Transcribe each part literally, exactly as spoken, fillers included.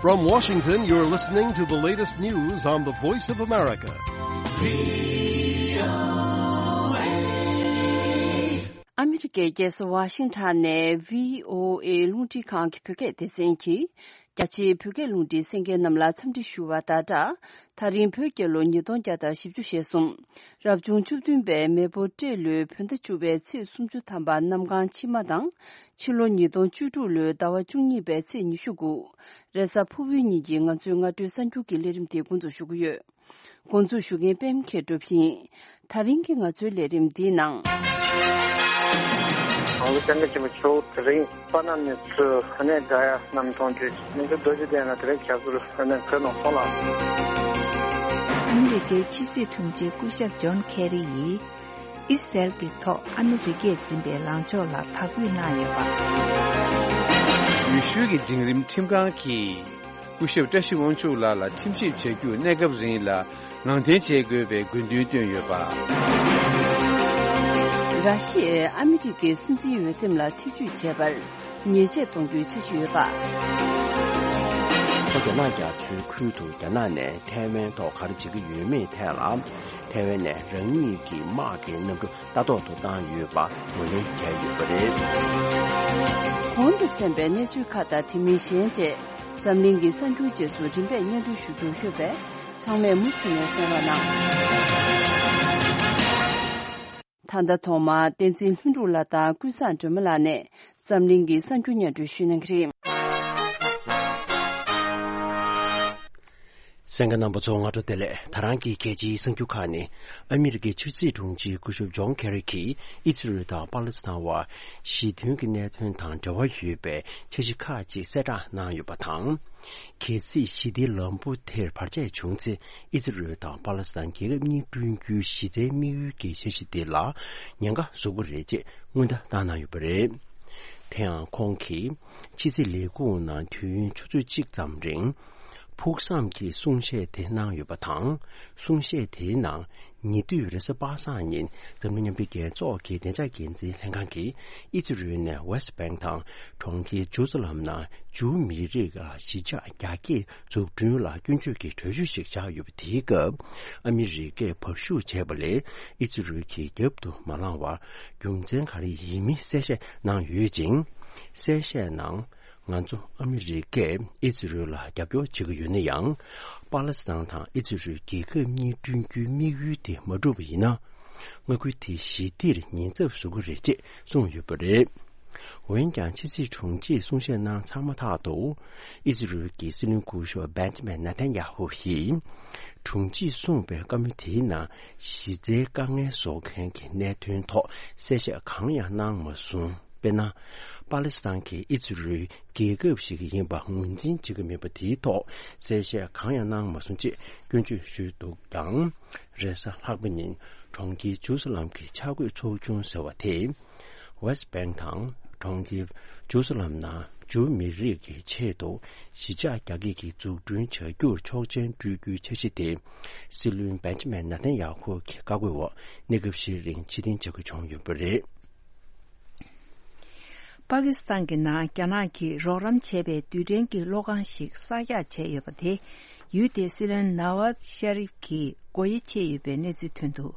From Washington, you're listening to the latest news on the Voice of America. ཨ་མི་རི་ཀའི་རྒྱལ་ས་ཝ་ཤིང་ཊོན་ནས་བྷི་ཨོ་ཨེ་རླུང་འཕྲིན་ཁང་གི་བོད་སྐད་སྡེ་ཚན་གྱིས། རྒྱ་ཆེའི་བོད་སྐད་རླུང་འཕྲིན་གསན་མཁན་རྣམས་ལ་འཚམས་འདྲི་ཞུ་བ་དང་སྦྲགས། ད་རིང་བོད་རྒྱལ་ལོ་ཉིས་སྟོང་བརྒྱ་དང་བཞི་བཅུ་ཞེ་གསུམ། རབ་བྱུང་བཅུ་བདུན་པའི་མེ་ཕོ་སྤྲེལ་ལོའི་བོད་ཟླ་བཅུ་པའི་ཚེས་སུམ་ཅུ་ཐམ་པ་གནམ་གང་ཕྱི་མ་དང་། ཕྱི་ལོ་ཉིས་སྟོང་བཅུ་དྲུག་ལོའི་ཟླ་བ་བཅུ་གཉིས་པའི་ཚེས་ཉི་ཤུ་དགུ། རེས་གཟའ་ཕུར་བུའི་ཉིན་གྱི་ང་ཚོའི་སྔ་དྲོའི་གསར་འགྱུར་གྱི་ལས་རིམ་དེ་འགོ་འཛུགས་ཞུ་གི་ཡོད། འགོ་འཛུགས་ཞུ་མཁན་པད་མ་མཁས་གྲུབ་ཡིན། ད་རིང་གི་ང་ཚོའི་ལས་རིམ་འདིའི་ནང་། གོང་ས་སྐྱབས་མགོན་ཆེན་པོ་མཆོག་དེ་རིང་པ་ན་མི་ཚོས་ཨ་ནེ་དགའ་ཡ་རྣམས་མཐོང་དུས་མི་ཚེ་རྡོ་རྗེ་གདན་ལ་དེ་རིང་ཞབས་སོར་ཨ་ནེ་བོད་ནང་སོང་ལ། ཨ་མི་རི་ཀའི་ཕྱི་སྲིད་དྲུང་ཆེ་སྐུ་ཞབས་ཇོན་ཁེ་རི་ཡིས་ཨི་སི་རལ་གྱི་ཐོག་ཨ་མི་རི་ཀས་འཛིན་པའི་ལངས་ཕྱོགས་ལ་དག་འབུལ་གནང་ཡོད་པ། འོས་ཤུལ་གྱི་འབྲིང་རིམ་ཁྲིམས་ཁང་གིས། སྐུ་ཞབས་བཀྲ་ཤིས་དབང་ཕྱུག་ལགས་ལ་ཁྲིམས་ཞིབ་བྱ་རྒྱུར་གནས་སྐབས་རིང་ལ་ངང་འཐེན་བྱེད་དགོས་པའི་དགོས་འདུན་བཏོན་ཡོད་པ། ར་ཤི་ཡས་ཨ་མི་རི་ཀའི་སྲིད་འཛིན་འོས་འདེམས་ལ་ཐེ་ཇུས་བྱས་པར་ཉེས་ཆད་གཏོང་རྒྱུའི་འཆར་གཞི་ཡོད་པ། ལྷོ་རྒྱ་ནག་རྒྱ་མཚོའི་ཁུལ་དུ་རྒྱ་ནག་ནས་ཐའེ་ཝན་ཐོག་ག་རེ་བྱེད་ཀྱི་ཡོད་མེད་ཐད་ལ། ཐའེ་ཝན་ནས་རང་ཉིད་ཀྱི་དམག་གི་གནམ་གྲུ་ལྟ་རྟོག་ཏུ་བཏང་ཡོད་པ་ངོས་ལེན་བྱས་ཡོད་པ་རེད། གོང་དུ་གསན་པའི་གནས་ཚུལ་ཁག་དང་དེ་མིན་གཞན་བཅས་འཛམ་གླིང་གི་གསར་འགྱུར་རྗེས་སུ་རིམ་པས་སྙན་སྒྲོན་ཞུ་རྒྱུར་ལྷོད་པས་ཚང་མས་མུ་མཐུད་ནས་གསན་རོགས་གནང་། ད་ལྟ་ཐོག་མར་བསྟན་འཛིན་ལྷུན་གྲུབ་ལགས་དང་ཀུན་བཟང་སྒྲོལ་མ་ལགས་ནས། འཛམ་གླིང་གི་གསར་འགྱུར་སྙན་སྒྲོན་ཞུ་གནང་གི་རེད། གསན་མཁན་རྣམ་པ་ཚོ་སྔ་དྲོ་བདེ་ལེགས། ད་རང་གི་གལ་ཆེའི་གསར་འགྱུར་ཁག་ནི། ཨ་མི་རི་ཀའི་ཕྱི་སྲིད་དྲུང་ཆེ་སྐུ་ཞབས་ཇོན་ཁེ་རི་གིས་ཨི་ཛི་རལ་དང་པ་ལི་སི་ཐན་བར་ཞི་མཐུན་གྱི་གནད་དོན་དང་འབྲེལ་བ་ཡོད་པའི་འཆར་གཞི་ཁག་ཅིག་གསལ་བསྒྲགས་གནང་ཡོད་པ་དང་། གལ་སྲིད་ཞི་བདེའི་ལམ་བུ་དེར་བར་ཆད་བྱུང་ཚེ། ཨི་ཛི་རལ་དང་པ་ལི་སི་ཐན་རྒྱལ་ཁབ་གཉིས་བསྐྲུན་རྒྱུའི་གཞི་རྩའི་དམིགས་ཡུལ་གྱི་འཆར་གཞི་དེ་ལ་ཉེན་ཁ་བཟོ་གི་རེད་ཅེས་སྔོན་བརྡ་བཏང་གནང་ཡོད་པ་རེད། དེ་ཡང་ཁོང་གིས་ཕྱི་སྲིད་ལས་ཁུངས་ནང་དུས་ཡུན་ཆུ་ཚོད་གཅིག་ཙམ་རིང་ཕུགས་བསམ་གྱི་གསུང་བཤད་དེ་གནང་ཡོད་པ་དང་། གསུང་བཤད་དེའི་ནང་ཉེ་དུས་རེས་གཟའ་པ་སངས་ཉིན་འཛམ་གླིང་མཉམ་འབྲེལ་རྒྱལ་ཚོགས་ཀྱི་བདེ་འཇགས་འགན་འཛིན་ལྷན་ཁང་གིས་ཨི་ཛི་རལ་ནས་ཝེ་སི་བེང་དང་གྲོང་ཁྱེར་ཇུ་ཟ་ལམ་ནང་ཇུའུ་མི་རིགས་ལ་གཞིས་ཆགས་རྒྱ་སྐྱེད་འཛུགས་སྐྲུན་ལ་སྐྱོན་བརྗོད་ཀྱི་གྲོས་ཆོད་ཞིག་བཞག་ཡོད་པ་དེའི་སྐབས། ཨ་མི་རི་ཀས་བར་ཞུགས་བྱས་པ་ལས་ཨི་ཛི་རལ་གྱིས་རྒྱབ་ཏུ་མ་བླངས་བར་རྒྱུ་མཚན་ག་རེ་ཡིན་མིན་གསལ་བཤད་གནང་ཡོད་ཅིང་། གསལ་བཤད་ནང་། ང་ཚོ་ཨ་མི་རི་ཀས་ཨི་ཛི་རལ་ལ་རྒྱབ་སྐྱོར་བྱེད་ཀྱི་ཡོད་ན་ཡང་། པ་ལི་སི་ཐན་དང་ཨི་ཛི་རལ་རྒྱལ་ཁབ་གཉིས་བསྐྲུན་རྒྱུའི་དམིགས་ཡུལ་དེ་མ་འགྲུབ་པ་ཡིན་ན། མངའ་ཁུལ་དེ་ཞི་བདེར་ཉེན་ཚབས་བཟོ་གི་རེད་ཅེས་གསུངས་ཡོད་པ་རེད། འོན་ཀྱང་ཕྱི་སྲིད་དྲུང་ཆེས་གསུང་བཤད་གནང་ཚར་མ་ཐག་ཏུ། ཨི་ཛི་རལ་གྱི་སྲིད་བློན་སྐུ་ཞབས་བེན་ཇ་མིན་ནེ་ཐན་ཡ་ཧུ་ཡིས། དྲུང་ཆེས་གསུངས་པའི་བཀའ་མོལ་དེའི་ནང་གཞི་རྩའི་དཀའ་ངལ་བཟོ་མཁན་གྱི་གནད་དོན་ཐོག་གསལ་བཤད་གང་ཡང་གནང་མ་སོང་། དཔེར་ན། པ་ལི་སི་ཐན་གྱིས་ཨི་ཛི་རལ་རྒྱལ་ཁབ་ཞིག་ཡིན་པ་ངོས་འཛིན་བྱེད་ཀྱི་མེད་པ་དེའི་ཐོག་གསལ་བཤད་གང་ཡང་གནང་མ་སོང་ཅེས་སྐྱོན་བརྗོད་ཞུས་འདུག་ཀྱང་། རེས་གཟའ་ལྷག་པ་ཉིན་གྲོང་ཁྱེར་ཇུ་ཟ་ལམ་གྱི་འཆར་འགོད་ཚོགས་ཆུང་ཟེར་བ་དེས། ཝེ་སི་བེང་དང་གྲོང་ཁྱེར་ཇུ་ཟ་ལམ་ནང་ཇུའུ་མི་རིགས་ཀྱི་ཆེད་དུ་གཞིས་ཆགས་རྒྱ་སྐྱེད་ཀྱི་འཛུགས་སྐྲུན་བྱ་རྒྱུར་ཆོག་མཆན་སྤྲོད་རྒྱུའི་འཆར་གཞི་དེ། སྲིད་བློན་བེན་ཇ་མིན་ནེ་ཐན་ཡ་ཧུ་གི་བཀའ་བཀོད་འོག་གནས་སྐབས་ཤིག་རིང་ཕྱིར་འཐེན་བྱ་དགོས་བྱུང་ཡོད་པ་རེད། པ་ཀི་སི་ཐན་གྱི་ནང་རྒྱ་ནག་གིས་རོགས་རམ་བྱས་པའི་རྡུལ་ཕྲན་གྱི་གློག་ཁང་ཞིག་གསར་རྒྱག་བྱས་ཡོད་པ་དེ། ཡུལ་དེའི་སྲིད་བློན་ནཱ་ཝཱཛ་ཤ་རིབ་ཀྱིས་སྒོ་དབྱེ་ཕྱེ་ཡོད་པའི་གནས་ཚུལ་ཐོན་འདུག་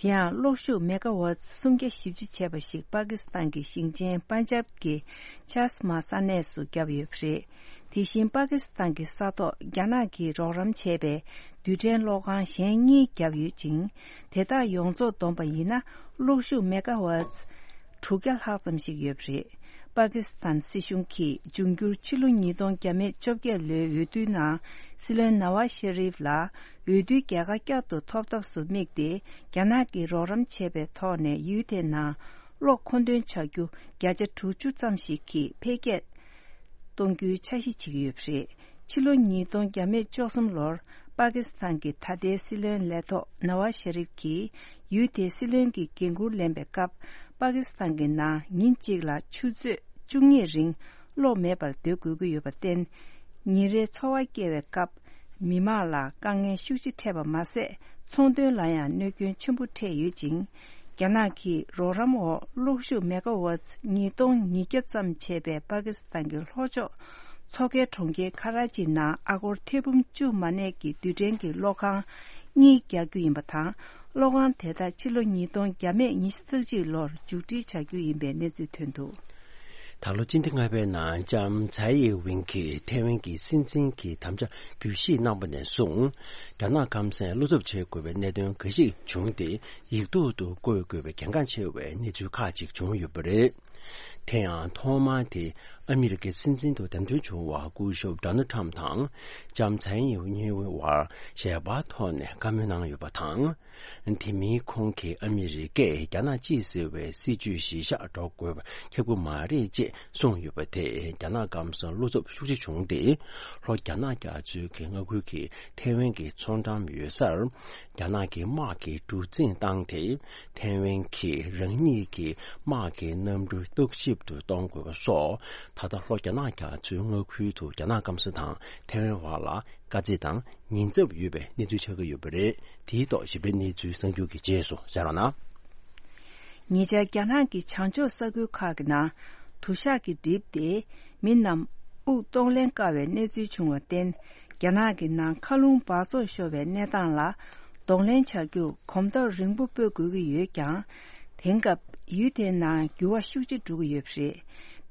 དེ་ཡང་གློག་ཤུགས་མེ་ག་ཝཱཊ་སུམ་བརྒྱ་བཞི་བཅུ་བྱས་པ་ཞིག་པ་ཀི་སི་ཐན་གྱི་ཞིང་ཆེན་པན་ཇབ་ཀྱི་ཆཱས་མཱ་ས་གནས་སུ་བརྒྱབ་ཡོད་པ་རེད། དེ་བཞིན་པ་ཀི་སི་ཐན་གྱི་ས་ཐོག་རྒྱ་ནག་གིས་རོགས་རམ་བྱས་པའི་རྡུལ་ཕྲན་གློག་ཁང་གཞན་གཉིས་བརྒྱབ་ཡོད་ཅིང་། དེ་དག་ཡོངས་རྫོགས་བསྡོམས་པ་ཡིན་ན་གློག་ཤུགས་མེ་ག་ཝཱཊ་དྲུག་བརྒྱ་ལྷག་ཙམ་ཞིག་ཡོད་པ་རེད། པ་ཀི་སི་ཐན་སྲིད་གཞུང་གིས་འབྱུང་འགྱུར་ཕྱི་ལོ་ཉིས་སྟོང་བརྒྱ་མེད་བཅོ་བརྒྱད་ལོའི་འོས་བསྡུའི་ནང་སྲིད་བློན་ནཱ་ཝཱ་ཤ་རིབ་ལ་འོས་བསྡུའི་རྒྱལ་ཁ་བསྐྱར་དུ་ཐོབ་ཐབས་སུ་དམིགས་ཏེ། རྒྱ་ནག་གིས་རོགས་རམ་བྱས་པའི་ཐོག་ནས་ཡུལ་དེའི་ནང་གློག་མཁོ་འདོན་བྱ་རྒྱུ་བརྒྱ་ཆ་དྲུག་ཅུ་ཙམ་ཞིག་གིས་འཕེལ་རྒྱས་གཏོང་རྒྱུའི་འཆར་གཞི་བྱེད་ཀྱི་ཡོད་པ་རེད། ཕྱི་ལོ་ཉིས་སྟོང་བརྒྱ་མེད་བཅུ་གསུམ་ལོར་པ་ཀི་སི་ཐན་གྱི་ད་ལྟའི་སྲིད་བློན་ལས་ཐོག་ནཱ་ཝཱ་ཤ་རིབ་ཀྱིས་ཡུལ་དེའི་སྲིད་བློན་གྱི་འགན་འཁུར་ལེན་པའི་སྐབས། པ་ཀི་སི་ཐན་གྱི་ནང་ཉིན་གཅིག་ལ་ཆུ་ཚོད་བཅུ་གཉིས་རིང་གློག་མེད་པར་སྡོད་དགོས་ཀྱི་ཡོད་པར་བརྟེན། ཉིན་རེའི་འཚོ་བ་སྐྱེལ་བའི་སྐབས། མི་མང་ལ་དཀའ་ངལ་ཤུགས་ཆེ་འཕྲད་པ་མ་ཟད། ཚོང་དོན་ལ་ཡང་གནོད་སྐྱོན་ཆེན་པོ་འཕྲད་ཡོད་ཅིང་། རྒྱ་ནག་གིས་རོགས་རམ་འོག་གློག་ཤུགས་མེ་ག་ཝཱཊ་ཉིས་སྟོང་ཉིས་བརྒྱ་ཙམ་བྱས་པའི་པ་ཀི་སི་ཐན་གྱི་ལྷོ་ཕྱོགས་ མཚོ་ཁའི་གྲོང་ཁྱེར་ཁ་ར་ཅི་ནང་ཨ་སྒོར་ཐེར་འབུམ་བཅུ་མ་གནས་ཀྱི་རྡུལ་ཕྲན་གྱི་གློག་ཁང་གཉིས་རྒྱག་རྒྱུ་ཡིན་པ་དང་། གློག་ཁང་དེ་དག་ཕྱི་ལོ་ཉིས་སྟོང་བརྒྱ་མེད་ཉི་ཤུ་རྩ་གཅིག་ལོར་མཇུག་སྒྲིལ་བྱ་རྒྱུ་ཡིན་པའི་གནས་ཚུལ་ཐོན་འདུག། ད་ལོ་སྤྱི་ཟླ་ལྔ་པའི་ནང་ལྕམ་ཚའེ་ཝིན་གྱིས་ཐའེ་ཝན་གྱི་སྲིད་འཛིན་གྱི་དམ་བཅའ་བརྒྱུད་བཞེས་གནང་པ་ནས་བཟུང་། རྒྱ་ནག་ཁམས་སངས་བློ་འཚབ་བྱེད་དགོས་པའི་གནད་དོན་འགའ་ཞིག་བྱུང་སྟེ། ཡིག་ཐོག་ཏུ་བཀོད་དགོས་པའི་གལ་འགངས་ཆེ་བའི་གནས་ཚུལ་ཁག་ཅིག་བྱུང་ཡོད་པ་རེད། དེ་ཡང་ཐོག་མར་དེ་ཨ་མི་རི་ཀའི་སྲིད་འཛིན་དུ་འདེམས་ཐོན་བྱུང་བ་སྐུ་ཞབས་ཌོ་ནལ་ཁྲམ་དང་ལྕམ་ཚའེ་ཝིན་གཉིས་བར་ཞལ་པར་ཐོག་ནས་བཀའ་མོལ་གནང་ཡོད་པ་དང་། དེ་མིན་ཁོང་གིས་ཨ་མི་རི་ཀས་རྒྱ་ནག་གཅིག་ཟེར་བའི་སྲིད་ཇུས་གཞིར་བཞག་འགྲོ་དགོས་པ་ཁྱབ་ཀྱི་མ་རེད་ཅེས་གསུངས་ཡོད་པ་དེས་རྒྱ་ནག་སྐམ་སར་བློ་འཚབ་ཤུགས་ཆེ་བྱུང་སྟེ། ལྷོ་རྒྱ་ནག་རྒྱ་མཚོའི་གི་མངའ་ཁུལ་གྱི་ཐའེ་ཝན་གྱི་མཚོ་འགྲམ་ཡོད་སར་རྒྱ་ནག་གི་དམག་གིས་གྲུ་གཟིངས་བཏང་སྟེ། ཐའེ་ཝན་གྱིས་རང་ཉིད་ཀྱི་དམག་གི་གནམ་གྲུ་བརྟག་ཞིབ་ཏུ་གཏོང་དགོས་པ་སོགས། ད་ལྟ་ལྷོ་རྒྱ་ནག་རྒྱ་མཚོའི་མངའ་ཁུལ་དུ་རྒྱ་ནག་སྐམ་ས་དང་ཐའེ་ཝན་བར་ལ་དཀའ་ཚེགས་དང་ཉེན་ཚབས་ཡོད་པའི་གནས་ཚུལ་ཆགས་ཀྱི་ཡོད་པ་རེད། དེའི་ཐོག་ཞིབ་ཕྲའི་གནས་ཚུལ་གསར་འགྱུར་གྱི་རྗེས་སུ་གསན་རོགས་གནང་། ཉེ་ཆར་རྒྱ་ནག་གི་བྱང་ཕྱོགས་ས་ཁུལ་ཁག་གི་ནང་དུ་ཞག་གིས་བསྒྲིབས་ཏེ། མི་རྣམས་དབུགས་གཏོང་ལེན་དཀའ་བའི་གནས་ཚུལ་བྱུང་བར་བརྟེན། རྒྱ་ནག་གི་ནང་མཁའ་རླུང་འབག་བཙོག་ཤོར་བའི་གནས་སྟངས་ལ་གདོང་ལེན་བྱ་རྒྱུར་གོམ་སྟབས་རིང་པོ་སྤོ་དགོས་ཀྱི་ཡོད་ཀྱང་། དེང་སྐབས་ཡུལ་དེའི་ནང་འགྱུར་བ་ཤུགས་ཆེ་འགྲོ་གི་ཡོད་པ་རེད།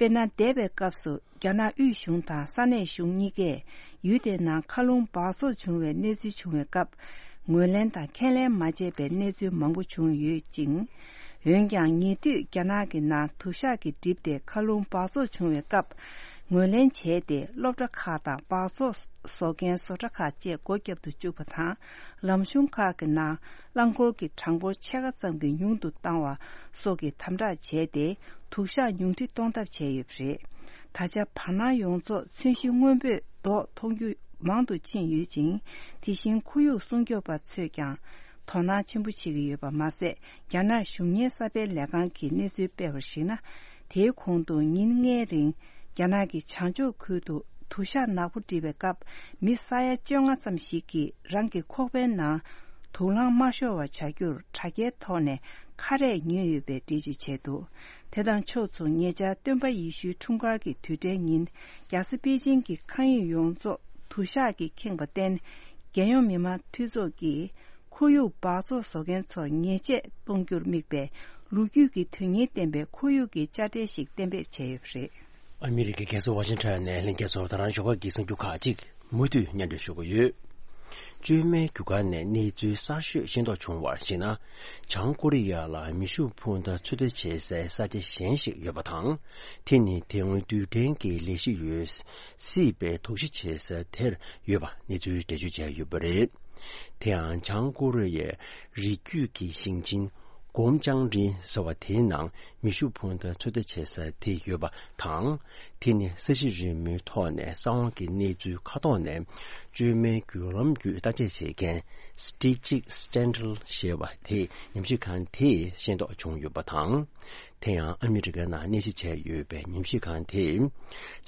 དཔེར་ན། འདས་པའི་སྐབས་སུ་རྒྱ་ནག་དབུས་གཞུང་དང་ས་གནས་གཞུང་གཉིས་ཀས་ཡུལ་དེའི་ནང་མཁའ་རླུང་འབག་བཙོག་བྱུང་བའི་གནས་ཚུལ་བྱུང་བའི་སྐབས། ངོས་ལེན་དང་ཁས་ལེན་མ་བྱས་པའི་གནས་ཚུལ་མང་པོ་བྱུང་ཡོད་ཅིང་། འོན་ཀྱང་། ཉེ་དུས་རྒྱ་ནག་གི་ནང་དུ་ཞག་གིས་བསྒྲིབས་ཏེ་མཁའ་རླུང་འབག་བཙོག་བྱུང་བའི་སྐབས། ངོས་ལེན་བྱས་ཏེ། སློབ་གྲྭ་ཁག་དང་འབག་བཙོག་བཟོ་མཁན་བཟོ་གྲྭ་ཁག་བཅས་སྒོ་བརྒྱབ་ཏུ་བཅུག་པ་དང་། ལམ་གཞུང་ཁག་གི་ནང་རླངས་འཁོར་གྱི་གྲངས་འབོར་ཕྱེད་ཀ་ཙམ་གྱིས་ཉུང་དུ་བཏང་བ་སོགས་ཀྱི་དམ་དྲག་བྱས་ཏེ། དུ་ཞག་ཉུང་འཕྲི་གཏོང་ཐབས་བྱས་ཡོད་པ་རེད། ད་ཆ་བར་སྣང་ཡོངས་རྫོགས་ཚོན་གཞི་སྔོན་པོས་མདོག་མཐོང་རྒྱུ་མང་དུ་ཕྱིན་ཡོད་ཅིང་། དེ་བཞིན་ཁོར་ཡུག་སྲུང་སྐྱོབ་པ་ཚོས་ཀྱང་དོ་སྣང་ཆེན་པོ་བྱེད་ཀྱི་ཡོད་པ་མ་ཟད། རྒྱ་ནག་གཞུང་གཉེར་གསར་སྤེལ་ལས་ཁང་གིས་གནས་ཚུལ་སྤེལ་བར་གཞིགས་ན། དེའི་གོང་དུ་ཉིན་ལྔའི་རིང་རྒྱ་ནག་གི་བྱང་ཕྱོགས་ཁུལ་དུ་དུ་ཞག་ནག་པོ་བསྒྲིབས་པའི་སྐབས། མི་ས་ཡ་བཅོ་ལྔ་ཙམ་ཞིག་གིས་རང་གི་ཁོག་པའི་ནང་དུག་རླངས་མ་ཤོར་བ་བྱ་རྒྱུར་དྲ་རྒྱའི་ཐོག་ནས་ཁ་རས་ཉོས་ཡོད་པའི་འགྲེལ་བརྗོད་བྱས་འདུག། དེ་དང་ཕྱོགས་མཚུངས། ཉེ་ཆར་སྟོན་པ་ཡེ་ཤུའི་འཁྲུངས་སྐར་གྱི་དུས་དྲན་ཉིན། རྒྱལ་ས་པེ་ཅིང་གི་མཁའ་དབྱིངས་ཡོངས་རྫོགས་དུ་ཞག་གིས་ཁེངས་པར་བརྟེན། རྒྱལ་ཡོངས་མི་དམངས་འཐུས་ཚོགས་ཀྱིས་ཁོར་ཡུག་འབག་བཙོག་བཟོ་མཁན་ཚོར་ཉེས་ཆད་གཏོང་རྒྱུར་དམིགས་པའི་ལོ་རྒྱུས་ཀྱི་དོན་སྙིང་ལྡན་པའི་ཁོར་ཡུག་གི་དཔྱ་ཁྲལ་ཞིག་གཏན་འབེབས་བྱས་ཡོད་པ་རེད། ཨ་མི་རི་ཀའི་རྒྱལ་ས་ཝ་ཤིང་ཊོན་ནས་ལྷན་རྒྱས་ཚོར་ད་རང་ཞོགས་ཀ་གི་གསར་འགྱུར་ཁག་ཅིག་མུ་མཐུད་སྙན་སྒྲོན་ཞུ་གི་ཡོད། བཅོས་མའི་རྒྱུ་སྐར་ནས་གནས་ཚུལ་གསར་ཤོས་ཤེས་རྟོགས་བྱུང་བར་གཞིགས་ན། བྱང་ཀོ་རི་ཡ་ལ་མེ་ཤུགས་འཕུར་མདའ་ཚོད་ལྟ་བྱེད་སའི་ས་ཆ་གཞན་ཞིག་ཡོད་པ་དང་། དེ་ནི་དེ་སྔོན་རྡུལ་ཕྲན་གྱི་ལས་གཞི་ཡོད་སྲིད་པའི་དོགས་གཞི་བྱེད་ས་དེར་ཡོད་པ་གནས་ཚུལ་འགྲེལ་བརྗོད་བྱས་ཡོད་པ་རེད། དེ་ཡང་བྱང་ཀོ་རི་ཡའི་རི་རྒྱུད་ཀྱི་ཞིང་ཆེན་གོམ་ཅང་རིན་ཟེར་བ་དེའི་ནང་མེ་ཤུགས་འཕུར་མདའ་ཚོད་ལྟ་བྱེད་ས་དེ་ཡོད་པ་དང་། དེ་ནི་ས་གཞི་རི་མོའི་ཐོག་ནས་གསང་བ་གི་གནས་ཚུལ་མཁའ་ཐོག་ནས་བཅོས་མའི་བརྒྱུད་ལམ་བརྒྱུད་བརྟག་དཔྱད་བྱེད་མཁན་Strategic Sentinel ཞེས་པ་དེ་ཉམས་ཞིབ་ཁང་དེས་ཤེས་རྟོགས་བྱུང་ཡོད་པ་དང་། དེ་ཡང་ཨ་མི་རི་ཀའི་ནང་གནས་གཞི་བྱས་ཡོད་པའི་ཉམས་ཞིབ་ཁང་དེས།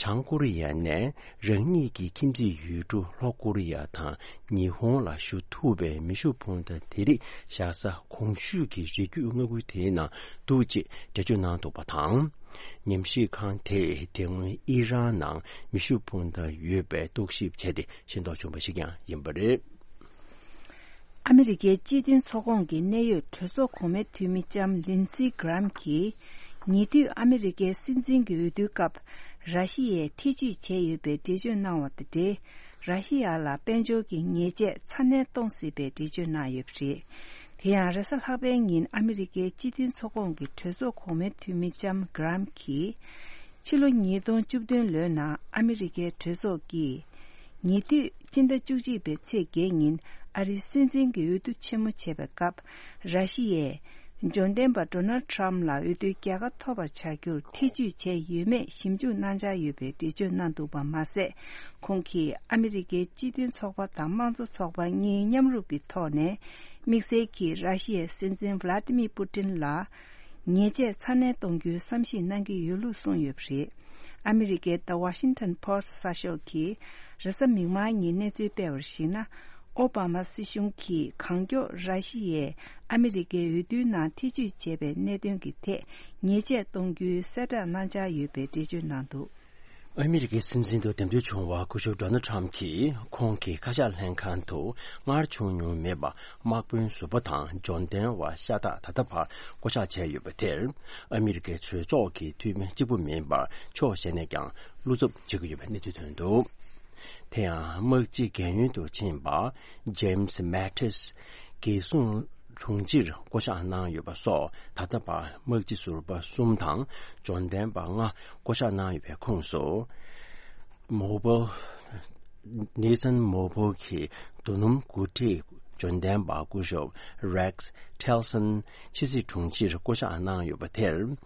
བྱང་ཀོ་རི་ཡ་ནས་རང་ཉིད་ཀྱི་ཁྱིམ་མཚེས་ཡུལ་གྲུ་ལྷོ་ཀོ་རི་ཡ་དང་ཉི་ཧོང་ལ་ཞུ་ཐུབ་པའི་མེ་ཤུགས་འཕུར་མདའ་དེ་རིགས་བཞག་ས་གོང་ཞུས་ཀྱི་རི་རྒྱུད་མངའ་ཁུལ་དེའི་ནང་འདུག་ཅེས་འགྲེལ་བརྗོད་གནང་འདུག་པ་དང་། ཉམས་ཞིབ་ཁང་དེས་དེ་སྔོན་ཨི་རན་ནང་མེ་ཤུགས་འཕུར་མདའ་ཡོད་པའི་རྟོག་ཞིབ་བྱས་ཏེ་ཤེས་རྟོགས་བྱུང་བ་ཞིག་ཀྱང་ཡིན་པ་རེད། ཨ་མི་རི་ཀའི་སྤྱི་མཐུན་ཚོགས་ཁོངས་ཀྱི་གནད་ཡོད་གྲོས་ཚོགས་གོང་མའི་འཐུས་མི་ལྕམ་ལིན་སི་གྷི་རམ་གྱིས། ཉེ་དུས་ཨ་མི་རི་ཀའི་སྲིད་འཛིན་གྱི་འོས་བསྡུའི་སྐབས། ར་ཤི་ཡས་ཐེ་ཇུས་བྱས་ཡོད་པའི་འགྲེལ་བརྗོད་གནང་བ་དང་འབྲེལ། ར་ཤི་ཡ་ལ་དཔལ་འབྱོར་གྱི་ཉེས་ཆད་ཚ་ནན་གཏོང་སྲིད་པའི་འགྲེལ་བརྗོད་གནང་ཡོད་པ་རེད། དེ་ཡང་། རེས་གཟའ་ལྷག་པའི་ཉིན་ཨ་མི་རི་ཀའི་སྤྱི་མཐུན་ཚོགས་ཁོངས་ཀྱི་གྲོས་ཚོགས་གོང་མའི་འཐུས་མི་ལྕམ་གྷི་རམ་གྱིས། ཕྱི་ལོ་ཉིས་སྟོང་བཅུ་བདུན་ལོའི་ནང་ཨ་མི་རི་ཀའི་གྲོས་ཚོགས་ཀྱིས། ཉེ་དུས་སྤྱི་ཟླ་བཅུ་གཅིག་པའི་ཚེས་བརྒྱད་ཉིན་ཨ་རིའི་སྲིད་འཛིན་གྱི་འོས་བསྡུ་ཆེན་མོ་བྱས་པའི་སྐབས། ར་ཤི་ཡས་འབྱོར་ལྡན་པ་ཌོ་ནལ་ཊམ་ལ་འོས་བསྡུའི་རྒྱལ་ཁ་ཐོབ་པར་བྱ་རྒྱུར་ཐེ་ཇུས་བྱས་ཡོད་མེད་ཞིབ་འཇུག་གནང་འཆར་ཡོད་པའི་འགྲེལ་བརྗོད་གནང་འདུག་པ་མ་ཟད། ཁོང་གིས་ཨ་མི་རི་ཀའི་སྤྱི་མཐུན་ཚོགས་པ་དང་དམངས་གཙོ་ཚོགས་པ་གཉིས་མཉམ་རུབ་ཀྱི་ཐོག་ནས། དམིགས་བསལ་གྱིས་ར་ཤི་ཡའི་སྲིད་འཛིན་ཝ་ལ་ཏི་མི་པུ་ཏིན་ལ། ཉེས་ཆད་ཚ་ནན་གཏོང་རྒྱུའི་བསམ་གཞིག་གནང་གི་ཡོད་ལུགས་གསུངས་ཡོད་པ་རེད། ཨ་མི་རི་ཀའི་The Washington Post གསར་ཤོག་གིས་རེས་གཟའ་མིག་དམར་ཉིན་གནས་ཚུལ་སྤེལ་བར་གཞིགས་ན། ཨོ་བྷ་མ་སྲིད་གཞུང་གིས་གང་མགྱོགས་ར་ཤི་ཡས་ཨ་མི་རི་ཀའི་འོས་བསྡུའི་ནང་ཐེ་ཇུས་བྱས་པའི་གནད་དོན་གྱི་ཐད་ཉེས་ཆད་གཏོང་རྒྱུའི་གསལ་བསྒྲགས་གནང་འཆར་ཡོད་པའི་འགྲེལ་བརྗོད་གནང་འདུག། ཨ་མི་རི་ཀའི་སྲིད་འཛིན་དུ་འདེམས་ཐོན་བྱུང་བ་སྐུ་ཞབས་ཌོ་ནལ་ཊམ་གྱིས་ཁོང་གི་བཀའ་ཤག་ལྷན་ཁང་དུ་སྔར་བྱུང་མྱོང་མེད་པ་དམག་དཔོན་ཟུར་པ་དང་འབྱོར་ལྡན་བ་ཤ་སྟག་ད་ལྟ་བར་བསྐོ་གཞག་བྱས་ཡོད་པ་དེར། ཨ་མི་རི་ཀའི་གྲོས་ཚོགས་ཀྱི་འཐུས་མི་གཅིག་པུ་མིན་པར་ཕྱོགས་གཞན་ནས་ཀྱང་བློ་འཚབ་བྱེད་ཀྱི་ཡོད་པའི་གནས་ཚུལ་ཐོན་འདུག་དེ་ཡང་དམག་སྤྱི་རྒན་ཡོལ་དུ་ཕྱིན་པ་ཇེམ་སི་མེ་ཏིས་རྒྱལ་སྲུང་དྲུང་ཆེར་བསྐོ་གཞག་གནང་ཡོད་པ་སོགས། ད་ལྟ་བར་དམག་སྤྱི་ཟུར་པ་གསུམ་དང་འབྱོར་ལྡན་པ་ལྔ་བསྐོ་གཞག་གནང་ཡོད་པའི་ཁོངས་སུ། མོ་བོལ། ནེ་ཐན་མོ་བོལ་གྱི་རྡོ་སྣུམ་འགོ་ཁྲིད་འབྱོར་ལྡན་པ་སྐུ་ཞབས་རེག་ཊི་ལ་སན་ཕྱི་སྲིད་དྲུང་ཆེར་བསྐོ་གཞག་གནང་ཡོད་པ་དེར།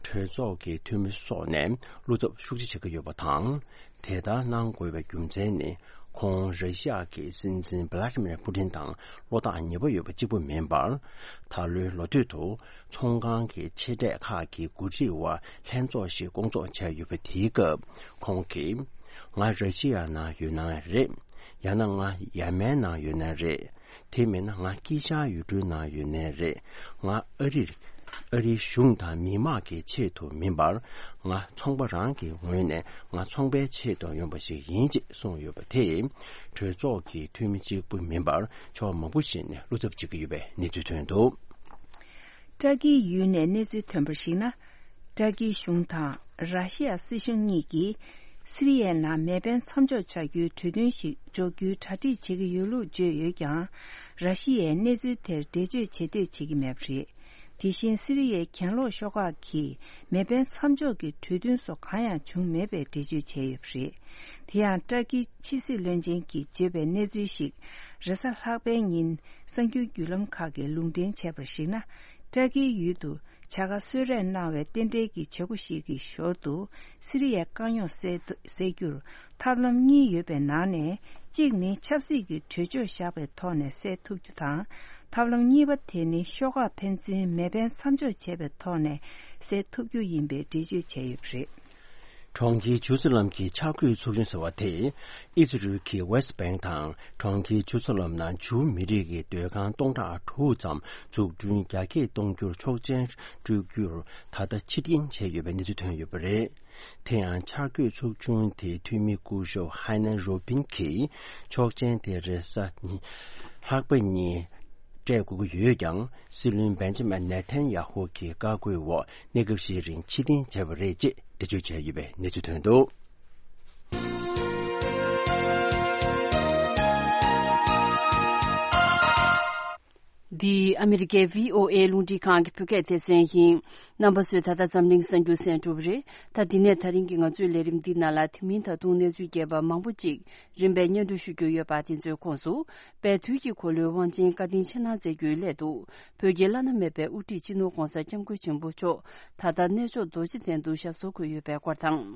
གྲོས་ཚོགས་ཀྱི་འཐུས་མི་སོགས་ནས་བློ་འཚབ་ཤུགས་ཆེ་བྱེད་ཀྱི་ཡོད་པ་དང་། དེ་ལྟར་གནང་དགོས་པའི་རྒྱུ་མཚན་ནི། ཁོང་ར་ཤི་ཡ་གི་སྲིད་འཛིན་བྷ་ལ་ཏི་མིར་པུ་ཏིན་དང་བློ་ཐག་ཉེ་པོ་ཡོད་པ་གཅིག་པུ་མིན་པར། ད་ལོའི་ལོ་སྟོད་དུ་ཚོང་ཁང་གི་ཆེ་གྲས་ཁག་གི་འགོ་ཁྲིད་བར་ལྷན་ཚོགས་ཤིག་བསྐོང་ཚོགས་བྱས་ཡོད་པ་དེའི་སྐབས་ཁོང་གིས། ང་ར་ཤི་ཡ་ནང་ཡོད་ན་རེད། ཡང་ན་ང་ཡ་མན་ནང་ཡོད་ན་རེད། དེ་མིན་ན་ང་དཀྱིལ་ཤར་ཡུལ་གྲུའི་ནང་ཡོད་ནའི་རེད། ང་ཨ་རིར། ཨ་རིའི་གཞུང་དང་མི་དམངས་ཀྱི་ཆེད་དུ་མིན་པར། ང་ཚོང་པ་རང་གི་ངོས་ནས་ང་ཚོང་པའི་ཆེད་དུ་ཡོང་པ་ཞིག་ཡིན་ཅེས་གསུངས་ཡོད་པ་དེས། གྲོས་ཚོགས་ཀྱི་འཐུས་མི་གཅིག་པུ་མིན་པར་ཕྱོགས་མང་པོ་ཞིག་ནས་བློ་འཚབ་བྱེད་ཀྱི་ཡོད་པའི་གནས་ཚུལ་ཐོན་འདུག་ཏྲ་ཀིའི་ཡུལ་ནས་གནས་ཚུལ་ཐོན་པར་གཞིགས་ན། ཏྲ་ཀིའི་གཞུང་དང་ར་ཤི་ཡ་སྲིད་གཞུང་གཉིས་ཀྱིས་སི་རི་ཡའི་ནང་མེ་འཕེན་མཚམས་འཇོག་བྱ་རྒྱུའི་གྲོས་མཐུན་ཞིག་འཇོག་རྒྱུའི་གྲ་སྒྲིག་བྱེད་ཀྱི་ཡོད་ལུགས་བརྗོད་ཡོད་ཀྱང་། ར་ཤི་ཡས་གནས་ཚུལ་དེར་འགྲེལ་བརྗོད་བྱེད་འདོད་བྱེད་ཀྱི་མེད་པ་རེད། དེ་བཞིན་སི་རི་ཡའི་གྱེན་ལོག་ཤོག་ཁག་གིས་མེ་འཕེན་མཚམས་འཇོག་གི་གྲོས་མཐུན་སོགས་གང་ཡང་བྱུང་མེད་པའི་འགྲེལ་བརྗོད་བྱས་ཡོད་པ་རེད། དེ་ཡང་ཏྲ་ཀིའི་ཕྱི་སྲིད་བློན་ཆེན་གྱིས་བརྗོད་པའི་གནས་ཚུལ་ཞིག་རེས་གཟའ་ལྷག་པའི་ཉིན་གསར་འགྱུར་བརྒྱུད་ལམ་ཁག་གིས་ལུང་འདྲེན་བྱས་པར་གཞིགས་ན། ཏྲ་ཀིའི་ཡུལ་དུ་བྱ་དགའ་གསོལ་རས་གནང་བའི་རྟེན་འབྲེལ་གྱི་བྱེད་སྒོ་ཞིག་གི་ཞོར་དུ་སི་རི་ཡའི་དཀའ་རྙོག་སེལ་སེལ་རྒྱུར་ཐབས་ལམ་གཉིས་ཡོད་པའི་ནང་ནས། གཅིག་ནི་ཆབ་སྲིད་ཀྱི་གྲོས་ཆོད་བཞག་པའི་ཐོག་ནས་སེལ་ཐུབ་རྒྱུ་དང་། ཐབས་ལམ་གཉིས་པ་དེ་ནི་ཤོག་ཁག་ཕན་ཚུན་མེ་འཕེན་མཚམས་འཇོག་བྱས་པའི་ཐོག་ནས་སེལ་ཐུབ་རྒྱུ་ཡིན་པའི་འགྲེལ་བརྗོད་བྱས་ཡོད་པ་རེད། གྲོང་ཁྱེར་ཇུ་སི་ལམ་གྱི་འཆར་འགོད་ཚོགས་ཆུང་ཟེར་བ་དེས། ཨི་ཟི་རུལ་གྱི་ཝེ་སི་བེང་དང་གྲོང་ཁྱེར་ཇུ་སི་ལམ་ནང་ཇུའུ་མི་རིགས་ཀྱི་སྡོད་ཁང་སྟོང་ཕྲག་དྲུག་ཙམ་འཛུགས་སྐྲུན་རྒྱ་སྐྱེད་གཏོང་རྒྱུར་ཆོག་མཆན་སྤྲོད་རྒྱུར་ད་ལྟ་ཕྱིར་འཐེན་བྱས་ཡོད་པའི་གནས་ཚུལ་ཐོན་ཡོད་པ་རེད། དེ་ཡང་འཆར་འགོད་ཚོགས་ཆུང་དེའི་འཐུས་མི་སྐུ་ཞབས་ཧའེ་ནན་རུ་པིན་གྱིས་ཆོག་མཆན་དེ་རེས་གཟའ་ཉི་ལྷག་པ་ཉིན་སྤྲད་དགོས་ཀྱི་ཡོད་ཀྱང་། སྲིད་བློན་བེན་ཇ་མིན་ནེ་ཐན་ཡ་ཧུ་གྱི་བཀའ་བཀོད་འོག་གནས་སྐབས་ཤིག་རིང་ཕྱིར་འཐེན་བྱས་པ་རེད་ཅེས་འགྲེལ་བརྗོད་བྱས་ཡོད་པའི་གནས་ཚུལ་ཐོན་འདུག་འདི་ཨ་མི་རི་ཀའི་བྷི་ཨོ་ཨེ་རླུང་འཕྲིན་ཁང་གི་བོད་སྐད་སྡེ་ཚན་ཡིན། རྣམ་པ་ཚོས་ད་ལྟ་འཛམ་གླིང་གསར་འགྱུར་གསན་གྲུབ་རེད། ད་འདི་ནས་ད་རིང་གི་ང་ཚོའི་ལས་རིམ་འདི་ནང་ལ་དེ་མིན་ད་དུང་གནས་ཚུལ་རྒྱས་པ་མང་པོ་ཅིག་རིམ་པས་སྙན་སྒྲོན་ཞུ་རྒྱུ་ཡོད་པ་དེ་ཚོའི་ཁོངས་སུ། དཔལ་དུས་ཀྱི་འཁོར་ལོའི་དབང་ཆེན་བཀའ་དྲིན་ཆེ་གནང་མཛད་རྒྱུའི་སླད་དུ། བོད་ཀྱི་བླ་ན་མེད་པའི་དབུ་ཁྲིད་སྤྱི་ནོར་༧གོང་ས་༧སྐྱབས་མགོན་ཆེན་པོ་མཆོག་ད་ལྟ་གནས་མཆོག་རྡོ་རྗེ་གདན་དུ་ཞབས་སོར་འཁོད་ཡོད་པའི་སྐོར་དང་།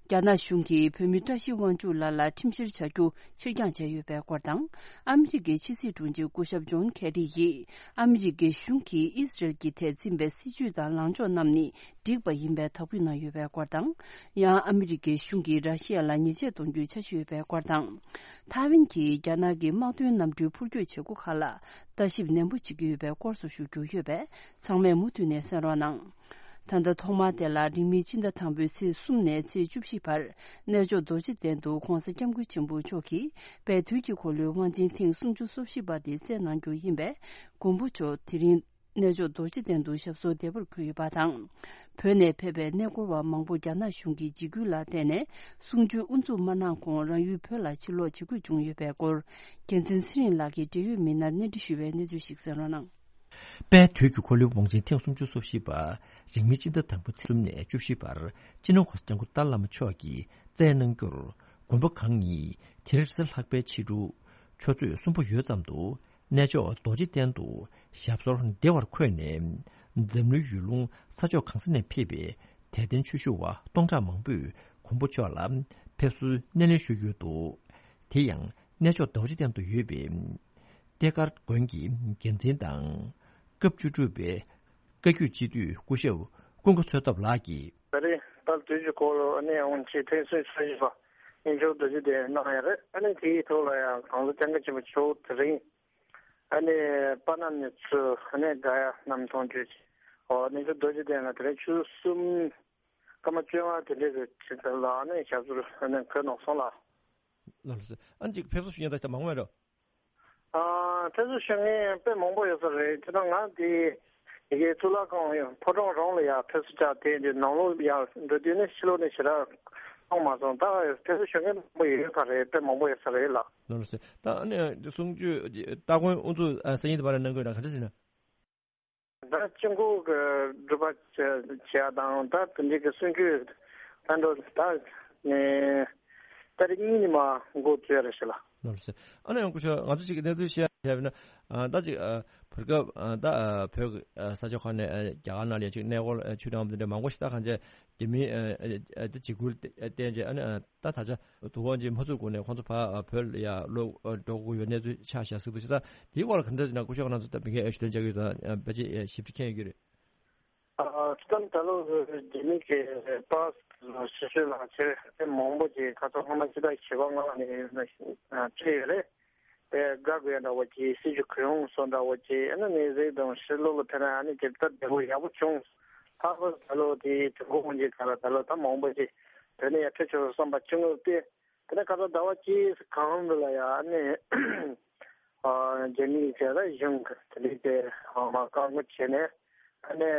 རྒྱ་ནག་གཞུང་གིས་བོད་མི་བཀྲ་ཤིས་དབང་ཕྱུག་ལགས་ལ་ཁྲིམས་བཤེར་བྱ་རྒྱུ་ཕྱིར་འགྱངས་བྱས་ཡོད་པའི་སྐོར་དང་། ཨ་མི་རི་ཀའི་ཕྱི་སྲིད་དྲུང་ཆེ་སྐུ་ཞབས་ཇོན་ཁེ་རི་ཡིས་ཨ་མི་རི་ཀའི་གཞུང་གིས་ཨི་སི་རེལ་གྱི་ཐད་འཛིན་པའི་སྲིད་བྱུས་དང་ལངས་ཕྱོགས་རྣམས་ནི་འགྲིག་པ་ཡིན་པའི་དག་འབུལ་གནང་ཡོད་པའི་སྐོར་དང་། ཡང་ཨ་མི་རི་ཀའི་གཞུང་གིས་ར་ཤི་ཡ་ལ་ཉེས་ཆད་གཏོང་རྒྱུའི་འཆར་གཞི་ཡོད་པའི་སྐོར་དང་། ཐའེ་ཝན་གྱིས་རྒྱ་ནག་གི་དམག་དོན་གནམ་གྲུའི་འཕུར་སྐྱོད་བྱེད་སྒོ་ཁག་ལ་ལྟ་ཞིབ་ནན་པོ་བྱེད་ཀྱི་ཡོད་པའི་སྐོར་སོགས་ཞུ་རྒྱུ་ཡོད་པས། ཚང་མས་མུ་མཐུད་ནས་གསན་རོགས་གནང་། ད་ལྟ་ཐོག་མར་དེ་ལ་རིང་མིན་ཕྱི་ཟླ་དང་པོའི་ཚེས་གསུམ་ནས་ཚེས་བཅུ་བཞི་བར་གནས་མཆོག་རྡོ་རྗེ་གདན་དུ་༧གོང་ས་༧སྐྱབས་མགོན་ཆེན་པོ་མཆོག་གིས་དཔལ་དུས་ཀྱི་འཁོར་ལོའི་དབང་ཆེན་ཐེངས་སུམ་ཅུ་སོ་བཞི་པ་དེ་བསྩལ་གནང་རྒྱུ་ཡིན་པས། མགོན་པོ་མཆོག་དེ་རིང་གནས་མཆོག་རྡོ་རྗེ་གདན་དུ་ཞབས་སོར་བདེ་བར་འཁོད་ཡོད་པ་དང་། བོད་ནས་ཕེབས་པའི་གནས་སྐོར་བ་མང་པོ་རྒྱ་ནག་གཞུང་གི་འཇིགས་སྐུལ་ལ་བརྟེན་ནས་གསུང་ཆོས་དབུ་འཛུགས་མ་གནང་གོང་རང་ཡུལ་བོད་ལ་ཕྱིར་ལོག་བྱེད་དགོས་བྱུང་ཡོད་པའི་སྐོར། རྒྱལ་མཚན་ཚེ་རིང་ལགས་ཀྱིས་འབྲེལ་ཡོད་མི་སྣར་གནས་འདྲི་ཞུས་པའི་གནས་ཚུལ་ཞིག་གསན་རོགས་གནང་། དཔལ་དུས་ཀྱི་འཁོར་ལོའི་དབང་ཆེན་ཐེངས་སུམ་ཅུ་སོ་བཞི་པ་རིང་མིན་སྤྱི་ཟླ་དང་པོ་ཚེས་གསུམ་ནས་བཅུ་བཞི་བར་སྤྱི་ནོར་༧གོང་ས་༧སྐྱབས་མགོན་ཏཱ་ལའི་བླ་མ་མཆོག་གིས་བསྩལ་གནང་རྒྱུར། དགོན་པ་གང་ཉིད་དེ་རིང་རེས་གཟའ་ལྷག་པའི་ཕྱི་དྲོ་ཆུ་ཚོད་གསུམ་པ་ཡོལ་ཙམ་དུ་གནས་མཆོག་རྡོ་རྗེ་གདན་དུ་ཞབས་སོར་བདེ་བར་འཁོད་ནས། འཛམ་གླིང་ཡུལ་ལུང་ས་ཕྱོགས་གང་ས་ནས་ཕེབས་པའི་དད་ལྡན་ཆོས་ཞུ་བ་སྟོང་ཕྲག་མང་པོས་མགོན་པོ་མཆོག་ལ་ཕེབས་བསུའི་སྣེ་ལེན་ཞུས་ཡོད་འདུག་དེ་ཡང་། གནས་མཆོག་རྡོ་རྗེ་གདན་དུ་ཡོད་པའི་བསྟན་དགའ་དགོན་གྱི་འགན་འཛིན་དང་། སྐབས་བཅུ་དྲུག་པའི་བཀའ་བརྒྱུད་སྤྱི་འཐུས་སྐུ་ཞབས་ཀུན་དགའ་འཚོ་ཐབས་ལགས་ཀྱིས། ད་རེས་དཔལ་དུས་ཀྱི་འཁོར་ལོ་ཨ་ནི་དབང་ཆེན་ཐེངས་སོ་བཞི་པ་གནས་མཆོག་རྡོ་རྗེ་གདན་གནང་ཡ་རེད། ཨ་ནི་དེའི་ཐོག་ལ་ཡང་༧གོང་ས་༧སྐྱབས་མགོན་ཆེན་པོ་མཆོག་དེ་རིང་ཨ་ནི་པ་ན་ནས་ཚུར་ཨ་ནི་ག་ཡ་གནམ་མཐོང་བརྒྱུད་ཨོ་གནས་མཆོག་རྡོ་རྗེ་གདན་ལ་དེ་རིང་ཆུ་ཚོད་གསུམ་ སྐར་མ་བཅོ་ལྔ་དེ་འདྲའི་གི་ཆེད་དུ་ལ་ནི་ཞབས་སོར་ནི་འཁོད་གནང་སོང་ལ། ལགས་སོ། ཨ་ནི་ཅིག་ཕེབས་བསུ་ཞུ་མཁན་ད་ལྟ་མང་བ་རེད། ཨ་ཕེབས་བསུ་ཞུ་མཁན་དཔེ་མང་པོ་ཡོད་ས་རེད། དེ་དང་ང་དེ་ཡི་གེ་གཙུག་ལག་ཁང་ཕོ་བྲང་རང་ལ་ཡ་ཕེབས་བསུ་བྱ་དེ་འདི་ནང་ལོགས་ཡ་འགྲོ་དུས་ནི་ཕྱི་ལོགས་ནས་ཞེ་དྲག་གཏོང་མ་སོང་། ད་ཕེབས་བསུ་ཞུ་མཁན་མང་པོ་ཡོད་ས་རེད། དཔེ་མང་པོ་ཡོད་ས་རེད་ལགས། ལགས་སོ། ད་ཨ་ནི་གསུང་ཆོས་སྟ་གོན་དབུ་འཛུགས་ཨ་སང་ཉིན་དུ་བར་གནང་དགོས་ན་ག་འདྲ་ཟེར་ན། ད་དཔྱི་མགོ་གི་སྒྲུབ་པ་བྱེད་ཡ་དང་ད་དེ་འདྲའི་གི་གསུང་ཆོས་ད་འགྲོ་ད་ནས་ད་རེས་གཉིས་ནས་མ་འགོ་བཙུགས་ཡ་རེད་ཤག་ལགས། ལགས་སོ། ཨ་ནི་ཡང་སྐུ་ཞབས་ང་ཚོ་གཅིག་གི་གནས་ཚུལ་བཤད་ཡ་བྱས་པ་ན་ཨ་ད་ཅིག་ཨ་བར་སྐབས་ཨ་ད་ཨ་བོད་ཀྱི་ཨ་ས་ཆ་ཁག་ནས་ཨ་རྒྱ་གར་ནང་ལ་ཡང་ཅིག་གནས་སྐོར་ཨ་ཆོས་དྲངས་པ་དེ་འདྲ་མང་པོ་ཞིག་ད་གང་བྱས་རྒྱ་མིའི་ཨ་ཨ་ཨ་ད་འཇིགས་སྐུལ་བསྟན་བྱས་ཨ་ནི་ཨ། ད་ད་ཆ་དུས་འཁོར་གྱི་མ་ཚུགས་གོང་ནས་ཁོང་ཚོ་ཕར་བོད་ལ་ཡ་ལོག་འགྲོ་དགོས་ཡོད་གནས་ཚུལ་ཆགས་བཞག་ཟེར་འདུག་ཅེས་ད་དེའི་སྐོར་ལ་ག་འདྲ་ཞིག་ན་སྐུ་ཞབས་ང་ཚོ་ད་མི་སྒེར་ཞུ་དོན་བྱ་རྒྱུ་དང་ཕལ་ཆེར་ཞིབ་ཕྲ་མཁྱེན་ཡོད་ཀྱི་རེད། ཨ་སྤྱིར་བཏང་ད་ལོ་རྒྱ་མི་གི་པཱ་སི་ཕྱི་སྲོལ་ལག་ཁྱེར་དེ་མང་པོ་ཅིག་ཁ་སང་སྔོན་མ་ཕྱི་ཟླ་བཞི་པ་ལྔ་པ་ནས་སྤྲད་ཡོད་རེད། དེ་དགའ་དགོས་ཡ་འདྲ་བོ་ཅིག་སྲིད་ཇུས་གུ་ཡངས་སོགས་འདྲ་བོ་ཅིག་ཨ་ནི་ནས་གཟིགས་དང་ཕྱི་ལོགས་ལ་ཕེབས་ན་ཨ་ནི་ཇི་ལྟར་བདེ་པོ་ཡག་པོ་བྱུང་། ལྷག་པར་ད་ལོ་དེའི་དུས་འཁོར་དབང་ཆེན་སྒང་ལ་ད་ལོ་ད་མང་པོ་ཅིག་བོད་ནས་ཡར་ཕེབས་ཆོག་བསམ་པ་བྱུང་ཡོད་དེ། དེ་ནས་ཁ་སང་ཟླ་བ་གཅིག་གོང་དུ་ལ་ཡ་ཨ་ནི་རྒྱ་མིའི་བྱས་ལ་གཞུང་གི་དེ་འདྲའི་དེ་མ་བཀག་འགོག་བྱས་ནས་ཨ་ནི་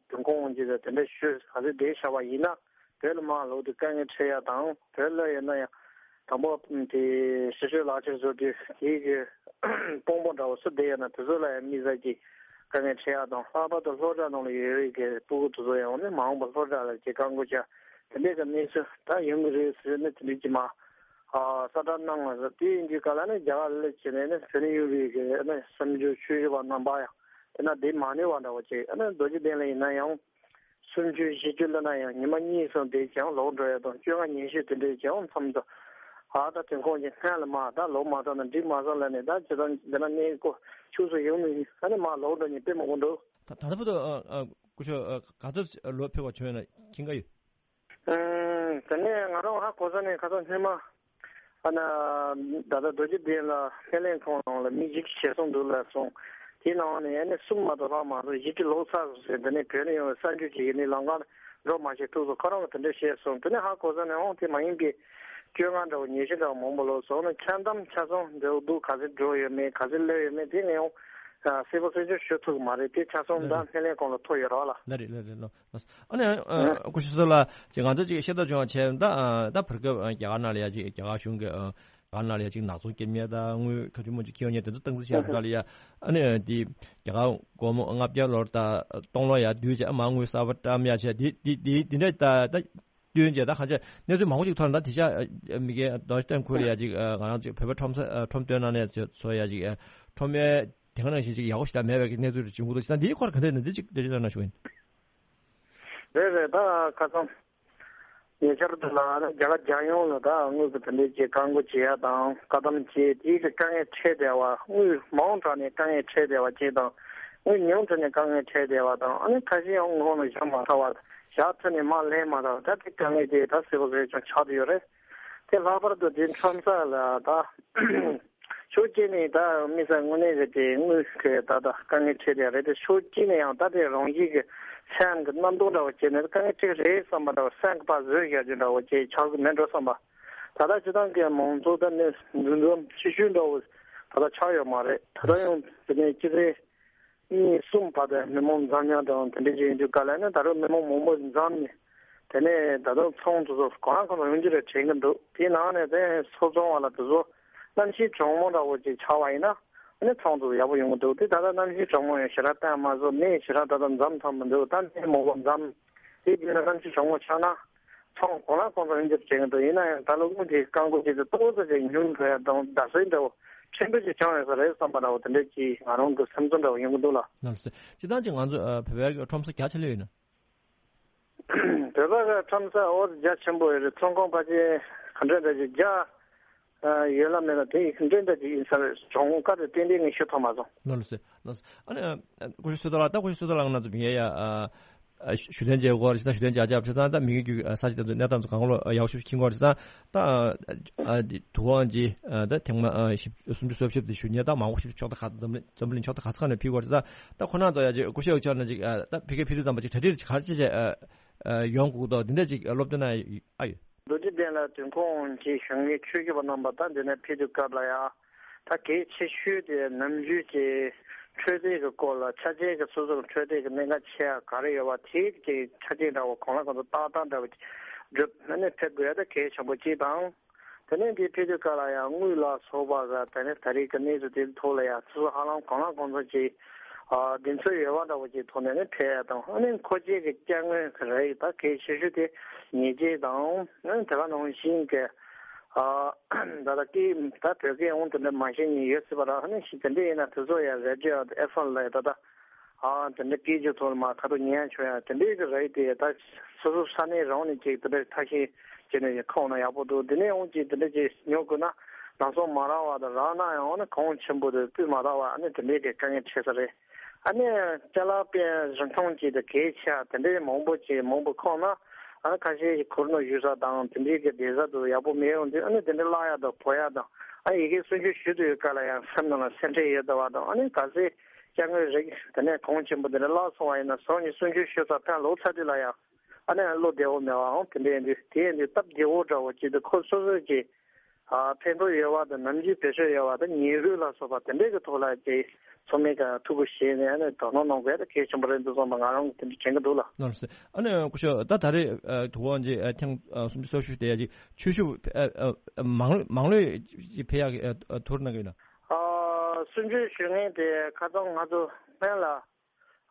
དུས་འཁོར་དབང་ཆེན་དེ་དེ་འདྲ་ཞུ་ག་ཚོད་བསྡད་བཞག་པ་ཡིན་ན། བོད་ལ་མར་ལོག་དུས་དཀའ་ངལ་འཕྲད་ཡ་དང་། བོད་ལ་ཡོད་ན་ཡང་དང་པོ་དེ་ཕྱི་སྲོལ་ལག་ཁྱེར་བཟོ་དུས་དེའི་གི་དཔང་པོ་འདྲ་བོ་སུ་བསྡད་ཡོད་ན་དེ་ཚོ་ལ་ཡང་དམིགས་བསལ་གྱི་དཀའ་ངལ་འཕྲད་ཡ་དང་། ལྷག་པར་དུ་སློབ་གྲྭ་ནང་ལ་ཡོད་རིགས་ཀྱི་སྤུ་གུ་དེ་ཚོ་ཡང་ནི་མ་འོངས་པར་སློབ་གྲྭ་ལ་ཅིག་བཀག་འགོག་བྱ་དེ་འདྲའི་གི་གནས་ཚུལ་ད་ཡོང་གི་རེད་ཟེར་ནས་དེ་འདྲའི་ཅིག་མ་ཨ་གསལ་བསྒྲགས་གནང་བ་རེད། དེ་ཡིན་དུས་ག་ལ་ནི་རྒྱ་གར་ལ་བྱས་ནས་ནི་བོད་ནས་ཡོང་རིགས་ཀྱི་ནི་གསར་འབྱོར་ཆོས་ཞུ་བ་རྣམ་པ་ཡང་དེ་ན་བསྡད་མ་ནུས་པ་འདྲ་བོ་ཅིག་ཨ་ནི་རྡོ་རྗེ་གདན་ལ་ཡིན་ན་ཡང་། སུམ་ཅུ་བཞི་བཅུ་ལབ་ན་ཡང་ཉི་མ་གཉིས་གསུམ་དེ་ཀྱང་ལོག་འགྲོ་ཡ་དང་བཅོ་ལྔ་ཉི་ཤུ་དེ་འདྲའི་ཀྱང་མཚམས་དུ་ཨ་ད་དུས་འཁོར་གྱི་སྔན་ལ་མ་ད་ལོག་མ་ཐུབ་ན་འགྲིག་མ་སོང་ལབ་ནས་ད་ཇི་ལྟར་འདི་ན་གནས་སྐོར་ཕྱུགས་སུ་ཡོང་མི་ཨ་ནི་མ་ལོག་འགྲོ་མཁན་དཔེ་མང་པོ་འདུག་ད་ད་ལྟ་བར་དུ་ཨ་ཨ་སྐུ་ཞབས་ཨ་ག་ཚོད་ལོག་ཕེབས་པ་བྱུང་ཡོད་ན་མཁྱེན་གྱི་ཡོད། ཨ་དེ་ནས་ང་རང་ཧ་གོ་ས་ནས་ཁ་སང་སྔོན་མ། ཨ་ན། ད་ལྟ་རྡོ་རྗེ་གདན་ལ་སྨན་བླའི་ཁང་ནང་ལ་མི་བཞི་བཅུ་ཞེད་སོང་འདུག་ལབ་སོང་། དེའི་ནང་ནས་ཨ་ནི་གསུམ་མ་གཏོགས་ལྷག་མ་སོང་། བཞི་བཅུ་ལོག་ཚར་སོང་ཟེར། དེ་ནས་བོད་ནས་ཡོང་བའི་གསར་འགྱུར་ཅིག་ཡིན་ནི་ལམ་ཁར་འགྲོ་མ་ཤེས་ཐུག་སོང་། ཁོ་རང་གིས་དེ་འདྲ་བཤད་སོང་། དེ་ནས་ཧ་གོ་ས་ནས་འོང་དེ་མ་ཡིན་པའི་བཅོ་ལྔ་འདྲ་བོ་ཉི་ཤུ་འདྲ་བོ་མང་པོ་ལོག་སོང་། ཨ་ནི་འཆར་གདམ་ཆ་ཚང་འདྲ་བོ་འདུག་ག་ཚོད་འགྲོ་ཡོད་མེད་ག་ཚོད་སླེབས་ཡོད་མེད་དེ་ངས་ཡང་གསལ་པོ་གསལ་རྐྱང་ཞུ་ཐུབ་ཀྱི་མ་རེད། དེ་ཆ་ཚང་ད་སྨན་བླའི་ཁང་ལ་ཐོ་ཡོད་རེད་བ་ལགས། ལགས་རེད་ལགས་རེད་ལགས། ཨ་ནི་ཨ་སྐུ་ཞབས་ཚོ་ལ་ཅིག་ང་ཚོ་ཅིག་ཤེས་རྟོགས་བྱུང་བ་བྱས་ད་ཨ་ད་བར་སྐབས་ཨ་རྒྱ་གར་ནང་ལ་ཡ་ཅིག་རྒྱ་གར་གཞུང་གི་ཨ་རྒྱ་གར་ནང་ལ་ཡ་ཅིག་ནག་ཚོང་སྐྱེལ་མཁན་དང་དངུལ་ག་ཚོད་མང་པོ་ཅིག་འཁྱེར་ཡོང་མཁན་དེ་ཚོ་སྟངས་འཛིན་བྱས་པ་ལ་ཡ་ཨ་ནི་དེ་རྒྱ་གར་སྒོར་མོ་ལྔ་བརྒྱ་ལོར་ད་སྟོང་ལོར་ཡ་བསྡུས་བྱས་ཨ་མ་དངུལ་གསར་པ་བཀྲམ་ཡ་བྱས་དེ་དེ་དེ་དེ་འདྲ་ད་ད་བསྟུན་བྱས་ད་གང་ཅི་གནས་ཚུལ་མང་པོ་ཅིག་ཐོན་ད་དེ་ཤ་མི་སྒེར་རྡོ་རྗེ་གདན་ཁུལ་ལ་ཡ་ཅིག་ང་རང་ཅིག་བོད་པ་ཁྲོམ་ས་ཁྲོམ་སྟོན་ནང་ནས་ཚོ་ཡ་ཅིག་ཁྲོམ་ཡ་དེ་ག་ནང་བཞིན་ཅིག་ཡག་པོ་ཞིག་ད་མེད་པའི་གནས་ཚུལ་རེ་བྱུང་གི་འདུག་ད་འདིའི་སྐོར་ག་འདྲ་ཡིན་ན་འདི་ཅིག་འགྲེལ་བརྗོད་གནང་ཞུ་ཡིན། རེད་རེད། ད་ཁ་སང་ཉེ་ཆར་དུ་ལ་རྒྱ་གར་རྒྱལ་ཡོངས་ལ་ད་དངུལ་གྱི་དེ་འདྲའི་ཅིག་བཀག་འགོག་བྱེད་ཡ་དང་བཀག་སྡོམ་བྱེད་དེའི་གི་དཀའ་ངལ་འཕྲད་བསྡད་པ། དངུལ་མང་དྲགས་ནས་དཀའ་ངལ་འཕྲད་བསྡད་པ་ཅིག་དང་། དངུལ་ཉུང་དྲགས་ནས་དཀའ་ངལ་འཕྲད་བསྡད་པ་དང་། ཨ་ནི་ཁ་ཤས་ཡང་དངུལ་ཁང་ལ་བཞག་མ་ཐུབ་པ། བཞག་ཐུབ་ནས་མར་ལེན་མ་ཐུབ་པ། ད་དེ་དཀའ་ངལ་དེ་ད་གསལ་པོ་གསལ་རྐྱང་ཆགས་བསྡད་ཡོད་རེད། དེ་ལྷག་པར་དུ་དེ་ཁྲོམ་ས་ལ་ད་ཕྱོགས་གཅིག་ནས་ད་དམིགས་བསལ་དངོས་གནས་རེད་དེ་དངུལ་གི་ད་ད་དཀའ་ངལ་འཕྲད་བསྡད་རེད་དེ། ཕྱོགས་གཅིག་ནས་ཡང་ད་དེ་རང་བཞིན་གྱི་སེམས་ཀྱི་རྣམ་རྟོག་འདྲ་བོ་བྱས་ནས་དཀའ་ངལ་འཕྲད་ཀྱི་རེད་བསམ་པ་འདྲ་བོ། སེམས་ཀྱི་ཕར་བཟོས་བཞག་རྒྱུ་འདྲ་བོ་བྱས་ཆགས་ཀྱི་མེད་འགྲོ་བསམ་པ། ད་ལྟ་སྤྱིར་བཏང་གི་མང་ཚོགས་ད་ནི་འདུ་འཛོམས་ཆེ་ཤོས་འདྲ་བོ་ད་ལྟ་ཆགས་ཡོད་མ་རེད། ད་ལྟ་ཡང་དེ་ནས་སྤྱི་ཚེས་གཉིས་གསུམ་བར་དུ་མི་མང་འཛོམས་ཡག་དང་དེ་འདྲ་ཅིག་ཡིན་དུས་ག་ལ་ནི་ད་རུང་མི་མང་མང་པོ་འཛོམས་ནས་དེ་ནས་ད་དུང་ཚོང་དེ་ཚོ་གང་ལ་གང་འཚམ་ཡོང་རྒྱུ་རེད་དྲན་གྱི་འདུག་དེའི་ནང་ནས་དེ་ཚོང་བཟོ་བ་ལ་དེ་ཚོ་གནམ་གཤིས་གྲང་མོ་འདྲ་བོ་ཅིག་ཆགས་པ་ཡིན་ན་ཨ་ནི་ཚོང་དེ་ཚོ་ཡག་པོ་ཡོང་གི་འདུག་དེ་ད་ལྟ་གནམ་གཤིས་གྲང་མོ་ཡང་ཞེ་དྲག་བསྟན་མ་བཟོ། མི་ཞེ་དྲག་ད་ལྟ་འཛོམས་ཐུབ་མི་འདུག་ད་མི་མང་པོ་འཛོམས་དེ་བྱས་ན་གནམ་གཤིས་གྲང་མོ་ཆགས་ན། ཚོང་གང་ལ་གང་འཚམ་ཡོང་རྒྱུ་དྲན་གྱི་འདུག་ཡིན་ན་ཡང་ད་ལོ་དངུལ་དེ་བཀག་འགོག་བྱས་ཏེ་ཏོག་ཙམ་ཅིག་ཉུང་འགྲོ་ཡ་དང་བརྡབ་གསིག་འདྲ་བོ་ཕྲན་བུ་ཅིག་བྱུང་ཡོད་ས་རེད་བསམ་པ་འདྲ་བོ་དེ་འདྲ་ཅིག་ང་རང་གི་སེམས་ཚོར་འདྲ་བོ་ཡོང་གི་འདུག་ལགས། ལགས་སོ། སྤྱིར་བཏང་ཅིག་ང་ཚོ་ཨ་བོད་པའི་ཁྲོམ་ས་རྒྱ་ཆེ་ལོས་ཡོད་ན། བོད་པ་གི་ཁྲོམ་ས་འོ་རྒྱ་ཆེན་པོ་ཡོད་རེད། ཚོང་ཁང་ཕལ་ཆེར་ག་འདྲ་འདྲ་ཅིག་རྒྱ་ཨ་ཡོད་ལ་མེད་ལ་དེ་ཡི་ག་འདྲ་འདྲ་ཅིག་ཡིན་ས་རེད། གྲངས་ཀ་དེ་ཏན་ཏན་ངས་ཤེས་ཐུབ་མ་སོང་། ལགས་སོ། ལགས་སོ། ཨ་ནི་ཨ་སྐུ་ཞབས་བསོད་རྡོར་ལགས། ད་སྐུ་ཞབས་བསོད་རྡོར་ལགས་ང་ཚོ་མི་ཡ་ཨ་ཨ་ཞུ་དོན་བྱེད་སྐོར་ཞིག་དང་ཞུ་དོན་བྱ་བྱ་བྱས་ཙང་ད་མི་གི་རྒྱུད་ཨ་ས་ཆ་དེ་ཚོ་གནས་སྟངས་ཚོ་གང་ལོ་ཨ་ཡག་ཤོས་ཤིག་མཁྱེན་སྐོར་བྱས་ཙང་ད་ཨ་ཨ་དུས་དབང་གི་ཨ་ད་ཐེངས་མ་ཨ་བཞི་སུམ་ཅུ་སོ་བཞི་དེ་ཞུ་མཁན་ད་མང་པོ་ཞིག་ཕྱོགས་ད་ག་འཛམ་གླིང་འཛམ་གླིང་ཕྱོགས་ད་ག་ས་ག་ནས་ཕེབས་སྐོར་བྱས་ཙང་ད་ཁོ་རང་ཚོ་ཡ་ཅིག་སྐུ་ཞབས་ཕྱོགས་ནས་ཅིག་ཨ་ད་ཕ་གིར་ཕེབས་དུས་ཙམ་པ་ཅིག་གྲ་སྒྲིག་ཅིག་ག་རེ་བྱས་བྱས་ཨ། ཡོང་དགོས་འདུག་འདི་འདྲ་ཅིག་སློབ་སྟོན་གནང་ཡོད་ཨ་ཡོད། རྡོ་རྗེ་གདན་ལ་དུས་འཁོར་དབང་ཆེན་གཞུང་གི་ཆོས་ཞུ་བ་རྣམ་པ་དང་འདི་ནས་ཕེབས་དུས་སྐབས་ལ་ཡང་ད་གལ་ཆེ་ཤོས་དེ་ནམ་རྒྱུན་གྱི་འཕྲོད་བསྟེན་གྱི་སྐོར་ལ་ཆ་རྐྱེན་གྱི་སོ་སོར་འཕྲོད་བསྟེན་གྱི་གནད་འགག་ཆེ་ཡ་ག་རེ་ཡོད་པ་དེའི་གི་ཆ་རྐྱེན་འདྲ་བོ་གང་ལ་གང་འཚམ་ཏག་ཏག་འདྲ་བོ་བསྒྲུབས་ནས་ཕེབས་དགོས་ཡ་ད་གལ་ཆེན་པོ་གཅིག་དང་། དེ་ནས་འདི་ཕེབས་དུས་སྐབས་ལ་ཡང་དངུལ་ལ་སོགས་པ་ག་ད་ནི་ད་རེས་ཀྱི་གནས་ཚུལ་དེའི་ཐོག་ལ་ཡང་སོ་སོ་ཧ་ལམ་གང་ལ་གང་འཚམ་ཅིག་ཨ་གདེང་ཚོད་ཡོད་པ་འདྲ་བོ་ཅིག་ཐོག་ནས་ནི་ཕེབས་ཡ་དང་ཨ་ནི་མཁོ་ཆས་ཀྱི་སྐྱ་དངོས་ཀྱི་རིགས་ད་གལ་ཆེ་ཤོས་དེ་ཉལ་ཆས་དང་ཨ་ནི་དེ་ག་ནང་བཞིན་གྱི་ཨ་ད་ལྟ་སྐད་ད་བོད་སྐད་འོང་དེ་འདྲ་མ་ཤེས་མཁན་ཡོད་སྲིད་པ་ར་ཨ་ནི་ཞིག་དེ་འདྲ་ཡིན་ན་དེ་ཚོ་ཡང་རེ་ཌི་ཡོ་ཨེཕ་ཨེམ་ལ་ད་ལྟ། ཨ་དེ་འདྲ་སྐད་ཆ་ཐོག་ལ་མ་ཁ་ཐུག་ཉན་ཆོག་ཡ་དེ་འདྲའི་གི་རེད་དེ་ད་སོ་སོ་ས་གནས་རང་ནས་ཅིག་དེ་འདྲ་ཐ་ཤལ་བྱས་ནས་ཁོང་ན་ཡག་པོ་འདུག་དེ་ནས་འོང་ཅིག་དེ་འདྲ་ཅིག་ཉོ་དགོས་ན་ལམ་སང་མ་རག་པ་དང་རག་ན་ཡང་ཨ་ནི་གོང་ཆེན་པོ་དེ་སྤུས་མ་དག་པ་ཨ་ནི་དེ་འདྲའི་གི་དཀའ་ངལ་འཕྲད་ས་རེད། ཨ་ནི་ཅ་ལག་དཔེ་རིན་ཐང་ཅིག་དང་གལ་ཆེ་ཡ་དེ་འདྲའི་མང་པོ་ཅིག་མང་པོ་ཁོང་ན་ཨ་ནི་ཁ་ཤས་ཀྱི་གུར་ནང་བཞུགས་ས་དང་དེ་འདྲའི་གི་བསྡད་ས་དུ་ཡག་པོ་མེད་འོང་དུས་ཨ་ནི་དེ་འདྲ་བརླག་ཡ་དང་བོར་ཡ་དང་ཨ་ཡི་གེ་སུན་ཆོད་ཞུ་དུས་ཡོད་ག་ལ་ཡང་སེམས་ནང་ལ་སེམས་ཁྲལ་ཡོད་དུ་བ་དང་ཨ་ནི་ག་ཚད། སྐྱ་དངོས་རིགས་དེ་ནས་གོང་ཆེན་པོ་དེ་འདྲ་བརླག་སོང་བ་ཡིན་ན་ཟོག་གཉིས་སུན་ཆོད་ཞུ་ས་ཕན་ལོག་ཚར་དུས་ལ་ཡང་ཨ་ནི་བློ་བདེ་བོ་མེད་པའང་དེ་འདྲ་ཡིན་དུས་དེ་ཡིན་དུས་སྟབས་བདེ་བོ་འདྲ་བོ་ཅིག་ཏུ་ཁོ་སོ་སོ་གྱིས་ཨ་ཕན་ཐོགས་ཡོད་པ་དང་ནམ་རྒྱུན་བེད་སྤྱོད་ཡོད་པ་དང་ཉེས་འགོག་ལ་སོགས་པ་དེ་འདྲའི་གི་ཐོག་ལ་ཅིག་ཚང་མས་ཀྱང་ཐུགས་ཁུར་བཞེས་ནས་ཨ་ནི་དོ་སྣང་གནང་དགོས་ད་གལ་ཆེན་པོ་རེད་འདུག་བསམ་པ་ང་རང་གི་དེ་འདྲ་དྲན་གྱི་འདུག་ལ། ལགས་སོ། ཨ་ནི་སྐུ་ཞབས་ད་ད་རེས་དུས་དབང་ཅིག་ཐེངས་སུམ་ཅུ་སོ་བཞི་དེ་ཡ་ཅིག་ཆོས་ཞུ་མང་མང་ལོས་ཅིག་ཕེབས་ཡག་གི་ཐུགས་རེ་གནང་གི་ཡོད་ན། ཨ་སུམ་ཅུ་ཞུ་མཁན་དེ་ཁ་སང་ང་ཚོ་སྨན་ལ་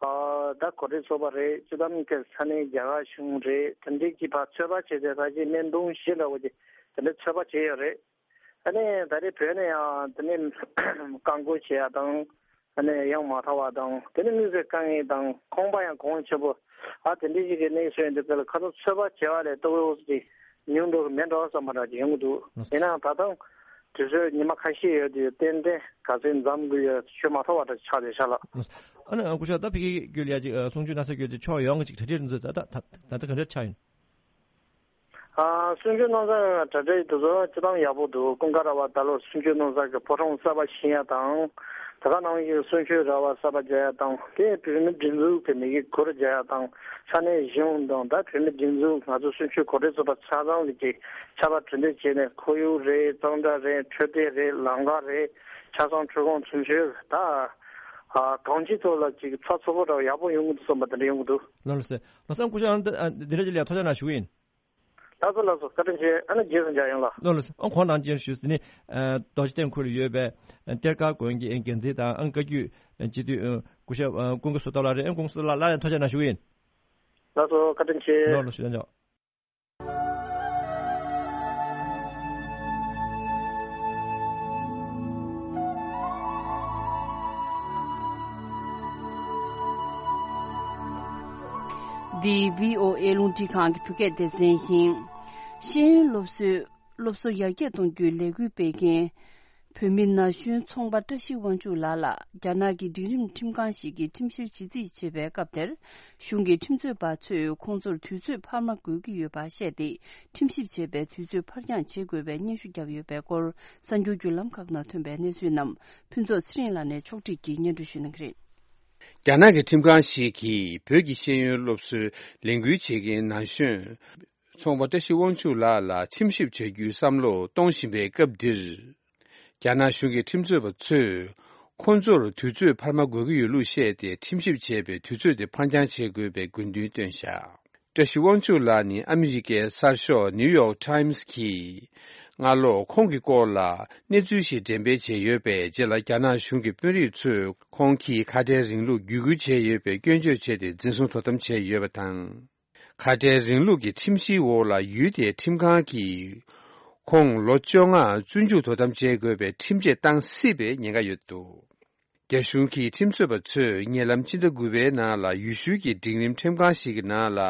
ཨ་ད་གོ་སྒྲིག་ཚོགས་པ་རེད། སྤྱི་བཏང་གི་ས་གནས་རྒྱ་གར་གཞུང་རེད། དེ་འདྲའི་གི་ཕར་ཚོད་དཔག་བྱས་ཏེ་ཕལ་ཆེར་སྨན་དུང་བཞི་འདྲ་བོ་ཅིག་དེ་འདྲ་ཚོད་དཔག་བྱས་ཡོད་རེད། ཨ་ནི་ད་རེས་བོད་ནས་ཡང་དེ་ནས་རྐང་འཁོར་བྱེད་ཡ་དང་། ཨ་ནི་ཡང་མ་ཐར་བ་དང་དེ་ནི་དངུལ་རྩིས་དཀའ་ངལ་དང་ཁང་པ་ཡང་གོང་ཆེན་པོ་ཨ་དེ་འདྲའི་ཞིག་གི་གནས་ཚུལ་ཡིན་དུས་ག་ལ་ཁ་ཐུག་ཚོད་དཔག་བྱས་པ་ལས་ལྟོ་གོས་ཀྱི་ཉུང་འགྲོ་གི་མེད་འགྲོ་བསམ་པ་འདྲ་ཅིག་ཡོང་གི་འདུག་ཡིན་ནའང་ད་ཐེངས་དུས་ཚོད་ཉི་མ་ཁ་ཤས་ཡོད་དུས་ཏན་ཏན་ག་ཚོད་འཛོམས་དགོས་ཡོད་ཤོད་མ་ཐུབ་པ་འདྲ་ཆགས་བསྡད་ཤག་ལགས། ཨ་ནི་སྐུ་ཞབས་ད་ཕ་གི་བརྒྱུད་ལ་ཡ་ཅིག་གསུང་ཆོས་གནང་ས་བརྒྱུད་དེ་ཕྱོགས་ཡོངས་ཀྱི་ཅིག་གྲ་སྒྲིག་འདི་ཚོ་ད་ད་ད་ད་ག་འདྲ་ཆགས་ཡིན། ཨ་གསུང་ཆོས་གནང་ས་གྲ་སྒྲིག་དེ་ཚོ་སྤྱི་བཏང་ཡག་པོ་འདུག་ཀུན་དགའ་ར་བ་ད་ལོ་གསུང་ཆོས་གནང་ས་གི་ཕོ་བྲང་གསར་པ་ཕྱིན་ཡ་དང་། ད་ག་ནང་བཞིན་གསུང་ཆོས་ར་བ་གསར་པ་རྒྱག་ཡ་དང་དེ་བོད་མི་སྒྲིག་འཛུགས་ཀྱི་མི་གི་གུར་རྒྱག་ཡ་དང་ས་གནས་གཞུང་དང་ད་བོད་མི་སྒྲིག་འཛུགས་ང་ཚོ་གསུང་ཆོས་གོ་སྒྲིག་ཚོགས་པ་ཆ་ཚང་གི་ཅིག་ཆར་པ་གྲུ་འདེགས་བྱས་ནས་ཁོར་ཡུག་རེད། གཙང་སྦྲ་རེད། འཕྲོད་བསྟེན་རེད། ལམ་ཁ་རེད། ཆ་ཚང་འཕྲུལ་ཁང་ཚུན་ཆོད་ད་གང་ཅིའི་ཐོག་ལ་ཅིག་ཚགས་ཚུད་པོ་འདྲ་བ་ཡག་པོ་ཡོང་གི་འདུག་བསམ་པ་དེ་འདྲ་ཡོང་གི་འདུག་ལགས་ལགས་སོ། ལགས་སོ། ཨ་སྐུ་ཞབས་ཨ་ནི་འདི་འདྲ་ཅིག་ལ་ཐུགས་རྗེ་གནང་ཞུ་གི་ཡིན། ལགས་སོ་ལགས་སོ། བཀའ་དྲིན་ཆེ། ཨ་ནི་རྗེས་སུ་མཇལ་ཡོང་ལགས། ལགས་ལགས་སོ། ཨ་ཁོང་རྣམས་ཀྱིས་ཞུས་ཟིན་ནི། རྡོ་རྗེ་གདན་ཁུལ་ཡོད་པའི་གཏེར་ཁ་དགོན་གྱི་འགན་འཛིན་དང་ཨ་བཀའ་བརྒྱུད་སྤྱི་འཐུས་སྐུ་ཞབས་ཀུན་དགའ་བསོད་རྡོར་ལགས་རེད། ཨ་ཀུན་དགའ་བསོད་རྡོར་ལགས་ལ་ཡང་ཐུགས་རྗེ་གནང་ཞུ་གི་ཡིན། ལགས་སོ། བཀའ་དྲིན་ཆེ། ལགས་ལགས་སོ། ཡང་ཆོག་འདི་བྷི་ཨོ་ཨེ་རླུང་འཕྲིན་ཁང་གི་བོད་སྐད་སྡེ་ཚན་ཡིན། ཤེས་ཡོན་སློབ་གསོའི་སློབ་གསོ་ཡར་རྒྱས་གཏོང་རྒྱུའི་ལས་འགུལ་སྤེལ་མཁན། བོད་མི་ན་གཞོན་ཚོང་པ་བཀྲ་ཤིས་དབང་ཕྱུག་ལགས་ལ་རྒྱ་ནག་གི་སྒྲིག་རིམ་ཁྲིམས་ཁང་ཞིག་གིས་ཁྲིམས་བཤེར་བྱེད་རྩིས་བྱེད་པའི་སྐབས་དེར། གཞུང་གི་ཁྲིམས་རྩོད་པ་ཚོས་ཁོང་ཚོར་དུས་ཚོད་འཕར་མ་དགོས་ཀྱི་ཡོད་པ་བཤད་དེ། ཁྲིམས་ཞིབ་བྱེད་པའི་དུས་ཚོད་འཕར་འགྱངས་བྱེད་དགོས་པའི་སྙན་ཞུ་བརྒྱབ་ཡོད་པའི་སྐོར། གསར་འགྱུར་བརྒྱུད་ལམ་ཁག་ནང་ཐོན་པའི་གནས་ཚུལ་རྣམས་ཕུན་ཚོགས་ཚེ་རིང་ལགས་ནས་ཕྱོགས་སྒྲིག་གིས་སྙན་སྒྲོན་ཞུ་གནང་གི་རེད། རྒྱ་ནག་གི་ཁྲིམས་ཁང་ཞིག་གིས་བོད་ཀྱི་ཤེས་ཡོན་སློབ་གསོའི་ལས་འགུལ་བྱེད་མཁན་ན་གཞོན། ཚོང་པ་བཀྲ་ཤིས་དབང་ཕྱུག་ལགས་ལ་ཁྲིམས་ཞིབ་བྱ་རྒྱུའི་བསམ་བློ་གཏོང་བཞིན་པའི་སྐབས་འདིར། རྒྱ་ནག་གཞུང་གི་ཁྲིམས་རྩོད་པ་ཚོས། ཁོང་ཚོར་དུས་ཚོད་འཕར་མ་དགོས་ཀྱི་ཡོད་ལུགས་བཤད་དེ་ཁྲིམས་ཞིབ་བྱེད་པའི་དུས་ཚོད་དེ་འཕར་འགྱངས་བྱེད་དགོས་པའི་དགོས་འདུན་བཏོན་བཞག་བཀྲ་ཤིས་དབང་ཕྱུག་ལགས་ནི་ཨ་མི་རི་ཀའི་གསར་ཤོག་ནིའུ་ཡོག་ཊའིམ་སི་གིས་སྔ་ལོ་ཁོང་གི་སྐོར་ལ་གནས་ཚུལ་ཞིག་འགྲེམས་སྤེལ་བྱས་ཡོད་པའི་རྗེས་ལ། རྒྱ་ནག་གཞུང་གི་དཔོན་རིགས་ཚོས་ཁོང་གིས་ཁ་བྲལ་རིང་ལུགས་བརྒྱུད་སྐུལ་བྱས་ཡོད་པའི་སྐྱོན་བརྗོད་བྱས་ཏེ་འཛིན་བཟུང་དོ་དམ་བྱས་ཡོད་པ་དང་། ཁ་བྲལ་རིང་ལུགས་ཀྱི་ཁྲིམས་གཞིའི་འོག་ལ་ཡུལ་དེའི་ཁྲིམས་ཁང་གིས་ཁོང་ལོ་བཅོ་ལྔ་བཙོན་འཇུག་དོ་དམ་བྱེད་དགོས་པའི་ཁྲིམས་ཆད་བཏང་སྲིད་པའི་ཉེན་ཁ་ཡོད་འདུག་རྒྱ་གཞུང་གི་ཁྲིམས་རྩོད་པ་ཚོས་ཉེ་ལམ་ཕྱི་ཟླ་དགུ་པའི་ནང་ལ་ཡུལ་ཤུལ་གྱི་འབྲིང་རིམ་ཁྲིམས་ཁང་ཞིག་གི་ནང་ལ།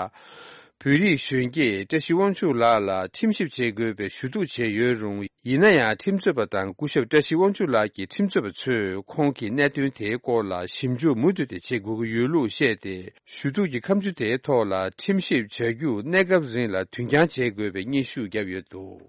བོད་རིགས་གཞོན་སྐྱེས་བཀྲ་ཤིས་དབང་ཕྱུག་ལགས་ལ་ཁྲིམས་ཞིབ་བྱེད་དགོས་པའི་ཞུ་གཏུག་བྱས་ཡོད་རུང་། ཡིན་ན་ཡང་ཁྲིམས་རྩོད་པ་དང་སྐུ་ཞབས་བཀྲ་ཤིས་དབང་ཕྱུག་ལགས་ཀྱི་ཁྲིམས་རྩོད་པ་ཚོས་ཁོང་གི་གནད་དོན་དེའི་སྐོར་ལ་ཞིབ་འཇུག་མུ་མཐུད་དེ་བྱེད་དགོས་ཀྱི་ཡོད་ལུགས་བཤད་དེ། ཞུ་གཏུག་གི་ཁ་མཆུ་དེའི་ཐོག་ལ་ཁྲིམས་ཞིབ་བྱ་རྒྱུ་གནས་སྐབས་རིང་ལ་དུས་འགྱངས་བྱེད་དགོས་པའི་སྙན་ཞུ་བརྒྱབ་ཡོད་འདུག་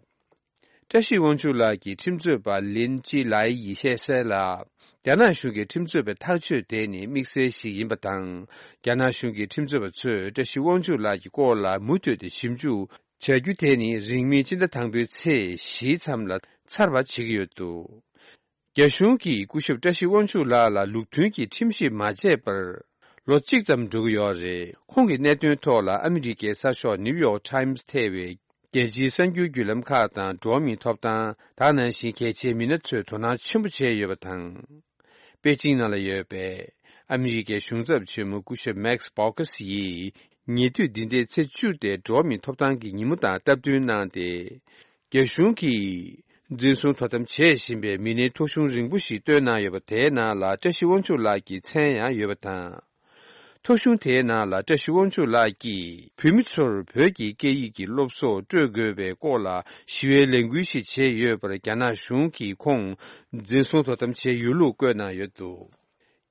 བཀྲ་ཤིས་དབང་ཕྱུག་ལགས་ཀྱི་ཁྲིམས་རྩོད་པ་ལིན་ཅི་ལའི་ཡིས་བཤད་གསལ་ལ། རྒྱ་ནག་གཞུང་གི་ཁྲིམས་རྩོད་པའི་ཐག་གཅོད་དེ་ནི་དམིགས་བསལ་ཞིག་ཡིན་པ་དང་། རྒྱ་ནག་གཞུང་གི་ཁྲིམས་རྩོད་པ་ཚོས་བཀྲ་ཤིས་དབང་ཕྱུག་ལགས་ཀྱི་སྐོར་ལ་མུ་མཐུད་དེ་ཞིབ་འཇུག་བྱ་རྒྱུ་དེ་ནི་རིང་མིན་སྤྱི་ཟླ་དང་པོའི་ཚེས་བཞིའི་མཚམས་ལ་ཚར་བ་བྱེད་ཀྱི་ཡོད་འདུག་རྒྱ་གཞུང་གིས་སྐུ་ཞབས་བཀྲ་ཤིས་དབང་ཕྱུག་ལགས་ལ་ལུགས་མཐུན་གྱི་ཁྲིམས་ཞིབ་མ་བྱས་པར་ལོ་གཅིག་ཙམ་འགྲོ་གི་ཡོད་རེད། ཁོང་གི་གནད་དོན་ཐོག་ལ་ཨ་མི་རི་ཀའི་གསར་ཤོག་ནིའུ་ཡོག་ཊའིམ་ཐེ་བའི་རྒྱལ་སྤྱིའི་གསར་འགྱུར་བརྒྱུད་ལམ་ཁག་དང་འགྲོ་བ་མིའི་ཐོབ་ཐང་དེ་ནང་བཞིན་གལ་ཆེའི་མི་སྣ་ཚོས་དོ་སྣང་ཆེན་པོ་བྱས་ཡོད་པ་དང་། པེ་ཅིང་ནང་ལ་ཡོད་པའི་ཨ་མི་རི་ཀའི་གཞུང་ཚབ་ཆེན་མོ་སྐུ་ཞབས་མེག་སི་བྷོ་ཁ་སི་ཡིས་ཉེ་དུས་འདི་ཟླའི་ཚེས་བཅུ་སྟེ་འགྲོ་བ་མིའི་ཐོབ་ཐང་གི་ཉིན་མོ་དང་སྟབས་བསྟུན་གནང་སྟེ། རྒྱ་གཞུང་གིས་འཛིན་བཟུང་དོ་དམ་བྱེད་བཞིན་པའི་མི་སྣའི་ཐོ་གཞུང་རིང་པོ་ཞིག་བཏོན་གནང་ཡོད་པ་དེའི་ནང་ལ་བཀྲ་ཤིས་དབང་ཕྱུག་ལགས་ཀྱི་མཚན་ཡང་ཡོད་པ་དང་། ཐོ་གཞུང་དེའི་ནང་ལ་བཀྲ་ཤིས་དབང་ཕྱུག་ལགས་ཀྱིས་བོད་མི་ཚོར་བོད་ཀྱི་སྐད་ཡིག་གི་སློབ་གསོ་སྤྲོད་དགོས་པའི་སྐོར་ལ་ཞི་བའི་ལས་འགུལ་ཞིག་བྱས་ཡོད་པར་རྒྱ་ནག་གཞུང་གིས་ཁོང་འཛིན་བཟུང་དོ་དམ་བྱས་ཡོད་ལུགས་བཀོད་གནང་ཡོད་འདུག་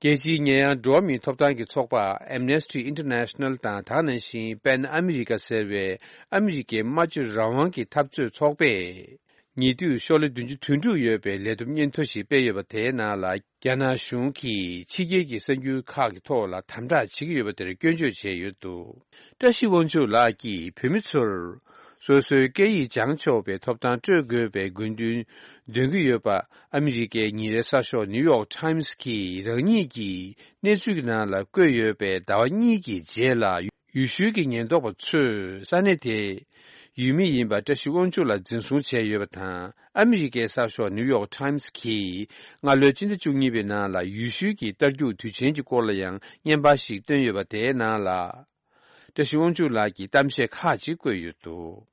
རྒྱལ་སྤྱིའི་ཉེ་ཡངས་འགྲོ་བ་མིའི་ཐོབ་ཐང་གི་ཚོགས་པ་Amnesty International དང་དེ་ནང་བཞིན་པེན་ཨ་མི་རི་ཀ་ཟེར་བའི་ཨ་མི་རི་ཀའི་སྨྲ་བརྗོད་རང་དབང་གི་འཐབ་རྩོད་ཚོགས་པས། ཉེ་དུས་ཤོག་ལྷེ་བདུན་ཅུ་དོན་དྲུག་ཡོད་པའི་ལས་བསྡོམས་སྙན་ཐོ་ཞིག་སྤེལ་ཡོད་པ་དེའི་ནང་ལ་རྒྱ་ནག་གཞུང་གིས་ཕྱི་རྒྱལ་གྱི་གསར་འགྱུར་ཁག་གི་ཐོག་ལ་དམ་དྲག་བྱེད་ཀྱི་ཡོད་པ་དེར་སྐྱོན་བརྗོད་བྱས་ཡོད་འདུག་བཀྲ་ཤིས་དབང་ཕྱུག་ལགས་ཀྱིས་བོད་མི་ཚོར་སོ་སོའི་སྐད་ཡིག་སྦྱང་ཆོག་པའི་ཐོབ་ཐང་སྤྲོད་དགོས་པའི་དགོས་འདུན་འདོན་གྱི་ཡོད་པ་ཨ་མི་རི་ཀའི་ཉིན་རེའི་གསར་ཤོག་ནིའུ་ཡོག་ཊའིམ་གྱིས་རང་ཉིད་ཀྱི་གནས་ཚུལ་གྱི་ནང་ལ་བཀོད་ཡོད་པའི་ཟླ་བ་གཉིས་ཀྱི་རྗེས་ལ། ཡུལ་ཤུལ་གྱི་ཉེན་རྟོག་པ་ཚོས་ས་གནས་དེའི་ཡུལ་མི་ཡིན་པ་བཀྲ་ཤིས་དབང་ཕྱུག་ལ་འཛིན་བཟུང་བྱས་ཡོད་པ་དང་། ཨ་མི་རི་ཀའི་གསར་ཤོག་ནིའུ་ཡོག་ཊའིམ་གྱིས་སྔ་ལོའི་སྤྱི་ཟླ་བཅུ་གཉིས་པའི་ནང་ལ་ཡུལ་ཤུལ་གྱི་རྟ་རྒྱུག་དུས་ཆེན་གྱི་སྐོར་ལ་ཡང་བརྙན་པར་ཞིག་བཏོན་ཡོད་པ་དེའི་ནང་ལ། བཀྲ་ཤིས་དབང་ཕྱུག་ལགས་ཀྱིས་གཏམ་བཤད་ཁག་ཅིག་བཀོད་ཡོད་འདུག་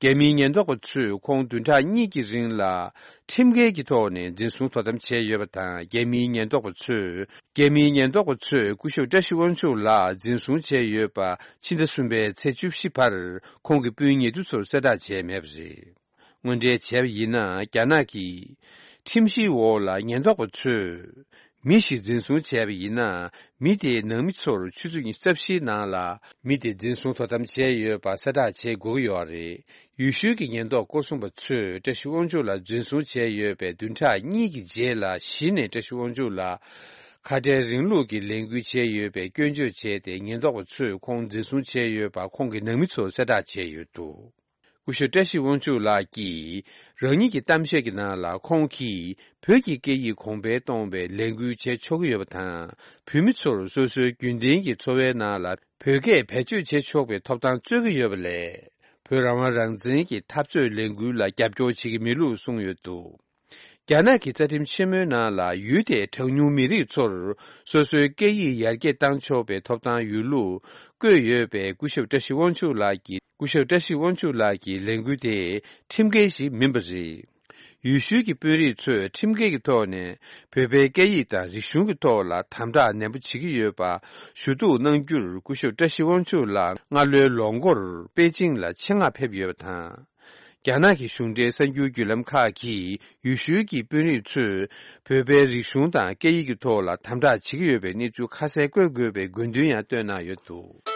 རྒྱ་མིའི་ཉེན་རྟོག་པ་ཚོས་ཁོང་བདུན་ཕྲག་གཉིས་ཀྱི་རིང་ལ་ཁྲིམས་འགལ་གྱི་ཐོག་ནས་འཛིན་བཟུང་དོ་དམ་བྱས་ཡོད་པ་དང་། རྒྱ་མིའི་ཉེན་རྟོག་པ་ཚོས། རྒྱ་མིའི་ཉེན་རྟོག་པ་ཚོས་སྐུ་ཞབས་བཀྲ་ཤིས་དབང་ཕྱུག་ལགས་འཛིན་བཟུང་བྱས་ཡོད་པ་ཕྱི་ཟླ་གསུམ་པའི་ཚེས་བཅུ་བཞི་བར་ཁོང་གི་སྤུན་ཉེ་དུ་ཚོར་གསལ་བསྒྲགས་བྱས་མེད་པ་རེད། དངོས་འབྲེལ་བྱས་པ་ཡིན་ན། རྒྱ་ནག་གི་ཁྲིམས་གཞིའི་འོག་ལ་ཉེན་རྟོག་པ་ཚོས་མི་ཞིག་འཛིན་བཟུང་བྱས་པ་ཡིན་ན། མི་དེའི་ནང་མི་ཚོར་ཆུ་ཚོད་ཉི་ཤུ་རྩ་བཞིའི་ནང་ལ་མི་དེ་འཛིན་བཟུང་དོ་དམ་བྱས་ཡོད་པ་གསལ་བསྒྲགས་བྱེད་དགོས་ཀྱི་ཡོད་རེད། ཡུལ་ཤུལ་གྱི་ཉེན་རྟོག་སྐོར་སྲུང་པ་ཚོས་བཀྲ་ཤིས་དབང་ཕྱུག་ལ་འཛིན་བཟུང་བྱས་ཡོད་པའི་བདུན་ཕྲག་གཉིས་ཀྱི་རྗེས་ལ་གཞི་ནས་བཀྲ་ཤིས་དབང་ཕྱུག་ལ་ཁ་བྲལ་རིང་ལུགས་ཀྱི་ལས་འགུལ་བྱས་ཡོད་པའི་སྐྱོན་བརྗོད་བྱས་ཏེ། ཉེན་རྟོག་པ་ཚོས་ཁོང་འཛིན་བཟུང་བྱས་ཡོད་པ་ཁོང་གི་ནང་མི་ཚོར་གསལ་བསྒྲགས་བྱས་ཡོད་འདུག་སྐུ་ཞབས་བཀྲ་ཤིས་དབང་ཕྱུག་ལགས་ཀྱིས་རང་ཉིད་ཀྱི་གཏམ་བཤད་ཀྱི་ནང་ལ། ཁོང་གིས་བོད་ཀྱི་སྐད་ཡིག་གོང་འཕེལ་གཏོང་བའི་ལས་འགུལ་བྱེད་ཆོག་གི་ཡོད་པ་དང་། བོད་མི་ཚོར་སོ་སོའི་རྒྱུན་ལྡན་གྱི་འཚོ་བའི་ནང་ལ་བོད་སྐད་བེད་སྤྱོད་བྱེད་ཆོག་པའི་ཐོབ་ཐང་རྩོད་ཀྱི་ཡོད་པ་ལས། བོད་རང་དབང་རང་བཙན་གྱི་འཐབ་རྩོད་ལས་འགུལ་ལ་རྒྱབ་སྐྱོར་བྱེད་ཀྱི་མེད་ལུགས་གསུངས་ཡོད་འདུག་རྒྱ་ནག་གི་རྩ་ཁྲིམས་ཆེན་མོའི་ནང་ལ། ཡུལ་དེའི་གྲངས་ཉུང་མི་རིགས་ཚོར་སོ་སོའི་སྐད་ཡིག་ཡར་རྒྱས་གཏང་ཆོག་པའི་ཐོབ་ཐང་ཡོད་ལུགས་བཀོད་ཡོད་པས། སྐུ་ཞབས་བཀྲ་ཤིས་དབང་ཕྱུག་ལགས་ཀྱི། སྐུ་ཞབས་བཀྲ་ཤིས་དབང་ཕྱུག་ལགས་ཀྱི་ལས་འགུལ་དེ་ཁྲིམས་འགལ་ཞིག་མིན་པ་རེད། ཡུལ་ཤུལ་གྱི་དཔོན་རིགས་ཚོས་ཁྲིམས་འགལ་གྱི་ཐོག་ནས་བོད་པའི་སྐད་ཡིག་དང་རིག་གཞུང་གི་ཐོག་ལ་དམ་དྲག་ནན་པོ་བྱེད་ཀྱི་ཡོད་པ་ཞུ་གཏུག་གནང་རྒྱུར། སྐུ་ཞབས་བཀྲ་ཤིས་དབང་ཕྱུག་ལགས་སྔ་ལོའི་ལོ་འགོར་པེ་ཅིང་ལ་ཆེད་མངགས་ཕེབས་ཡོད་པ་དང་། རྒྱ་ནག་གི་གཞུང་འབྲེལ་གསར་འགྱུར་བརྒྱུད་ལམ་ཁག་གིས་ཡུལ་ཤུལ་གྱི་དཔོན་རིགས་ཚོས་བོད་པའི་རིག་གཞུང་དང་སྐད་ཡིག་གི་ཐོག་ལ་དམ་དྲག་བྱེད་ཀྱི་ཡོད་པའི་གནས་ཚུལ་ཁ་གསལ་བཀོད་དགོས་པའི་དགོས་འདུན་ཡང་བཏོན་གནང་ཡོད་འདུག་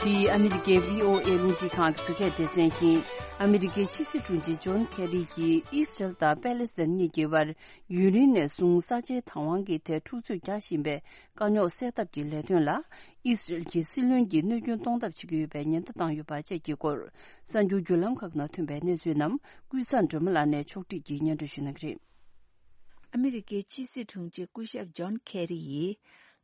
འདི་ཨ་མི་རི་ཀའི་བྷི་ཨོ་ཨེ་རླུང་འཕྲིན་ཁང་གི་བོད་སྐད་སྡེ་ཚན་ཡིན། ཨ་མི་རི་ཀའི་ཕྱི་སྲིད་དྲུང་ཆེ་ཇོན་ཁེ་རི་ཡིས་ཨི་སི་རལ་དང་པེ་ལེ་སི་ཐན་གཉིས་ཀྱི་བར་ཡུན་རིང་ནས་བཟུང་ས་ཆའི་བདག་དབང་གི་ཐད་འཁྲུག་རྩོད་རྒྱག་བཞིན་པའི་དཀའ་རྙོག་སེལ་ཐབས་ཀྱི་ལས་དོན་ལ་ཨི་སི་རལ་གྱི་སྲིད་བློན་གྱིས་གནོད་སྐྱོན་གཏོང་ཐབས་བྱེད་ཀྱི་ཡོད་པའི་ཉེན་བརྡ་བཏང་ཡོད་པ་བཅས་ཀྱི་སྐོར་གསར་འགྱུར་བརྒྱུད་ལམ་ཁག་ནང་ཐོན་པའི་གནས་ཚུལ་རྣམས་ཀུན་བཟང་སྒྲོལ་མ་ལགས་ནས་ཕྱོགས་སྒྲིག་གིས་སྙན་སྒྲོན་ཞུ་གནང་གི་རེད། ཨ་མི་རི་ཀའི་ཕྱི་སྲིད་དྲུང་ཆེ་སྐུ་ཞབས་ཇོན་ཁེ་རི་ཡིས་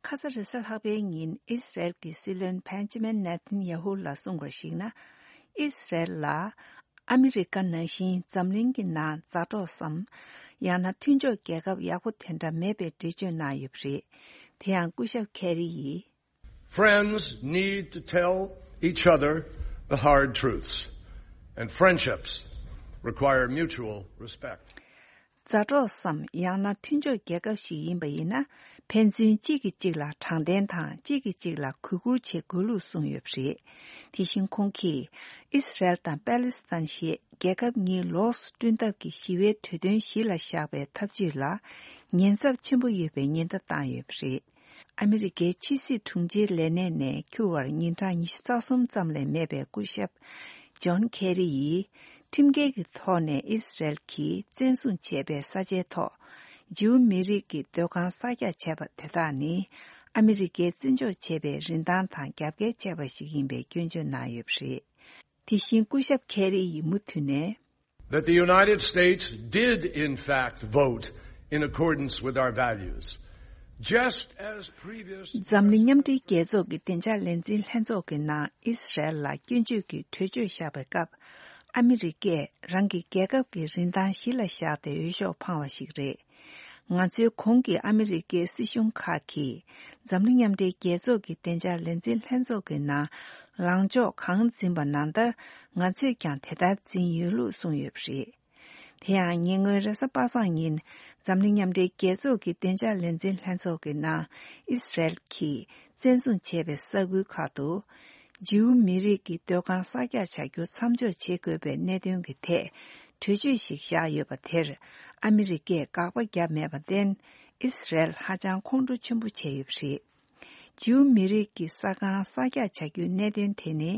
ཁ་ས་རེས་གཟའ་ལྷག་པའི་ཉིན་ཨི་སི་རལ་གྱི་སྲིད་བློན་བྷན་ཇི་མིན་ནེ་ཐན་ཡ་ཧུ་ལ་གསུངས་པར་གཞིགས་ན། ཨི་སི་རལ་ལ་ཨ་མི་རི་ཀ་ནང་བཞིན་འཛམ་གླིང་གི་ནང་མཛའ་གྲོགས་སམ། ཡང་ན་མཐུན་ཕྱོགས་རྒྱལ་ཁབ་ཡག་པོ་དེ་འདྲ་མེད་པའི་འགྲེལ་བརྗོད་གནང་ཡོད་པ་རེད། དེ་ཡང་སྐུ་ཞབས་ཁེ་རི་ཡིས། Friends need to tell each other the hard truths, and friendships require mutual respect. མཛའ་གྲོགས་སམ། ཡང་ན་མཐུན་ཕྱོགས་རྒྱལ་ཁབ་ཞིག་ཡིན་པ་ཡིན་ན། ཕན་ཚུན་གཅིག་གིས་གཅིག་ལ་དྲང་བདེན་དང་གཅིག་གིས་གཅིག་ལ་གུས་བཀུར་བྱེད་དགོས་ལུགས་གསུངས་ཡོད་པ་རེད། དེ་བཞིན་ཁོང་གིས་ཨི་སི་རལ་དང་པེ་ལེ་སི་ཐན་ཞེས་ རྒྱལ་ཁབ་གཉིས་ལོགས་སུ་བསྐྲུན་ཐབས་ཀྱི་ཞི་བའི་གྲོས་དོན་གཞི་ལ་བཞག་པའི་ཐབས་ཇུས་ལ་ཉེན་ཚབས་ཆེན་པོ་ཡོད་པའི་ཉེན་བརྡ་བཏང་ཡོད་པ་རེད། ཨ་མི་རི་ཀའི་ཕྱི་སྲིད་དྲུང་ཆེའི་ལས་གནས་ནས་འཁྱུར་བར་ཉིན་གྲངས་ཉི་ཤུ་རྩ་གསུམ་ཙམ་ལས་མེད་པའི་སྐུ་ཞབས་ཇོན་ཁེ་རི་ཡིས་ཁྲིམས་འགལ་གྱི་ཐོག་ནས་ཨི་སི་རེལ་གྱིས་བཙན་བཟུང་བྱས་པའི་ས་ཆའི་ཐོག་ཇིའུ་མི་རིགས་ཀྱི་སྡོད་ཁང་གསར་རྒྱག་བྱས་པ་དེ་དག་ནི་ཨ་མི་རི་ཀས་བརྩི་འཇོག་བྱས་པའི་རིན་ཐང་དང་རྒྱབ་འགལ་བྱས་པ་ཞིག་ཡིན་པའི་སྐྱོན་བརྗོད་གནང་ཡོད་པ་རེད། དེ་བཞིན་སྐུ་ཞབས་ཁེ་རི་ཡིས་མུ་མཐུད་ནས། That the United States did in fact vote in accordance with our values, just as previous འཛམ་གླིང་མཉམ་འབྲེལ་རྒྱལ་ཚོགས་ཀྱི་བདེ་འཇགས་ལས་འཛིན་ལྷན་ཚོགས་ཀྱི་ནང་ཨི་སི་རེལ་ལ་སྐྱོན་བརྗོད་ཀྱི་གྲོས་ཆོད་བཞག་པའི་སྐབས། ཨ་མི་རི་ཀས་རང་གི་རྒྱལ་ཁབ་ཀྱི་རིན་ཐང་གཞི་ལ་བཞག་སྟེ་འོས་ཤོག་འཕངས་པ་ཞིག་རེད། ང་ཚོའི་གོང་གི་ཨ་མི་རི་ཀའི་སྲིད་གཞུང་ཁག་གིས་འཛམ་གླིང་མཉམ་འབྲེལ་རྒྱལ་ཚོགས་ཀྱི་བདེ་འཇགས་ལས་འཛིན་ལྷན་ཚོགས་ཀྱི་ནང་ལངས་ཕྱོགས་གང་འཛིན་པ་ནང་ལྟར་ང་ཚོས་ཀྱང་དེ་ལྟར་འཛིན་ཡོད་ལུགས་གསུངས་ཡོད་པ་རེད། དེ་ཡང་ཉེ་སྔོན་རེས་གཟའ་པ་སངས་ཉིན་འཛམ་གླིང་མཉམ་འབྲེལ་རྒྱལ་ཚོགས་ཀྱི་བདེ་འཇགས་ལས་འཛིན་ལྷན་ཚོགས་ཀྱི་ནང་ཨི་སི་རེལ་གྱིས་བཙན་བཟུང་བྱས་པའི་ས་ཁུལ་ཁག་ཏུ་ཇིའུ་མི་རིགས་ཀྱི་སྡོད་ཁང་གསར་རྒྱག་བྱ་རྒྱུ་མཚམས་འཇོག་བྱེད་དགོས་པའི་གནད་དོན་གྱི་ཐད་གྲོས་ཆོད་ཞིག་བཞག་ཡོད་པ་དེར་ཨ་མི་རི་ཀས་དགག་པ་བརྒྱབ་མེད་པར་བརྟེན་ཨི་སི་རེལ་ཧ་ཅང་ཁོང་ཁྲོ་ཆེན་པོ་བྱས་ཡོད་པ་རེད། ཇིའུ་མི་རིགས་ཀྱི་ས་ཁང་གསར་རྒྱག་བྱ་རྒྱུའི་གནད་དོན་དེ་ནི་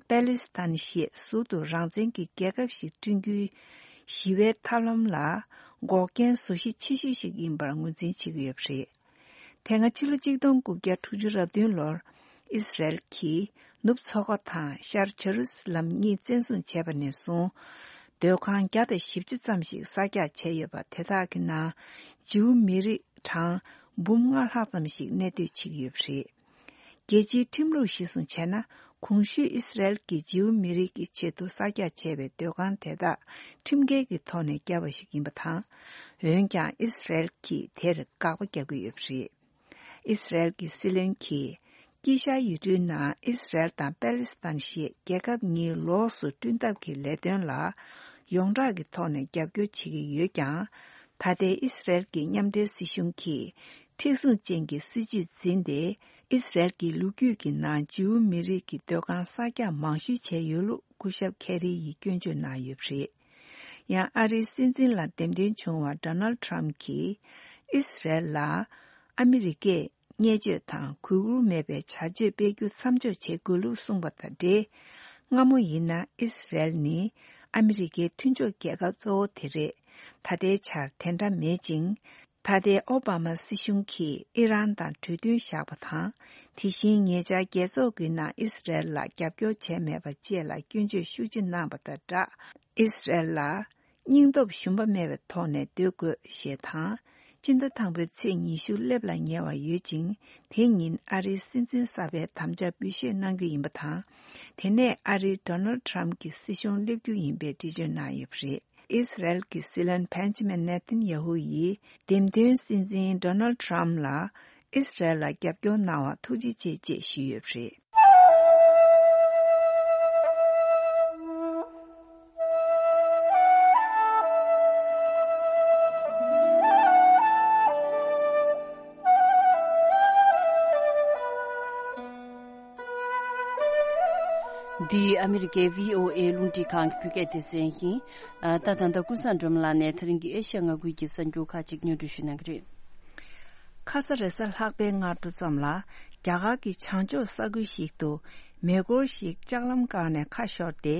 པེ་ལི་སི་ཐན་ཞེས་ཟུར་དུ་རང་བཙན་གྱི་རྒྱལ་ཁབ་ཞིག་བསྐྲུན་རྒྱུའི་ཞི་བའི་ཐབས་ལམ་ལ་འགོག་རྐྱེན་བཟོ་གཞི་ཆེ་ཤོས་ཤིག་ཡིན་པར་ངོས་འཛིན་བྱེད་ཀྱི་ཡོད་པ་རེད། དེ་སྔ་ཕྱི་ལོ་གཅིག་སྟོང་དགུ་བརྒྱ་དྲུག་ཅུ་རེ་བདུན་ལོར་ཨི་སི་རེལ་གྱིས་ནུབ་མཚོ་ཁ་དང་ཤར་ཇེ་རུ་སི་ལམ་གཉིས་བཙན་བཟུང་བྱས་པ་ནས་བཟུང་སྡོད་ཁང་བརྒྱ་དང་བཞི་བཅུ་ཙམ་ཞིག་གསར་རྒྱག་བྱས་ཡོད་པ་དེ་དག་གི་ནང་ཇིའུ་མི་རིགས་གྲངས་འབུམ་ལྔ་ལྷག་ཙམ་ཞིག་གནས་སྡོད་བྱེད་ཀྱི་ཡོད་པ་རེད། རྒྱལ་སྤྱིའི་ཁྲིམས་ལུགས་གཞིར་བཟུང་བྱས་ན། གོང་ཞུས་ཨི་སི་རེལ་གྱིས་ཇིའུ་མི་རིགས་ཀྱི་ཆེད་དུ་གསར་རྒྱག་བྱས་པའི་སྡོད་ཁང་དེ་དག་ཁྲིམས་འགལ་གྱི་ཐོག་ནས་བརྒྱབ་པ་ཞིག་ཡིན་པ་དང་། འོན་ཀྱང་ཨི་སི་རེལ་གྱིས་དེར་དགག་པ་རྒྱག་གི་ཡོད་པ་རེད། ཨི་སི་རེལ་གྱི་སྲིད་བློན་གྱིས། དཀྱིལ་ཤར་ཡུལ་གྲུའི་ནང་ཨི་སི་རེལ་དང་པེ་ལི་སི་ཐན་ཞེས་རྒྱལ་ཁབ་གཉིས་ལོགས་སུ་བསྐྲུན་ཐབས་ཀྱི་ལས་དོན་ལ་ཡོངས་གྲགས་ཀྱི་ཐོག་ནས་རྒྱབ་སྐྱོར་བྱེད་ཀྱི་ཡོད་ཀྱང་། ད་ལྟའི་ཨི་སི་རེལ་གྱི་མཉམ་འབྲེལ་སྲིད་གཞུང་གིས་མཁྲེགས་བཟུང་ཅན་གྱི་སྲིད་ཇུས་འཛིན་ཏེ། ཨི་སི་རེལ་གྱི་ལོ་རྒྱུས་ཀྱི་ནང་ཇིའུ་མི་རིགས་ཀྱི་སྡོད་ཁང་གསར་རྒྱག་མང་ཤོས་བྱས་ཡོད་ལུགས་སྐུ་ཞབས་ཁེ་རི་ཡིས་སྐྱོན་བརྗོད་གནང་ཡོད་པ་རེད། ཡང་ཨ་རིའི་སྲིད་འཛིན་ལ་འདེམས་ཐོན་བྱུང་བ་ཌོ་ནལ་ཌི་ཊརམ་ཕི་གྱིས་ཨི་སི་རེལ་ལ་ཨ་མི་རི་ཀས་བརྙས་བཅོས་དང་གུས་བཀུར་མེད་པའི་བྱ་སྤྱོད་སྤེལ་རྒྱུ་མཚམས་འཇོག་བྱེད་དགོས་ལུགས་གསུངས་པ་དང་འབྲེལ། སྔ་མོ་ཡིན་ན་ཨི་སི་རེལ་ནི་ཨ་མི་རི་ཀའི་མཐུན་ཕྱོགས་རྒྱལ་ཁབ་གཙོ་བོ་དེ་རེད། ད་ལྟའི་ཆར་དེ་འདྲ་མེད་ཅིང་། ད་ལྟའི་ཨོ་བྷ་མ་སྲིད་གཞུང་གིས་ཨི་རན་དང་གྲོས་མཐུན་བཞག་པ་དང་། དེ་བཞིན་ཉེ་ཆར་རྒྱལ་ཚོགས་ཀྱི་ནང་ཨི་སི་རེལ་ལ་རྒྱབ་སྐྱོར་བྱས་མེད་པ་བཅས་ལ་སྐྱོན་བརྗོད་ཤུགས་ཆེ་གནང་བ་དང་སྦྲགས། ཨི་སི་རེལ་ལ་སྙིང་སྟོབས་ཞུམ་པ་མེད་པའི་ཐོག་ནས་སྡོད་དགོས་ཞེས་དང་། སྤྱི་ཟླ་དང་པོའི་ཚེས་ཉི་ཤུ་སླེབས་ལ་ཉེ་བ་ཡོད་ཅིང་། དེ་ཉིན་ཨ་རིའི་སྲིད་འཛིན་གསར་པའི་དམ་བཅའ་འབུལ་བཞེས་གནང་རྒྱུ་ཡིན་པ་དང་། དེ་ནས་ཨ་རིའི་ཌོ་ནལ་ཌི་ཊརམ་ཕི་གྱི་སྲིད་གཞུང་སླེབས་རྒྱུ་ཡིན་པའི་འགྲེལ་བརྗོད་གནང་ཡོད་པ་རེད། ཨི་སི་རེལ་གྱི་སྲིད་བློན་བྷན་ཇི་མིན་ནེ་ཐན་ཡ་ཧུ་ཡིས་འདེམས་ཐོན་སྲིད་འཛིན་ཌོ་ནལ་ཌི་ཊརམ་ཕི་ལ་ཨི་སི་རེལ་ལ་རྒྱབ་སྐྱོར་གནང་བར་ཐུགས་རྗེ་ཆེ་ཅེས་ཞུས་ཡོད་པ་རེད། འདི་ཨ་མི་རི་ཀའི་བྷི་ཨོ་ཨེ་རླུང་འཕྲིན་ཁང་གི་བོད་སྐད་སྡེ་ཚན་ཡིན། ཨ། ད་ད་ལྟ་ཀུན་བཟང་སྒྲོལ་མ་ལགས་ནས་ད་རིང་གི་ཨེ་ཤ་ཡ་མངའ་ཁུལ་གྱི་གསར་འགྱུར་ཁག་ཅིག་སྙན་སྒྲོན་ཞུ་གནང་གི་རེད། ཁ་ས་རེས་གཟའ་ལྷག་པའི་སྔ་དྲོ་ཙམ་ལ། རྒྱ་གར་གྱི་བྱང་ཕྱོགས་ས་ཁུལ་ཞིག་ཏུ་མེ་འཁོར་ཞིག་ལྕགས་ལམ་སྒང་ནས་ཁ་ཤོར་ཏེ།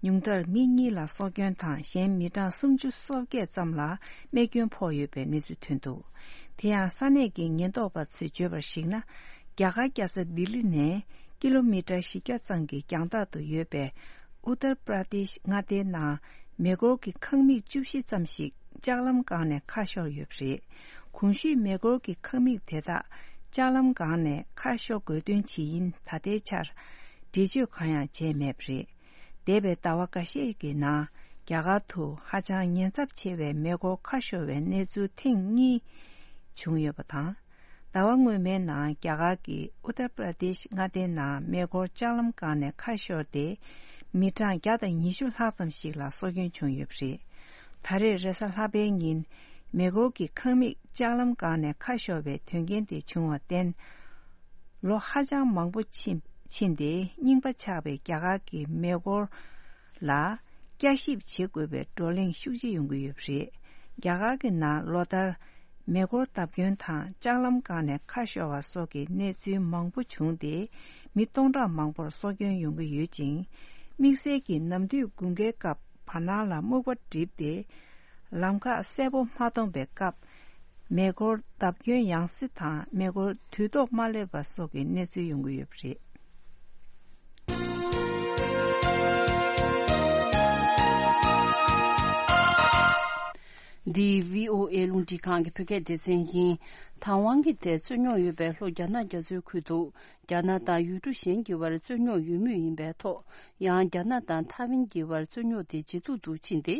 ཉུང་མཐར་མི་གཉིས་ལ་སྲོག་སྐྱོན་དང་། གཞན་མི་གྲངས་སུམ་ཅུ་སོ་བརྒྱད་ཙམ་ལ་རྨས་སྐྱོན་ཕོག་ཡོད་པའི་གནས་ཚུལ་ཐོན་འདུག། དེ་ཡང་ས་གནས་ཀྱི་ཉེན་རྟོག་པ་ཚོས་བརྗོད་པར་གཞིགས་ན། རྒྱ་གར་རྒྱལ་ས་ལྡི་ལི་ནས་ཀི་ལོ་མི་ཊར་བཞི་བརྒྱ་ཙམ་གྱི་རྒྱང་ཐག་ཏུ་ཡོད་པའི་ཨུ་ཏར་པྲ་དེཤ་མངའ་སྡེའི་ནང་མེ་འཁོར་གྱི་ཁང་མིག་བཅུ་བཞི་ཙམ་ཞིག་ལྕགས་ལམ་སྒང་ནས་ཁ་ཤོར་ཡོད་པ་རེད། གོང་ཞུས་མེ་འཁོར་གྱི་ཁང་མིག་དེ་དག་ལྕགས་ལམ་སྒང་ནས་ཁ་ཤོར་དགོས་དོན་ཇི་ཡིན་ད་ལྟའི་ཆར་འགྲེལ་བརྗོད་གང་ཡང་བྱས་མེད་པ་རེད། འདས་པའི་ཟླ་བ་འགའ་ཤས་ཀྱི་ནང་རྒྱ་གར་དུ་ཧ་ཅང་ཉེན་ཚབས་ཆེ་བའི་མེ་འཁོར་ཁ་ཤོར་བའི་གནས་ཚུལ་ཐེངས་གཉིས་བྱུང་ཡོད་པ་དང་། ཟླ་བ་སྔོན་མའི་ནང་རྒྱ་གར་གྱི་ཨུ་ཏར་པྲ་དེཤ་མངའ་སྡེའི་ནང་མེ་འཁོར་ལྕགས་ལམ་སྒང་ནས་ཁ་ཤོར་ཏེ། མི་གྲངས་བརྒྱ་དང་ཉི་ཤུ་ལྷག་ཙམ་ཞིག་ལ་སྲོག་སྐྱོན་བྱུང་ཡོད་པ་རེད། ད་རེས་རེས་གཟའ་ལྷག་པའི་ཉིན། མེ་འཁོར་གྱི་ཁང་མིག་ལྕགས་ལམ་སྒང་ནས་ཁ་ཤོར་བའི་དོན་རྐྱེན་དེ་བྱུང་བར་བརྟེན། ལོ་ཧ་ཅང་མང་པོ་ཕྱིན་ཕྱིན་ཏེ་རྙིང་པ་ཆགས་པའི་རྒྱ་གར་གྱི་མེ་འཁོར་ལ། བསྐྱར་ཞིབ་བྱེད་དགོས་པའི་བགྲོ་གླེང་ཤུགས་ཆེ་ཡོང་གི་ཡོད་པ་རེད། རྒྱ་གར་གྱི་ནང་ལོ་ལྟར་མེ་འཁོར་བརྡབ་སྐྱོན་དང་ལྕགས་ལམ་བཀག་ནས་ཁ་ཤོར་བ་སོགས་ཀྱི་གནས་ཚུལ་མང་པོ་བྱུང་སྟེ། མི་སྟོང་ཕྲག་མང་པོར་སྲོག་སྐྱོན་ཡོང་གི་ཡོད་ཅིང་། དམིགས་བསལ་གྱིས་ནམ་དུས་དགུན་ཁའི་སྐབས་བར་སྣང་ལ་སྨུག་པ་བསྒྲིབས་ཏེ། ལམ་ཁ་གསལ་པོ་མ་མཐོང་པའི་སྐབས། མེ་འཁོར་བརྡབ་སྐྱོན་ཡང་སེ་དང་མེ་འཁོར་དུས་ཐོག་མ་སླེབས་པ་སོགས་ཀྱི་གནས་ཚུལ་ཡོང་གི་ཡོད་པ་རེད། འདི་བྷི་ཨོ་ཨེ་རླུང་འཕྲིན་ཁང་གི་བོད་སྐད་སྡེ་ཚན་ཡིན། དང་ཝང་གི་ཐད་རྩོད་རྙོག་ཡོད་པའི་ལྷོ་རྒྱ་ནག་རྒྱ་མཚོའི་ཁུལ་དུ། རྒྱ་ནག་དང་ཡུལ་གྲུ་གཞན་གྱི་བར་རྩོད་རྙོག་ཡོད་མུས་ཡིན་པའི་ཐོག་ཡང་རྒྱ་ནག་དང་ཐའེ་ཝན་གྱི་བར་རྩོད་རྙོག་དེ་ཇེ་སྡུག་ཏུ་ཕྱིན་ཏེ།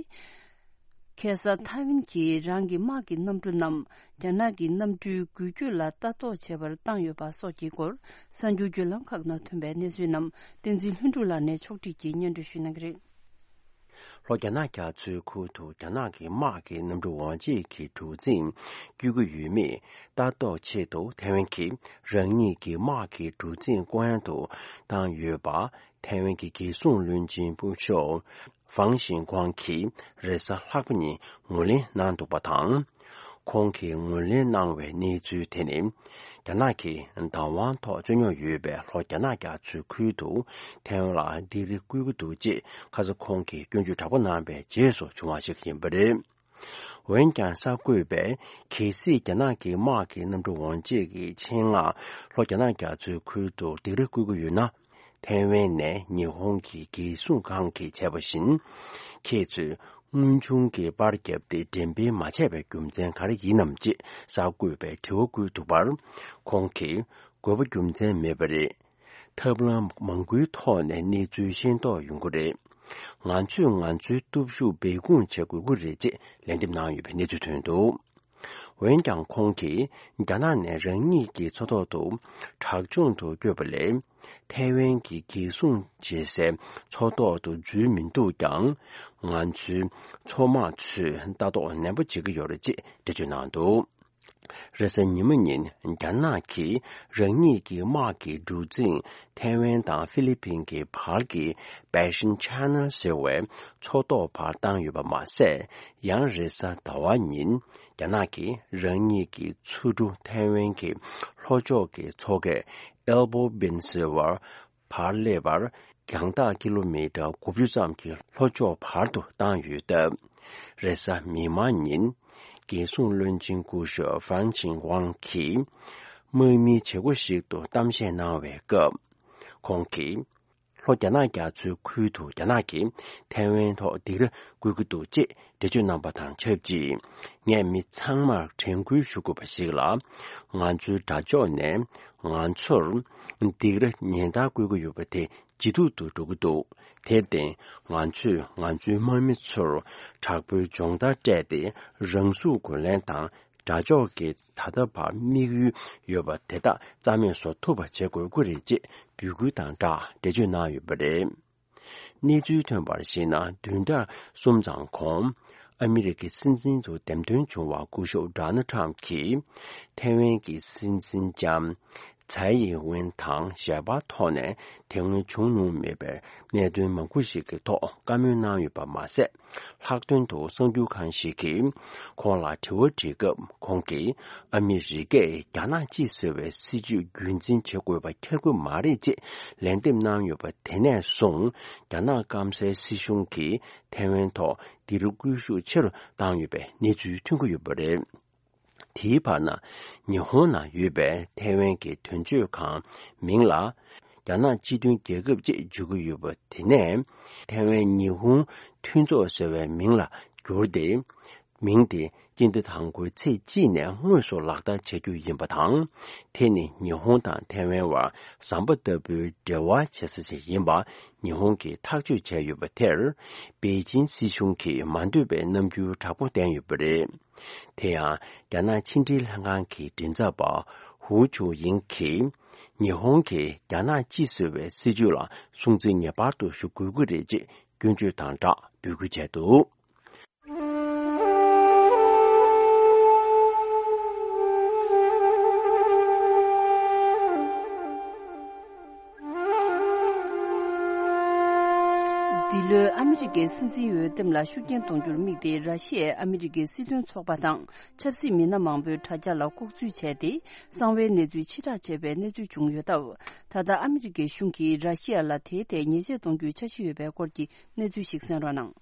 ཁ་སང་ཐའེ་ཝན་གྱིས་རང་གི་དམག་གི་གནམ་གྲུ་རྣམས་རྒྱ་ནག་གི་གནམ་གྲུའི་འགུལ་སྐྱོད་ལ་ལྟ་རྟོག་བྱེད་པར་བཏང་ཡོད་པ་སོགས་ཀྱི་སྐོར་གསར་འགྱུར་བརྒྱུད་ལམ་ཁག་ནང་ཐོན་པའི་གནས་ཚུལ་རྣམས་བསྟན་འཛིན་ལྷུན་གྲུབ་ལགས་ནས་ཕྱོགས་སྒྲིག་གིས་སྙན་སྒྲོན་ཞུ་གནང་གི་རེད། ལྷོ་རྒྱ་ནག་རྒྱ་མཚོའི་ཁུལ་དུ་རྒྱ་ནག་གི་དམག་གི་གནམ་གྲུ་འོར་འཇིགས་ཀྱི་གྲུ་གཟིངས་བསྐྱོད་ཀྱི་ཡོད་མེད་ལྟ་རྟོག་ཆེད་དུ་ཐའེ་ཝན་གྱིས་རང་ཉིད་ཀྱི་དམག་གི་གྲུ་གཟིངས་སྐོར་གཡེང་དུ་བཏང་ཡོད་པ། ཐའེ་ཝན་གྱི་རྒྱལ་སྲུང་བློན་ཆེན་སྐུ་ཞབས་ཧྥང་ཞིན་ཁོང་གིས་རེས་གཟའ་ལྷག་པ་ཉིན་ངོས་ལེན་གནང་འདུག་པ་དང་། ཁོང་གིས་ངོས་ལེན་གནང་བའི་གནས་ཚུལ་དེ་ནི། རྒྱ་ནག་གིས་བདག་དབང་ཐོག་རྩོད་རྙོག་ཡོད་པའི་ལྷོ་རྒྱ་ནག་རྒྱ་མཚོའི་ཁུལ་དུ་ཐའེ་ཝན་ལ་སྡིགས་ར་བསྐུལ་གྱི་འདུག་ཅེས་ཁ་སང་ཁོང་གིས་སྐྱོན་བརྗོད་དྲག་པོ་གནང་བའི་རྗེས་སུ་བྱུང་བ་ཞིག་ཡིན་པ་རེད། འོན་ཀྱང་གསར་འགོད་པས་གལ་སྲིད་རྒྱ་ནག་གི་དམག་གི་གནམ་གྲུ་འོར་འཇིགས་ཀྱི་ཆེད་མངགས་ལྷོ་རྒྱ་ནག་རྒྱ་མཚོའི་ཁུལ་དུ་སྡིགས་ར་བསྐུལ་གྱི་ཡོད་ན། ཐའེ་ཝན་ནས་ཉི་ཧོང་གི་རྒྱལ་སྲུང་ཁང་གིས་བྱས་པ་བཞིན། ཁྱེད་ཚོས་དངོས་བྱུང་གི་པར་བརྒྱབ་སྟེ་འགྲེམས་སྤེལ་མ་བྱས་པའི་རྒྱུ་མཚན་ག་རེ་ཡིན་ནམ་ཅེས་གསར་འགོད་པས་དྲི་བ་བཀོད་འདུག་པར། ཁོང་གིས་དགོས་པ་རྒྱུ་མཚན་མེད་པ་རེད། ཐབས་ལམ་མང་པོའི་ཐོག་ནས་གནས་ཚུལ་ཤེས་རྟོགས་ཡོང་གི་རེད། ང་ཚོས་ང་ཚོའི་སྟོབས་ཤུགས་སྦས་སྐུང་བྱེད་དགོས་ཀྱི་རེད་ཅེས་ལན་འདེབས་གནང་ཡོད་པའི་གནས་ཚུལ་ཐོན་འདུག་འོན་ཀྱང་ཁོང་གིས་རྒྱ་ནག་ནས་རང་ཉིད་ཀྱི་མཚོ་ཐོག་ཏུ་དྲག་སྦྱོང་དུ་བསྐྱོད་པ་ལས། ཐའེ་ཝན་གྱི་རྒྱལ་སྲུང་བྱེད་སའི་མཚོ་ཐོག་ཏུ་འཛུལ་མི་འདུག་ཀྱང་། ང་ཚོའི་མཚོ་དམག་ཚོས་ལྟ་རྟོག་ནན་པོ་བྱེད་ཀྱི་ཡོད་རེད་ཅེས་འགྲེལ་བརྗོད་གནང་འདུག་རེས་གཟའ་ཉི་མ་ཉིན་རྒྱ་ནག་གིས་རང་ཉིད་ཀྱི་དམག་གི་གྲུ་གཟིངས་ཐའེ་ཝན་དང་ཧྥི་ལི་ཕིན་གྱི་བར་གྱི་Baijin Channel ཟེར་བའི་མཚོ་ཐོག་བར་བཏང་ཡོད་པ་མ་ཟད། ཡང་རེས་གཟའ་ཟླ་བ་ཉིན་རྒྱ་ནག་གིས་རང་ཉིད་ཀྱི་མཚོ་གྲུ་ཐའེ་ཝན་གྱི་ལྷོ་ཕྱོགས་ཀྱི་མཚོ་ཁའི་Elbow Bend ཟེར་བར་བར་སླེབས་པར་རྒྱང་ཐག་ཀི་ལོ་མི་ཊར་དགུ་བཅུ་ཙམ་གྱི་ལྷོ་ཕྱོགས་བར་དུ་བཏང་ཡོད་སྟབས། རེས་གཟའ་མིག་དམར་ཉིན། རྒྱལ་སྲུང་བློན་ཆེན་སྐུ་ཞབས་ཧྥང་ཆིང་ཝང་གིས་དམག་མིའི་བྱེད་སྒོ་ཞིག་ཏུ་གཏམ་བཤད་གནང་བའི་སྐབས། ཁོང་གིས། ལྷོ་རྒྱ་ནག་རྒྱ་མཚོའི་ཁུལ་དུ་རྒྱ་ནག་གིས་ཐའེ་ཝན་ཐོག་སྡིགས་ར་བསྐུལ་གྱི་འདུག་ཅེས་འགྲེལ་བརྗོད་གནང་པ་དང་ཆབས་ཅིག་ངས་མི་ཚང་མར་དྲན་སྐུལ་ཞུ་དགོས་པ་ཞིག་ལ། ང་ཚོའི་དགྲ་ཕྱོགས་ནས་ང་ཚོར་སྡིགས་ར་ཉེན་བརྡ་བསྐུལ་གྱི་ཡོད་པ་དེ་ཇེ་སྡུག་ཏུ་འགྲོ་གི་འདུག་དེར་བརྟེན། ང་ཚོས་ང་ཚོའི་དམག་མི་ཚོར་དྲག་པོའི་སྦྱོང་བརྡར་སྤྲད་དེ། རང་ཤུགས་རྒོལ་ལན་དང་། དགྲ་ཕྱོགས་ཀྱི་ད་ལྟ་བར་དམིགས་ཡུལ་ཡོད་པ་དེ་དག་རྩ་མེད་བཟོ་ཐུབ་པ་བྱེད་དགོས་ཀྱི་རེད་ཅེས་འབོད་སྐུལ་དང་སྦྲགས་འགྲེལ་བརྗོད་གནང་ཡོད་པ་རེད། གནས་ཚུལ་ཐོན་པར་གཞིགས་ན། བདུན་ཕྲག་གསུམ་ཙམ་གོང་། ཨ་མི་རི་ཀའི་སྲིད་འཛིན་དུ་འདེམས་ཐོན་བྱུང་བ་སྐུ་ཞབས་ཌོ་ནལ་ཁྲམ་གྱིས། ཐའེ་ཝན་གྱི་སྲིད་འཛིན་ལྕམ་ཚའེ་ཡིན་ཝེན་དང་ཞལ་པར་ཐོག་ནས་དེ་སྔོན་བྱུང་མྱོང་མེད་པའི་གནད་དོན་མང་པོ་ཞིག་གི་ཐོག་བཀའ་མོལ་གནང་ཡོད་པ་མ་ཟད། ལྷག་དོན་དུ་གསར་འགྱུར་ཁང་ཞིག་གིས་ཁོང་ལ་དྲི་བ་དྲིས་སྐབས། ཁོང་གིས་ཨ་མི་རི་ཀས་རྒྱ་ནག་གཅིག་ཟེར་བའི་སྲིད་བྱུས་རྒྱུན་འཛིན་བྱེད་དགོས་པ་འཁྱེར་དགོས་མ་རེད་ཅེས་ལན་འདེབས་གནང་ཡོད་པ། དེ་ནས་བཟུང་རྒྱ་ནག་སྐམ་སའི་སྲིད་གཞུང་གིས་ཐའེ་ཝན་ཐོག་སྡིགས་ར་སྐུལ་ཤུགས་ཆེ་རུ་བཏང་ཡོད་པའི་གནས་ཚུལ་ཐོན་གྱི་ཡོད་པ་རེད། དེའི་བར་ན། ཉི་ཧོང་ནང་ཡོད་པའི་ཐའེ་ཝན་གྱི་དོན་གཅོད་ཁང་མིང་ལ། རྒྱ་ནག་སྤྱི་མཐུན་རྒྱལ་ཁབ་ཅེས་བརྗོད་ཀྱི་ཡོད་པ་དེ་ནས། ཐའེ་ཝན་ཉི་ཧོང་མཐུན་ཚོགས་ཟེར་བའི་མིང་ལ་བསྒྱུར་ཏེ། མིང་དེ་སྤྱི་ཟླ་དང་པོའི་ཚེས་གཅིག་ནས་དངོས་སུ་ལག་བསྟར་བྱ་རྒྱུ་ཡིན་པ་དང་། དེ་ནི་ཉི་ཧོང་དང་ཐའེ་ཝན་བར་ཟམ་པ་ལྟ་བུའི་འབྲེལ་བ་བྱེད་ས་ཞིག་ཡིན་པ་ཉི་ཧོང་གིས་ཐག་གཅོད་བྱས་ཡོད་པ་དེར། པེ་ཅིན་སྲིད་གཞུང་གིས་མ་འདོད་པའི་རྣམ་འགྱུར་དྲག་པོ་བསྟན་ཡོད་པ་རེད། དེ་ཡང་། རྒྱ་ནག་ཕྱི་འབྲེལ་ལྷན་ཁང་གི་མགྲིན་ཚབ་པ་ཧུའུ་ཆུའུ་ཡིང་གིས། ཉི་ཧོང་གིས་རྒྱ་ནག་གཅིག་བཟོ་བའི་སྲིད་བྱུས་ལ་སྲུང་བརྩི་ངེས་པར་དུ་ཞུ་དགོས་ཀྱི་རེད་ཅེས་སྐྱོན་བརྗོད་དང་སྦྲགས་འབོད་སྐུལ་བྱས་འདུག་འདི་ལོའི་ཨ་མི་རི་ཀའི་སྲིད་འཛིན་འོས་འདེམས་ལ་ཤུགས་རྐྱེན་གཏོང་རྒྱུར་དམིགས་ཏེ། ར་ཤི་ཡའི་ཨ་མི་རི་ཀའི་སྲིད་དོན་ཚོགས་པ་དང་ཆབ་སྲིད་མི་སྣ་མང་པོས་དྲ་རྒྱ་ལ་ལྐོག་འཛུལ་བྱས་ཏེ། གསང་བའི་གནས་ཚུལ་ཕྱིར་བསྒྲགས་བྱས་པའི་གནས་ཚུལ་བྱུང་ཡོད་སྟབས། ད་ལྟ་ཨ་མི་རི་ཀའི་གཞུང་གིས་ར་ཤི་ཡ་ལ་དེའི་ཐད་ཉེས་ཆད་གཏོང་རྒྱུའི་འཆར་གཞི་ཡོད་པའི་སྐོར་གྱི་གནས་ཚུལ་ཞིག་གསན་རོགས་གནང་།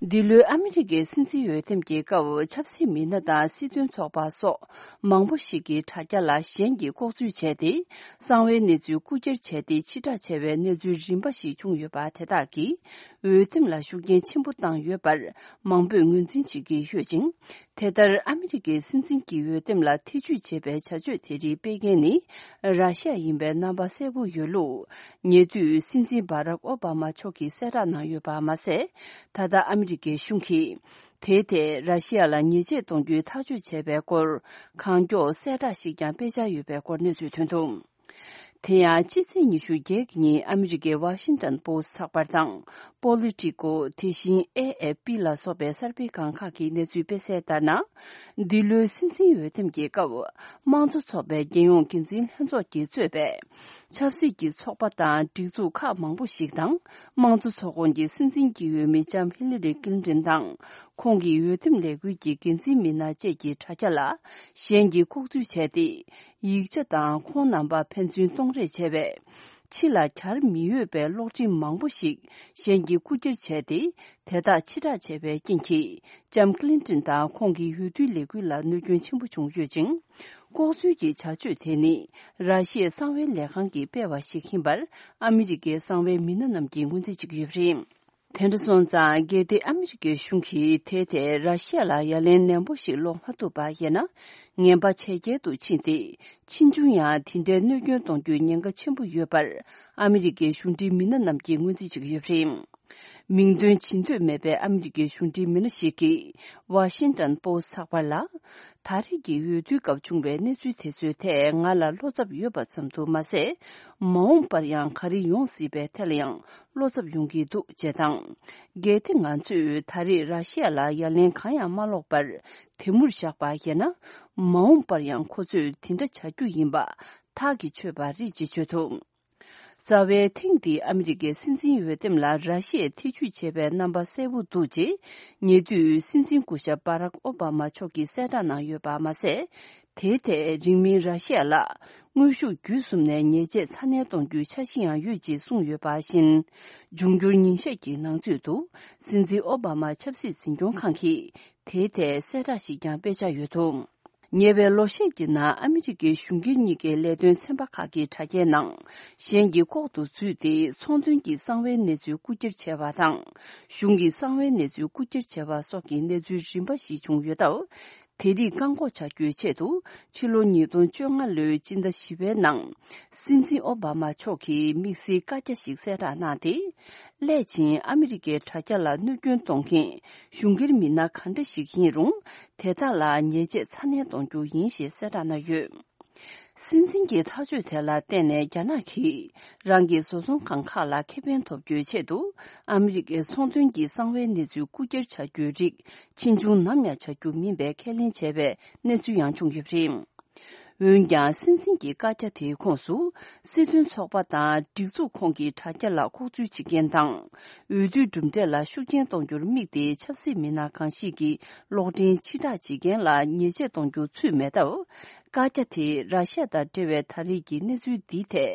འདི་ལོའི་ཨ་མི་རི་ཀའི་སྲིད་འཛིན་འོས་འདེམས་ཀྱི་སྐབས། ཆབ་སྲིད་མི་སྣ་དང་སྲིད་དོན་ཚོགས་པ་སོགས་མང་པོ་ཞིག་གིས་དྲ་རྒྱ་ལ་གཞན་གྱིས་ལྐོག་འཛུལ་བྱས་ཏེ། གསང་བའི་གནས་ཚུལ་རྐུ་འཁྱེར་བྱས་ཏེ། ཕྱིར་བསྒྲགས་བྱས་པའི་གནས་ཚུལ་རིམ་པ་ཞིག་བྱུང་ཡོད་པ་དེ་དག་གིས་འོས་འདེམས་ལ་ཤུགས་རྐྱེན་ཆེན་པོ་བཏང་ཡོད་པར་མང་པོས་ངོས་འཛིན་བྱེད་ཀྱི་ཡོད་ཅིང་། དེ་ལྟར་ཨ་མི་རི་ཀའི་སྲིད་འཛིན་གྱི་འོས་འདེམས་ལ་ཐེ་ཇུས་བྱེད་པའི་བྱ་སྤྱོད་དེ་རིགས་སྤེལ་མཁན་ནི། ར་ཤི་ཡ་ཡིན་པའི་རྣམ་པ་གསལ་པོ་ཡོད་ལུགས། ཉེ་དུས་སྲིད་འཛིན་བྷ་རག་ཨོ་བྷ་མ་མཆོག་གིས་གསལ་བསྒྲགས་གནང་ཡོད་པ་མ་ཟད། ད་ལྟ་ཨ་མི་རི་ཀའི་གཞུང་གིས་དེའི་ཐད་ར་ཤི་ཡ་ལ་ཉེས་ཆད་གཏོང་རྒྱུའི་ཐག་གཅོད་བྱས་པའི་སྐོར། གང་མགྱོགས་གསལ་བསྒྲགས་ཤིག་ཀྱང་སྤེལ་འཆར་ཡོད་པའི་སྐོར་གནས་ཚུལ་ཐོན་འདུག་དེ་ཡང་། ཕྱི་ཚེས་ཉི་ཤུ་བརྒྱད་ཉིན་ཨ་མི་རི་ཀའི་ཝ་ཤིང་ཏོན་པོ་སི་ཚགས་པར་དང་། པོ་ལི་ཊི་ཀོ། དེ་བཞིན་ཨེ་ཨེ་པི་ལ་སོགས་པའི་གསར་སྤེལ་ཁང་ཁག་གིས་གནས་ཚུལ་སྤེལ་གསལ་ལྟར་ན། འདི་ལོའི་སྲིད་འཛིན་འོས་འདེམས་ཀྱི་སྐབས། དམངས་གཙོ་ཚོགས་པའི་རྒྱལ་ཡོངས་འགན་འཛིན་ལྷན་ཚོགས་ཀྱིས་གཙོས་པའི་ཆབ་སྲིད་ཀྱི་ཚོགས་པ་དང་སྒྲིག་འཛུགས་ཁག་མང་པོ་ཞིག་དང་། དམངས་གཙོ་ཚོགས་ཁོངས་ཀྱི་སྲིད་འཛིན་གྱི་འོས་མི་ལྕམ་ཧི་ལི་རི་ཀིལ་ཏིན་དང་། ཁོང་གི་འོས་འདེམས་ལས་འགུལ་གྱི་འགན་འཛིན་མི་སྣ་བཅས་ཀྱི་དྲ་རྒྱ་ལ་གཞན་གྱིས་ལྐོག་འཛུལ་བྱས་ཏེ། ཡིག་ཆ་དང་ཁོང་རྣམ་པ་ཕན་ཚུན་གཏོང་རེས་བྱས་པའི་ཕྱི་ལ་གྱར་མི་འོས་པའི་གློག་འཕྲིན་མང་པོ་ཞིག་གཞན་གྱིས་རྐུ་འཁྱེར་བྱས་ཏེ། དེ་དག་ཕྱིར་བསྒྲགས་བྱས་པའི་རྐྱེན་གྱིས། ལྕམ་ཀི་ལིན་ཏིན་དང་ཁོང་གི་འོས་བསྡུའི་ལས་འགུལ་ལ་གནོད་སྐྱོན་ཆེན་པོ་བྱུང་ཡོད་ཅིང་། ལྐོག་འཛུལ་གྱི་བྱ་སྤྱོད་དེ་ནི། ར་ཤི་ཡའི་གསང་བའི་ལས་ཁང་གིས་སྤེལ་བ་ཞིག་ཡིན་པར། ཨ་མི་རི་ཀའི་གསང་བའི་མི་སྣ་རྣམས་ཀྱིས་ངོས་འཛིན་བྱེད་ཀྱི་ཡོད་པ་རེད། དེ་འདྲ་སོང་ཙང་། གལ་ཏེ་ཨ་མི་རི་ཀའི་གཞུང་གིས་དེའི་ཐད་ར་ཤི་ཡ་ལ་ཡ་ལན་ནན་པོ་ཞིག་སློག་མ་ཐུབ་པ་ཡིན་ན། ངན་པ་ཇེ་རྒྱལ་དུ་ཕྱིན་ཏེ། ཕྱིས་འབྱུང་ཡང་དེ་འདྲའི་གནོད་སྐྱོན་གཏོང་རྒྱུའི་ཉེན་ཁ་ཆེན་པོ་ཡོད་པར། ཨ་མི་རི་ཀའི་གཞུང་འབྲེལ་མི་སྣ་རྣམས་ཀྱིས་ངོས་འཛིན་བྱེད་ཀྱི་ཡོད་པ་རེད། མིང་འདོན་བྱེད་འདོད་མེད་པའི་ཨ་མི་རི་ཀའི་གཞུང་འབྲེལ་མི་སྣ་ཞིག་གིས་ཝ་ཤིང་ཏོན་པོ་སི་ཚགས་པར་ལ། ད་རེས་ཀྱི་འོས་བསྡུའི་སྐབས་བྱུང་བའི་གནས་ཚུལ་དེ་ཚོའི་ཐད་ང་ལ་བློ་འཚབ་ཡོད་པ་ཙམ་དུ་མ་ཟད། མ་འོངས་པར་ཡང་ག་རེ་ཡོང་སྲིད་པའི་ཐད་ལ་ཡང་བློ་འཚབ་ཡོང་གི་འདུག་ཅེས་དང་། གལ་ཏེ་ང་ཚོས་ད་རེས་ར་ཤི་ཡ་ལ་ཡ་ལན་གང་ཡང་མ་སློག་པར་དེ་མུར་བཞག་པ་ཡིན་ན། མ་འོངས་པར་ཡང་ཁོ་ཚོས་དེ་འདྲ་བྱ་རྒྱུ་ཡིན་པ་ཐག་གིས་ཆོད་པ་རེད་ཅེས་བརྗོད་འདུག་རྩ་བའི་ཐེངས་འདིའི་ཨ་མི་རི་ཀའི་སྲིད་འཛིན་འོས་འདེམས་ལ་ར་ཤི་ཡས་ཐེ་ཇུས་བྱས་པའི་རྣམ་པ་གསལ་པོ་འདུག་ཅེས། ཉེ་དུས་སྲིད་འཛིན་སྐུ་ཞབས་བྷ་རག་ཨོ་བྷ་མ་མཆོག་གིས་གསལ་བསྒྲགས་གནང་ཡོད་པ་མ་ཟད། དེའི་ཐད་རིང་མིན་ར་ཤི་ཡ་ལ་དངོས་ཤུགས་བརྒྱུད་གསུམ་ནས་ཉེས་ཆད་ཚ་ནན་གཏོང་རྒྱུའི་འཆར་གཞི་ཡང་ཡོད་ཅེས་གསུངས་ཡོད་པ་བཞིན། འབྱུང་འགྱུར་ཉིན་ཤས་ཀྱི་ནང་ཚུད་དུ་སྲིད་འཛིན་ཨོ་བྷ་མ་ཆབ་སྲིད་འཛིན་སྐྱོང་ཁང་གིས་དེའི་ཐད་གསལ་བསྒྲགས་ཤིག་ཀྱང་སྤེལ་འཆར་ཡོད་འདུག་ཉེ་བའི་ལོ་ཤས་ཀྱི་ནང་ཨ་མི་རི་ཀའི་གཞུང་སྒེར་གཉིས་ཀའི་ལས་དོན་ཚན་པ་ཁག་གི་དྲ་རྒྱའི་ནང་གཞན་གྱི་ལྐོག་ཏུ་འཛུལ་ཏེ་ཚོང་དོན་གྱི་གསང་བའི་གནས་ཚུལ་རྐུ་འཁྱེར་བྱས་པ་དང་། གཞུང་གི་གསང་བའི་གནས་ཚུལ་རྐུ་འཁྱེར་བྱས་པ་སོགས་ཀྱི་གནས་ཚུལ་རིམ་པ་ཞིག་བྱུང་ཡོད་སྟབས། དེ་རིགས་བཀག་འགོག་བྱ་རྒྱུའི་ཆེད་དུ་ཕྱི་ལོ་ཉིས་སྟོང་བཅོ་ལྔ་ལོའི་སྤྱི་ཟླ་བཞི་པའི་ནང་སྲིད་འཛིན་ཨོ་བྷ་མ་མཆོག་གིས་དམིགས་བསལ་བཀའ་རྒྱ་ཞིག་གསལ་བསྒྲགས་གནང་སྟེ། སླད་ཕྱིན་ཨ་མི་རི་ཀའི་དྲ་རྒྱ་ལ་གནོད་སྐྱོན་གཏོང་མཁན་གཞུང་སྒེར་མི་སྣ་ག་འདྲ་ཞིག་ཡིན་རུང་། དེ་དག་ལ་ཉེས་ཆད་ཚ་ནན་གཏོང་རྒྱུ་ཡིན་ཞེས་གསལ་བསྒྲགས་གནང་ཡོད། སྲིད་འཛིན་གྱི་ཐག་གཅོད་དེ་ལ་བརྟེན་ནས་རྒྱ་ནག་གིས་རང་གི་བཟོ་ཚོང་ཁང་ཁག་ལ་ཁེ་ཕན་ཐོབ་རྒྱུའི་ཆེད་དུ། ཨ་མི་རི་ཀའི་ཚོང་དོན་གྱི་གསང་བའི་གནས་ཚུལ་རྐུ་འཁྱེར་བྱ་རྒྱུའི་རིགས་ཕྱིས་འབྱུང་ནམ་ཡང་བྱ་རྒྱུ་མིན་པའི་ཁས་ལེན་བྱས་པའི་གནས་ཚུལ་ཡང་བྱུང་ཡོད་པ་རེད། འོན་ཀྱང་། སྲིད་འཛིན་གྱི་བཀའ་རྒྱ་དེའི་ཁོངས་སུ། སྲིད་དོན་ཚོགས་པ་དང་སྒྲིག་འཛུགས་ཁོངས་ཀྱི་དྲ་རྒྱ་ལ་ལྐོག་འཛུལ་བྱེད་མཁན་དང་། འོས་བསྡུའི་གྲུབ་འབྲས་ལ་ཤུགས་རྐྱེན་གཏོང་རྒྱུར་དམིགས་ཏེ་ཆབ་སྲིད་མི་སྣ་གང་ཞིག་གིས་གློག་འཕྲིན་ཕྱིར་བསྒྲགས་བྱེད་མཁན་ལ་ཉེས་ཆད་གཏོང་རྒྱུ་ཚུད་མེད་སྟབས། བཀའ་རྒྱ་དེས་ར་ཤི་ཡ་དང་འབྲེལ་བའི་ད་རེས་ཀྱི་གནས་ཚུལ་འདིའི་ཐད་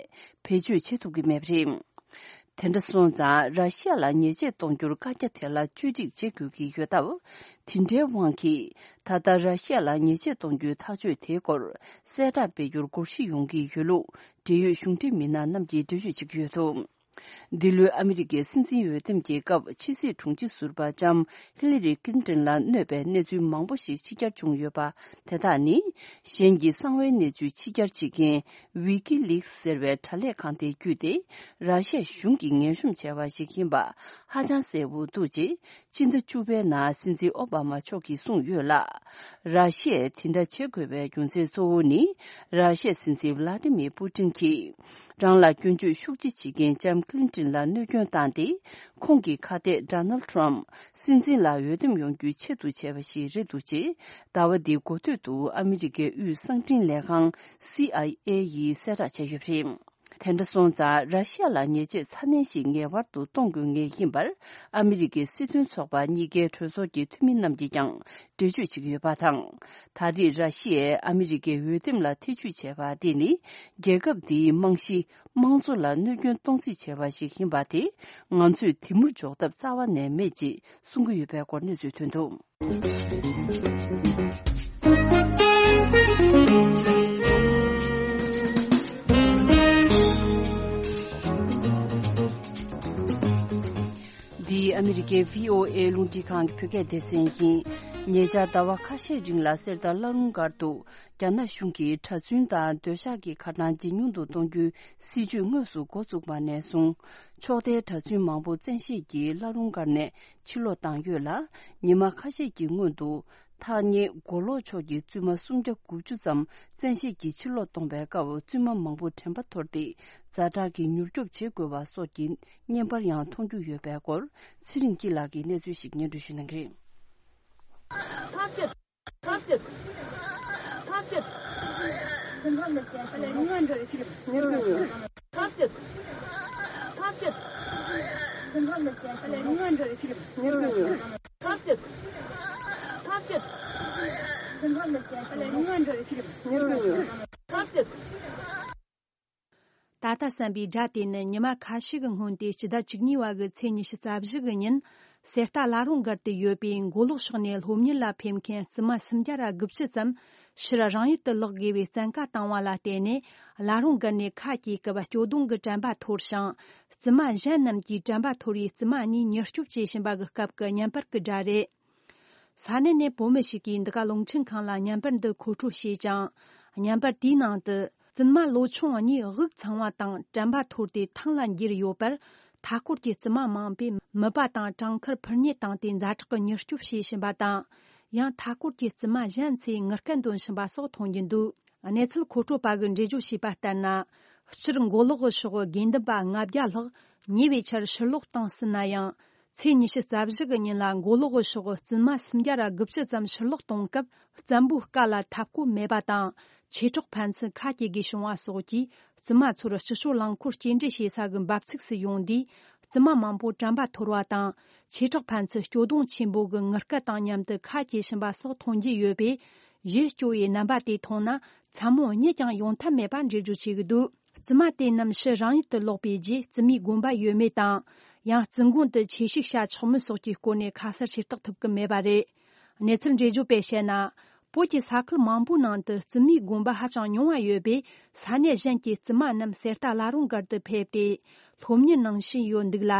བེད་སྤྱོད་བྱེད་ཐུབ་ཀྱི་མེད་པ་རེད། དེ་འདྲ་སོང་ཙང་། ར་ཤི་ཡ་ལ་ཉེས་ཆད་གཏོང་རྒྱུར་བཀའ་རྒྱ་དེ་ལ་བཅོས་སྒྲིག་བྱེད་དགོས་ཀྱི་ཡོད་སྟབས། དེ་འདྲའི་དབང་གིས། ད་ལྟ་ར་ཤི་ཡ་ལ་ཉེས་ཆད་གཏོང་རྒྱུའི་ཐག་གཅོད་དེའི་སྐོར་གསལ་བསྒྲགས་སྤེལ་རྒྱུར་སྒོར་གཞི་ཡོང་གི་ཡོད་ལུགས་འབྲེལ་ཡོད་གཞུང་འབྲེལ་མི་སྣ་རྣམས་ཀྱིས་འགྲེལ་བརྗོད་བྱེད་ཀྱི་ཡོད་འདུག་འདི་ལོའི་ཨ་མི་རི་ཀའི་སྲིད་འཛིན་འོས་འདེམས་ཀྱི་སྐབས། ཕྱི་སྲིད་དྲུང་ཆེ་ཟུར་པ་ལྕམ་ཧི་ལི་རི་ཀིན་ཏིན་ལ་གནོད་པའི་གནས་ཚུལ་མང་པོ་ཞིག་ཕྱི་གྱར་བྱུང་ཡོད་པ། དེ་དག་ནི། གཞན་གྱི་གསང་བའི་གནས་ཚུལ་ཕྱི་གྱར་བྱེད་མཁན་ཝི་ཀི་ལིག་ཟེར་བའི་དྲ་ལས་ཁང་དེ་བརྒྱུད་དེ། ར་ཤ་གཞུང་གིས་ངན་ཤོམ་བྱས་པ་ཞིག་ཡིན་པ་ཧ་ཅང་གསལ་པོ་འདུག་ཅེས། སྤྱི་ཟླ་བཅུ་པའི་ནང་སྲིད་འཛིན་ཨོ་བྷ་མ་མཆོག་གིས་གསུངས་ཡོད་ལ། ར་ཤ་ཡས་དེ་འདྲ་བྱེད་དགོས་པའི་རྒྱུ་མཚན་གཙོ་བོ་ནི། ར་ཤ་ཡའི་སྲིད་འཛིན་ཝ་ལ་ཏི་མིར་པུ་ཏིན་གྱིས། རང་ལ་སྐྱོན་བརྗོད་ཤུགས་ཆེ་བྱེད་མཁན་ལྕམ་ཀི་ལིན་ཏིན་ལ་གནོད་སྐྱོན་བཏང་སྟེ། ཁོང་གི་ཁ་གཏད་ཌོ་ནལ་ཌི་ཊརམ་ཕི་སྲིད་འཛིན་ལ་འོས་འདེམས་ཡོང་རྒྱུའི་ཆེད་དུ་བྱས་པ་ཞིག་རེད་འདུག་ཅེས། ཟླ་བ་འདིའི་འགོ་སྟོད་དུ་ཨ་མི་རི་ཀའི་དབུས་གསང་འཕྲིན་ལས་ཁང་སི་ཨའི་ཨེ་ཡིས་གསལ་བསྒྲགས་བྱས་ཡོད་པ་རེད། དེ་འདྲ་སོང་ཙང་ར་ཤི་ཡ་ལ་ཉེས་ཆད་ཚ་ནན་ཞིག་ངེས་པར་དུ་གཏོང་དགོས་ངེས་ཡིན་པར་ཨ་མི་རི་ཀའི་སྲིད་དོན་ཚོགས་པ་གཉིས་ཀའི་གྲོས་ཚོགས་ཀྱི་འཐུས་མི་རྣམས་ཀྱིས་ཀྱང་འགྲེལ་བརྗོད་བྱེད་ཀྱི་ཡོད་པ་དང་། ད་རེས་ར་ཤི་ཡས་ཨ་མི་རི་ཀའི་འོས་འདེམས་ལ་ཐེ་ཇུས་བྱས་པ་འདི་ནི་རྒྱལ་ཁབ་འདིའི་རྨང་གཞི་དམངས་གཙོ་ལ་གནོད་སྐྱོན་གཏོང་རྩིས་བྱས་པ་ཞིག་ཡིན་པ་དེ་ང་ཚོས་དེ་མུར་འཇོག་ཐབས་རྩ་བ་ནས་མེད་ཅེས་གསུང་གི་ཡོད་པའི་སྐོར་གནས་ཚུལ་ཐོན་འདུག། འདི་ཨ་མི་རི་ཀའི་བྷི་ཨོ་ཨེ་རླུང་འཕྲིན་ཁང་གི་བོད་སྐད་སྡེ་ཚན་ཡིན། ཉེ་ཆར་ཟླ་བ་ཁ་ཤས་རིང་ལ་གསེར་རྟ་བླ་རུང་སྒར་དུ་རྒྱ་ནག་གཞུང་གིས་གྲྭ་བཙུན་དང་སྡོད་ཤག་གི་ཁ་གྲངས་ཇེ་ཉུང་དུ་གཏོང་རྒྱུའི་སྲིད་ཇུས་དངོས་སུ་འགོ་བཙུགས་པ་ནས་བཟུང་། ཕྱོགས་མཐའི་གྲྭ་བཙུན་མང་པོ་བཙན་ཤེད་ཀྱིས་བླ་རུང་སྒར་ནས་ཕྱིར་ལོག་བཏང་ཡོད་ལ། ཉི་མ་ཁ་ཤས་ཀྱི་སྔོན་དུ་ཐག་ཉེ་མགོ་ལོག་ཕྱོགས་ཀྱི་བཙུན་མ་སུམ་བརྒྱ་དགུ་བཅུ་ཙམ་བཙན་ཤེད་ཀྱིས་ཕྱིར་ལོག་གཏོང་བའི་སྐབས། བཙུན་མ་མང་པོ་དྲན་པ་འཐོར་ཏེ་ཛ་དྲག་གི་མྱུར་སྐྱོབ་བྱེད་དགོས་པ་སོགས་ཀྱི་བརྙན་པར་ཡང་མཐོང་རྒྱུ་ཡོད་པའི་སྐོར་ཚེ་རིང་སྐྱིད་ལགས་ཀྱིས་གནས་ཚུལ་ཞིག་སྙན་སྒྲོན་ཞུ་གནང་གི་རེད། ད་ལྟ་བསམ་པའི་སྒྲ་དེ་ནི་ཉི་མ་ཁ་ཤས་ཀྱི་སྔོན་ཏེ་སྤྱི་ཟླ་བཅུ་གཉིས་པ་གི་ཚེས་ཉི་ཤུ་རྩ་བཞི་གི་ཉིན་གསེར་རྟ་བླ་རུང་སྒར་དུ་ཡོད་པའི་མགོ་ལོག་ཕྱོགས་ནས་སློབ་གཉེར་ལ་ཕེབས་མཁན་བཙུན་མ་སུམ་བརྒྱ་ར་དགུ་བཅུ་ཙམ་ཕྱིར་རང་ཡུལ་དུ་ལོག་དགོས་པའི་བཙན་བཀའ་བཏང་བ་ལ་བརྟེན་ནས། བླ་རུང་སྒར་ནས་ཁ་གྱེས་སྐབས་སྐྱོ་གདུང་གི་དྲན་པ་འཐོར་ཞིང་། བཙུན་མ་གཞན་རྣམས་ཀྱིས་དྲན་པ་འཐོར་བའི་བཙུན་མ་གཉིས་མྱུར་སྐྱོབ་བྱེད་བཞིན་པ་གི་སྐབས་ཀྱི་བརྙན་པར་གྱི་སྒྲ་རེད། ས་གནས་ནས་བོད་མི་ཞིག་གིས་འདི་ག་རླུང་འཕྲིན་ཁང་ལ་བརྙན་པར་འདི་མཁོ་སྤྲོད་བྱས་ཀྱང་། བརྙན་པར་དེའི་ནང་དུ། བཙུན་མ་ལོ་ཆུང་གཉིས་དབུགས་འཚང་བ་དང་དྲན་པ་འཐོར་ཏེ་ཐང་ལ་འགྱེལ་ཡོད་པར། མཐའ་སྐོར་གྱི་བཙུན་མ་མང་པོས་མིད་པ་དང་བྲང་ཁར་འཕུར་མཉེ་བཏང་སྟེ་ཛ་དྲག་གི་མྱུར་སྐྱོབ་བྱེད་བཞིན་པ་དང་། ཡང་མཐའ་སྐོར་གྱི་བཙུན་མ་གཞན་ཚོས་ངུ་སྐད་འདོན་བཞིན་པ་སོགས་མཐོང་རྒྱུ་འདུག། གནས་ཚུལ་མཁོ་སྤྲོད་པ་གིས་འགྲེལ་བརྗོད་བྱས་པ་ལྟར་ན། སྤྱིར་མགོ་ལོག་གི་ཕྱོགས་དགེ་འདུན་པ་ལྔ་བརྒྱ་ལྷག་ཉེ་བའི་ཆར་ཕྱིར་ལོག་བཏང་ཟིན་ན་ཡང་། ཚེས་ཉི་ཤུ་རྩ་བཞི་གི་ཉིན་ལ་མགོ་ལོག་གི་ཕྱོགས་བཙུན་མ་སུམ་བརྒྱ་ར་དགུ་བཅུ་ཙམ་ཕྱིར་ལོག་གཏོང་སྐབས། བཙན་པོའི་བཀའ་ལ་འཐབ་གོ་མེད་པ་དང་། ཆོས་གྲོགས་ཕན་ཚུན་ཁ་གྱེས་དགོས་བྱུང་བ་སོགས་ཀྱིས། བཙུན་མ་ཚོར་སྤྱི་སྤྱོད་རླངས་འཁོར་སྐྱེལ་འདྲེན་བྱེད་ས་གི་འབབ་ཚིགས་སུ་ཡོང་དུས། བཙུན་མ་མང་པོ་དྲན་པ་འཐོར་བ་དང་། ཆོས་གྲོགས་ཕན་ཚུན་སྐྱོ་གདུང་ཆེན་པོ་གི་ངུ་སྐད་དང་མཉམ་དུ་ཁ་གྱེས་བཞིན་པ་སོགས་མཐོང་རྒྱུ་ཡོད་པས། ཡིད་སྐྱོ་བའི་རྣམ་པ་དེ་མཐོང་ན། མཚན་མོ་གཉིད་ཀྱང་ཡོང་ཐབས་མེད་པ་འགྲེལ་བརྗོད་བྱེད་ཀྱི་འདུག། བཙུན་མ་དེ་རྣམས་ཕྱིར་རང་ཡུལ་དུ་ལོག་པའི་རྗེས། བཙུན་མའི་དགོན་པ་ཡོད་མེད་དང་། ཡང་བཙུན་དགོན་དུ་ཆོས་ཞུགས་བྱ་ཆོག་མིན་སོགས་ཀྱི་སྐོར་ནས་ཁ་གསལ་ཤེས་རྟོགས་ཐུབ་ཀྱི་མེད་པ་རེད། གནས་ཚུལ་འགྲེལ་བརྗོད་པས་བཤད་ན། བོད་ཀྱི་ས་ཁུལ་མང་པོའི་ནང་དུ་བཙུན་མའི་དགོན་པ་ཧ་ཅང་ཉུང་བ་ཡོད་པས། ས་གནས་གཞན་གྱི་བཙུན་མ་རྣམས་གསེར་རྟ་བླ་རུང་སྒར་དུ་ཕེབས་ཏེ། སློབ་གཉེར་གནང་བཞིན་ཡོད་འདུག་ལ།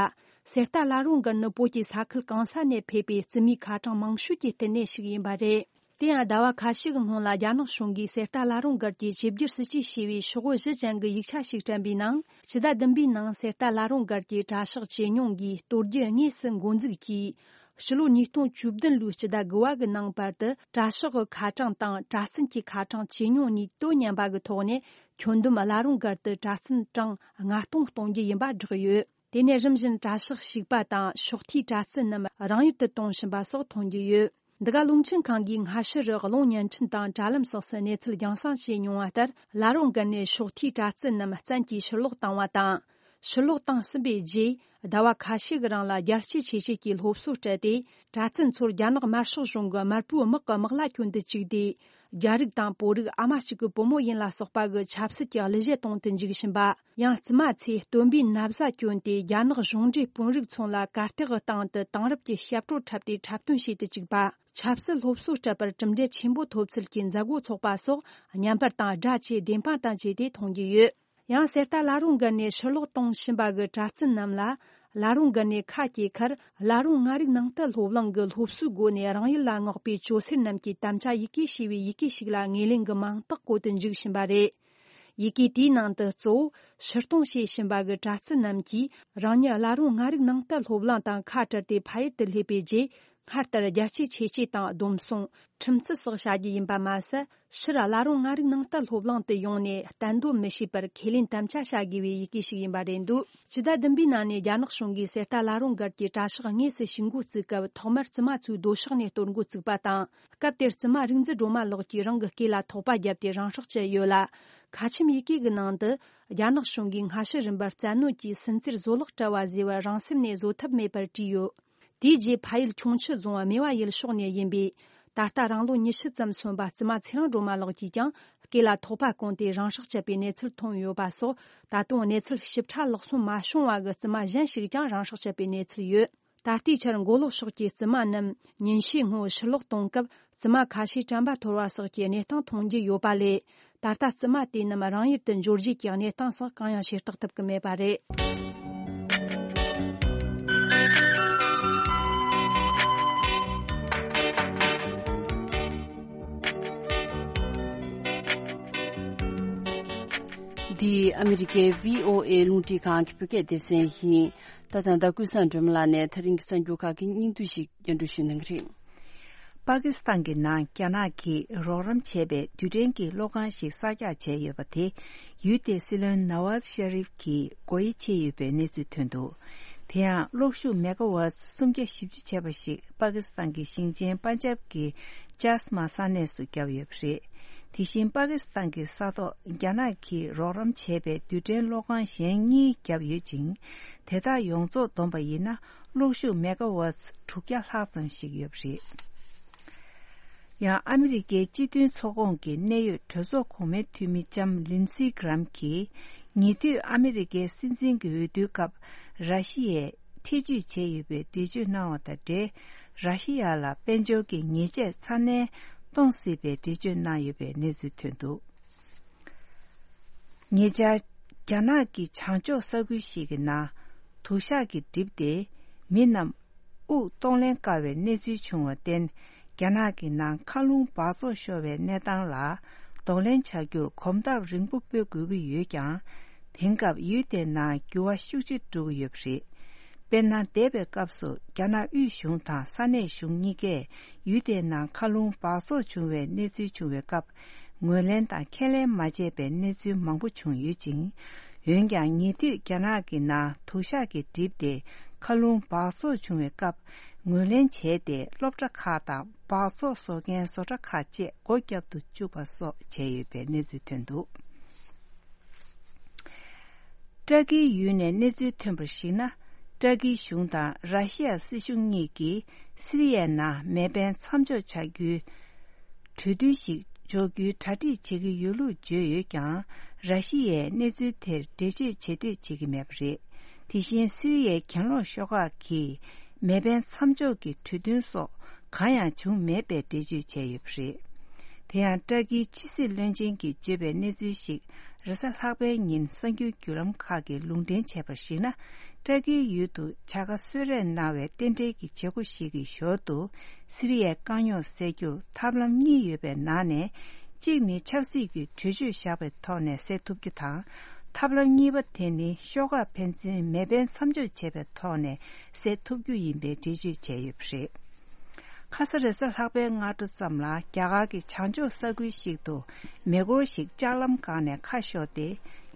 གསེར་རྟ་བླ་རུང་སྒར་ནི་བོད་ཀྱི་ས་ཁུལ་གང་ས་ནས་ཕེབས་པའི་བཙུན་མའི་ཁ་གྲངས་མང་ཤོས་ཀྱི་བསྟི་གནས་ཤིག་ཡིན་པ་རེད། དེ་ཡང་ཟླ་བ་ཁ་ཤས་ཀྱི་སྔོན་ལ་རྒྱ་ནག་གཞུང་གིས་གསེར་རྟ་བླ་རུང་སྒར་གྱི་ཆིབས་བསྒྱུར་སྲིད་ཇུས་ཞེས་པའི་ཤོག་བུ་བཞི་ཅན་གྱི་ཡིག་ཆ་ཞིག་བསྐྲུན་པའི་ནང་། ཕྱི་ཟླ་བདུན་པའི་ནང་གསེར་རྟ་བླ་རུང་སྒར་གྱི་གྲྭ་ཤག་ཇེ་ཉུང་གིས་གཏོར་རྒྱུ་དངོས་སུ་འགོ་འཛུགས་ཀྱིས། ཕྱི་ལོ་ཉིས་སྟོང་བཅུ་བདུན་ལོའི་ཕྱི་ཟླ་དགུ་བ་གི་ནང་བར་དུ་གྲྭ་ཤག་གི་ཁ་གྲངས་དང་གྲྭ་བཙུན་གྱི་ཁ་གྲངས་ཇེ་ཉུང་གཉིས་དོ་མཉམ་པ་གི་ཐོག་ནས། ཁྱོན་བསྡོམས་བླ་རུང་སྒར་དུ་གྲྭ་བཙུན་གྲངས་ལྔ་སྟོང་གཏོང་རྒྱུ་ཡིན་པ་བསྒྲགས་ཡོད། དེ་ནས་རིམ་བཞིན་གྲྭ་ཤག་ཞིག་པ་དང་ཕྱོགས་མཐའི་གྲྭ་བཙུན་རྣམས་རང་ཡུལ་དུ་གཏོང་བཞིན་པ་སོགས་མཐོང་རྒྱུ་ཡོད། འདི་ག་རླུང་འཕྲིན་ཁང་གིས་སྔ་ཕྱི་རུ་གློག་བརྙན་འཕྲིན་དང་དྲ་ལམ་སོགས་སུ་གནས་ཚུལ་རྒྱང་སྲིང་བྱས་མྱོང་བ་ལྟར། བླ་རུང་སྒར་ནས་ཕྱོགས་མཐའི་གྲྭ་བཙུན་རྣམས་བཙན་གྱིས་ཕྱིར་ལོག་བཏང་བ་དང་། ཕྱིར་ལོག་བཏང་ཟིན་པའི་རྗེས། ཟླ་བ་ཁ་ཤས་ཀྱི་རིང་ལ་རྒྱལ་གཅེས་ཆེ་བྱེད་ཀྱི་སློབ་གསོ་སྤྲད་དེ། གྲྭ་བཙུན་ཚོར་རྒྱ་ནག་དམར་ཤོག་གཞུང་གི་དམར་པོའི་དམག་གི་དམག་ལྭ་གྱོན་དུ་བཅུག་སྟེ། རྒྱ་རིགས་དང་བོད་རིགས་ཨ་མ་གཅིག་གི་བུ་མོ་ཡིན་ལ་སོགས་པ་གི་ཆབ་སྲིད་ཀྱི་གླུ་གཞས་གཏོང་དུ་འཇུག་བཞིན་པ། ཡང་བཙུན་མ་ཚོས་སྟོན་པའི་ན་བཟའ་གྱོན་ཏེ། རྒྱ་ནག་གཞུང་འབྲེལ་དཔོན་རིགས་ཚོ་ལ་གར་སྟེགས་སྟེང་དུ་དེང་རབས་ཀྱི་ཞབས་བྲོ་འཁྲབ་སྟེ་འཁྲབ་སྟོན་བྱེད་དུ་བཅུག་པ། ཆབ་སྲིད་སློབ་གསོ་སྤྲད་པར་གྲུབ་འབྲས་ཆེན་པོ་ཐོབ་ཚུལ་གྱི་མཛད་སྒོ་ཚོགས་པ་སོགས། བརྙན་པར་དང་སྒྲ་བཅས་བདེན་དཔང་དང་བཅས་ཏེ་མཐོང་རྒྱུ་ཡོད། ཡང་གསེར་རྟ་བླ་རུང་སྒར་ནས་ཕྱིར་ལོག་གཏོང་བཞིན་པ་གི་གྲྭ་བཙུན་རྣམས་ལ། བླ་རུང་སྒར་ནས་ཁ་གྱེས་ཁར། བླ་རུང་མངའ་རིས་ནང་བསྟན་སློབ་གླིང་གི་སློབ་གསོའི་སྒོ་ནས་རང་ཡུལ་ལ་མངགས་པའི་ཇོ་སེར་རྣམས་ཀྱི་དམ་བཅའ་ཡི་གེ་ཞེས་པའི་ཡི་གེ་ཞིག་ལ་ངོས་ལེན་གྱི་མིང་རྟགས་བཀོད་དུ་འཇུག་བཞིན་པ་རེད། ཡི་གེ་དེའི་ནང་དུ། གཙོ་བོ་ཕྱིར་གཏོང་བྱེད་བཞིན་པ་གི་གྲྭ་བཙུན་རྣམས་ཀྱིས། རང་ཉིད་བླ་རུང་མངའ་རིས་ནང་བསྟན་སློབ་གླིང་དང་ཁ་བྲལ་ཏེ་ཕ་ཡུལ་དུ་སླེབས་པའི་རྗེས། སྔར་ལྟར་རྒྱལ་གཅེས་ཆོས་གཅེས་དང་སྡོམ་བཟུང་། ཁྲིམས་བརྩི་སོགས་བྱ་རྒྱུ་ཡིན་པ་མ་ཟད། ཕྱིར་བླ་རུང་མངའ་རིས་ནང་བསྟན་སློབ་གླིང་དུ་ཡོང་ནས་གཏན་སྡོད་མི་བྱེད་པར་ཁས་ལེན་དམ་བཅའ་བྱ་དགོས་པའི་ཡི་གེ་ཞིག་ཡིན་པ་རེད་འདུག། ཕྱི་ཟླ་བདུན་པའི་ནང་ནས་རྒྱ་ནག་གཞུང་གིས་གསེར་རྟ་བླ་རུང་སྒར་གྱི་གྲྭ་ཤག་དངོས་སུ་ཞུགས་འགོ་བཙུགས་སྐབས། ཐོག་མར་བཙུན་མ་ཚོའི་སྡོད་ཤག་ནས་གཏོར་འགོ་བཙུགས་པ་དང་། སྐབས་དེར་བཙུན་མ་རིག་འཛིན་སྒྲོལ་མ་ལགས་ཀྱིས་རང་གི་སྐེ་ལ་ཐོག་པ་བརྒྱབ་སྟེ་རང་སྲོག་བཅད་ཡོད་ལ། ཁ་ཆེམས་ཡི་གེ་གི་ནང་དུ། རྒྱ་ནག་གཞུང་གིས་སྔ་ཕྱི་རིམ་པར་བཙན་གནོན་གྱིས་སུན་གཙེར་བཟོ་ལག་བཀྲ་བ་བཟོས་པར་རང་སེམས་ནས་བཟོད་ཐབས་མེད་པར་བྲིས་ཡོད། དེའི་རྗེས་ཕ་ཡུལ་ཁྱུང་མཆུ་རྫོང་སྨེ་བ་ཡུལ་ཕྱོགས་ནས་ཡིན་པས། ད་ལྟ་རང་ལོ་ཉི་ཤུ་ཙམ་སོན་པ་བཙུན་མ་ཚེ་རིང་སྒྲོལ་མ་ལགས་ཀྱིས་ཀྱང་སྐེ་ལ་ཐོགས་པ་གོན་ཏེ་རང་སྲོག་བཅད་པའི་གནས་ཚུལ་ཐོན་ཡོད་པ་སོགས། ད་དུང་གནས་ཚུལ་ཞིབ་ཕྲ་ལག་སོན་མ་བྱུང་བ་གི་བཙུན་མ་གཞན་ཞིག་ཀྱང་རང་སྲོག་བཅད་པའི་གནས་ཚུལ་ཡོད། ད་ལྟའི་ཆར་མགོ་ལོག་ཕྱོགས་ཀྱི་བཙུན་མ་རྣམས་ཉིན་ཤས་སྔོན་ཕྱིར་ལོག་གཏོང་སྐབས། བཙུན་མ་ཁ་ཤས་དྲན་པ་འཐོར་བ་སོགས་ཀྱི་གནས་སྟངས་མཐོང་རྒྱུ་ཡོད་པ་ལས། ད་ལྟ་བཙུན་མ་དེ་རྣམས་རང་ཡུལ་དུ་འབྱོར་རྗེས་ཀྱི་གནས་སྟངས་སོགས་གང་ཡང་ཤེས་རྟོགས་ཐུབ་ཀྱི་མེད་པ་རེད། འདི་ཨ་མི་རི་ཀའི་བྷི་ཨོ་ཨེ་རླུང་འཕྲིན་ཁང་གི་བོད་སྐད་སྡེ་ཚན་ཡིན། ད་ད་ལྟ་ཀུན་བཟང་སྒྲོལ་མ་ལགས་ནས་ད་རིང་གི་གསར་འགྱུར་ཁག་གི་སྙིང་བསྡུས་ཤིག་སྙན་སྒྲོན་ཞུ་གནང་གི་རེད། པ་ཀི་སི་ཐན་གྱི་ནང་རྒྱ་ནག་གིས་རོགས་རམ་བྱས་པའི་རྡུལ་ཕྲན་གྱི་གློག་ཁང་ཞིག་གསར་རྒྱག་བྱས་ཡོད་པ་དེ། ཡུལ་དེའི་སྲིད་བློན་ནཱ་ཝཱཛ་ཤ་རིབ་ཀྱིས་སྒོ་དབྱེ་ཕྱེ་ཡོད་པའི་གནས་ཚུལ་ཐོན་འདུག་དེ་ཡང་གློག་ཤུགས་མེ་ག་ཝཊ་སུམ་བརྒྱ་བཞི་བཅུ་བྱས་པ་ཞིག་པ་ཀི་སི་ཐན་གྱི་ཞིང་ཆེན་པན་ཇབ་ཀྱི་ཅཱས་མ་ས་གནས་སུ་བརྒྱབ་ཡོད་པ་རེད། དེ་བཞིན་པ་ཀི་སི་ཐན་གྱི་ས་ཐོག་རྒྱ་ནག་གིས་རོགས་རམ་བྱས་པའི་རྡུལ་ཕྲན་གློག་ཁང་གཞན་གཉིས་བརྒྱབ་ཡོད་ཅིང་། དེ་དག་ཡོངས་རྫོགས་བསྡོམས་པ་ཡིན་ན་གློག་ཤུགས་མེ་ག་ཝཊ་དྲུག་བརྒྱ་ལྷག་ཙམ་ཞིག་ཡོད་པ་རེད། ཡང་ཨ་མི་རི་ཀའི་སྤྱི་མཐུན་ཚོགས་ཁོངས་ཀྱི་གནད་ཡོད་གྲོས་ཚོགས་གོང་མའི་འཐུས་མི་ལྕམ་ལིན་སི་གྷི་རམ་གྱིས། ཉེ་དུས་ཨ་མི་རི་ཀའི་སྲིད་འཛིན་གྱི་འོས་བསྡུའི་སྐབས་ར་ཤི་ཡས་ཐེ་ཇུས་བྱས་ཡོད་པའི་འགྲེལ་བརྗོད་གནང་བ་དང་འབྲེལ། ར་ཤི་ཡ་ལ་དཔལ་འབྱོར་གྱི་ཉེས་ཆད་ཚ་ནན་གཏོང་སྲིད་པའི་འགྲེལ་བརྗོད་གནང་ཡོད་པའི་གནས་ཚུལ་ཐོན་འདུག་ཉེ་ཆར། རྒྱ་ནག་གི་བྱང་ཕྱོགས་ས་ཁུལ་ཞིག་གི་ནང་དུག་ཤག་གིས་བསྒྲིབས་ཏེ། མི་རྣམས་དབུགས་གཏོང་ལེན་དཀའ་བའི་གནས་ཚུལ་བྱུང་བར་བརྟེན། རྒྱ་ནག་གི་ནང་མཁའ་རླུང་འབག་བཙོག་ཤོར་བའི་གནས་སྟངས་ལ་གདོང་ལེན་བྱ་རྒྱུར་གོམ་སྟབས་རིང་པོ་སྤོ་དགོས་ཀྱི་ཡོད་ཀྱང་། དེང་སྐབས་ཡུལ་དེའི་ནང་འགྱུར་བ་ཤུགས་ཆེ་འགྲོ་གི་ཡོད་པ་རེད། དཔེར་ན། འདས་པའི་སྐབས་སུ་རྒྱ་ནག་དབུས་གཞུང་དང་ས་གནས་གཞུང་གཉིས་ཀས་ཡུལ་དེའི་ནང་མཁའ་རླུང་འབག་བཙོག་བྱུང་བའི་གནས་ཚུལ་བྱུང་བའི་སྐབས། ངོས་ལེན་དང་ཁས་ལེན་མ་བྱས་པའི་གནས་ཚུལ་མང་པོ་བྱུང་ཡོད་ཅིང་། འོན་ཀྱང་། ཉེ་དུས་རྒྱ་ནག་གི་ནང་དུག་ཤག་གིས་བསྒྲིབས་ཏེ། མཁའ་རླུང་འབག་བཙོག་བྱུང་བའི་སྐབས། ངོས་ལེན་བྱས་ཏེ། སློབ་གྲྭ་ཁག་དང་འབག་བཙོག་བཟོ་མཁན་བཟོ་གྲྭ་ཁག་བཅས་སྒོ་བརྒྱབ་ཏུ་བཅུག་པ་སོགས་བྱས་ཡོད་པའི་གནས་ཚུལ་ཐོན་འདུག་ཏྲ་ཀིའི་ཡུལ་ནས་གནས་ཚུལ་ཐོན་པར་གཞིགས་ན། ཏྲ་ཀིའི་གཞུང་དང་ར་ཤི་ཡ་སྲིད་གཞུང་གཉིས་ཀྱིས་སི་རི་ཡའི་ནང་མེ་འཕེན་མཚམས་འཇོག་བྱ་རྒྱུའི་གྲོས་མཐུན་ཞིག་འཇོག་རྒྱུའི་གྲ་སྒྲིག་བྱེད་ཀྱི་ཡོད་ལུགས་བརྗོད་ཡོད་ཀྱང་། ར་ཤི་ཡས་གནས་ཚུལ་དེར་འགྲེལ་བརྗོད་བྱེད་འདོད་བྱེད་ཀྱི་མེད་པ་རེད། དེ་བཞིན་སི་རི་ཡའི་གྱེན་ལོག་ཤོག་ཁག་གིས་མེ་འཕེན་མཚམས་འཇོག་གི་གྲོས་མཐུན་སོགས་གང་ཡང་བྱུང་མེད་པའི་འགྲེལ་བརྗོད་བྱས་ཡོད་པ་རེད། དེ་ཡང་ཏྲ་ཀིའི་ཕྱི་སྲིད་བློན་ཆེན་གྱིས་བརྗོད་པའི་གནས་ཚུལ་ཞིག་རེས་གཟའ་ལྷག་པའི་ཉིན་གསར་འགྱུར་བརྒྱུད་ལམ་ཁག་གིས་ལུང་འདྲེན་བྱས་པར་གཞིགས་ན། ཏྲ་ཀིའི་ཡུལ་དུ་བྱ་དགའ་གསོལ་རས་གནང་བའི་རྟེན་འབྲེལ་གྱི་བྱེད་སྒོ་ཞིག་གི་ཞོར་དུ། སི་རི་ཡའི་དཀའ་རྙོག་སེལ་རྒྱུར་ཐབས་ལམ་གཉིས་ཡོད་པའི་ནང་ནས། གཅིག་ནི་ཆབ་སྲིད་ཀྱི་གྲོས་ཆོད་བཞག་པའི་ཐོག་ནས་སེལ་ཐུབ་རྒྱུ་དང་། ཐབས་ལམ་གཉིས་པ་དེ་ནི་ཤོག་ཁག་ཕན་ཚུན་མེ་འཕེན་མཚམས་འཇོག་བྱས་པའི་ཐོག་ནས་སེལ་ཐུབ་རྒྱུ་ཡིན་པའི་འགྲེལ་བརྗོད་བྱས་ཡོད་པ་རེད། ཁ་ས་རེས་གཟའ་ལྷག་པའི་སྔ་དྲོ་ཙམ་ལ་རྒྱ་གར་གྱི་བྱང་ཕྱོགས་ས་ཁུལ་ཞིག་ཏུ་མེ་འཁོར་ཞིག་ལྕགས་ལམ་སྒང་ནས་ཁ་ཤོར་ཏེ།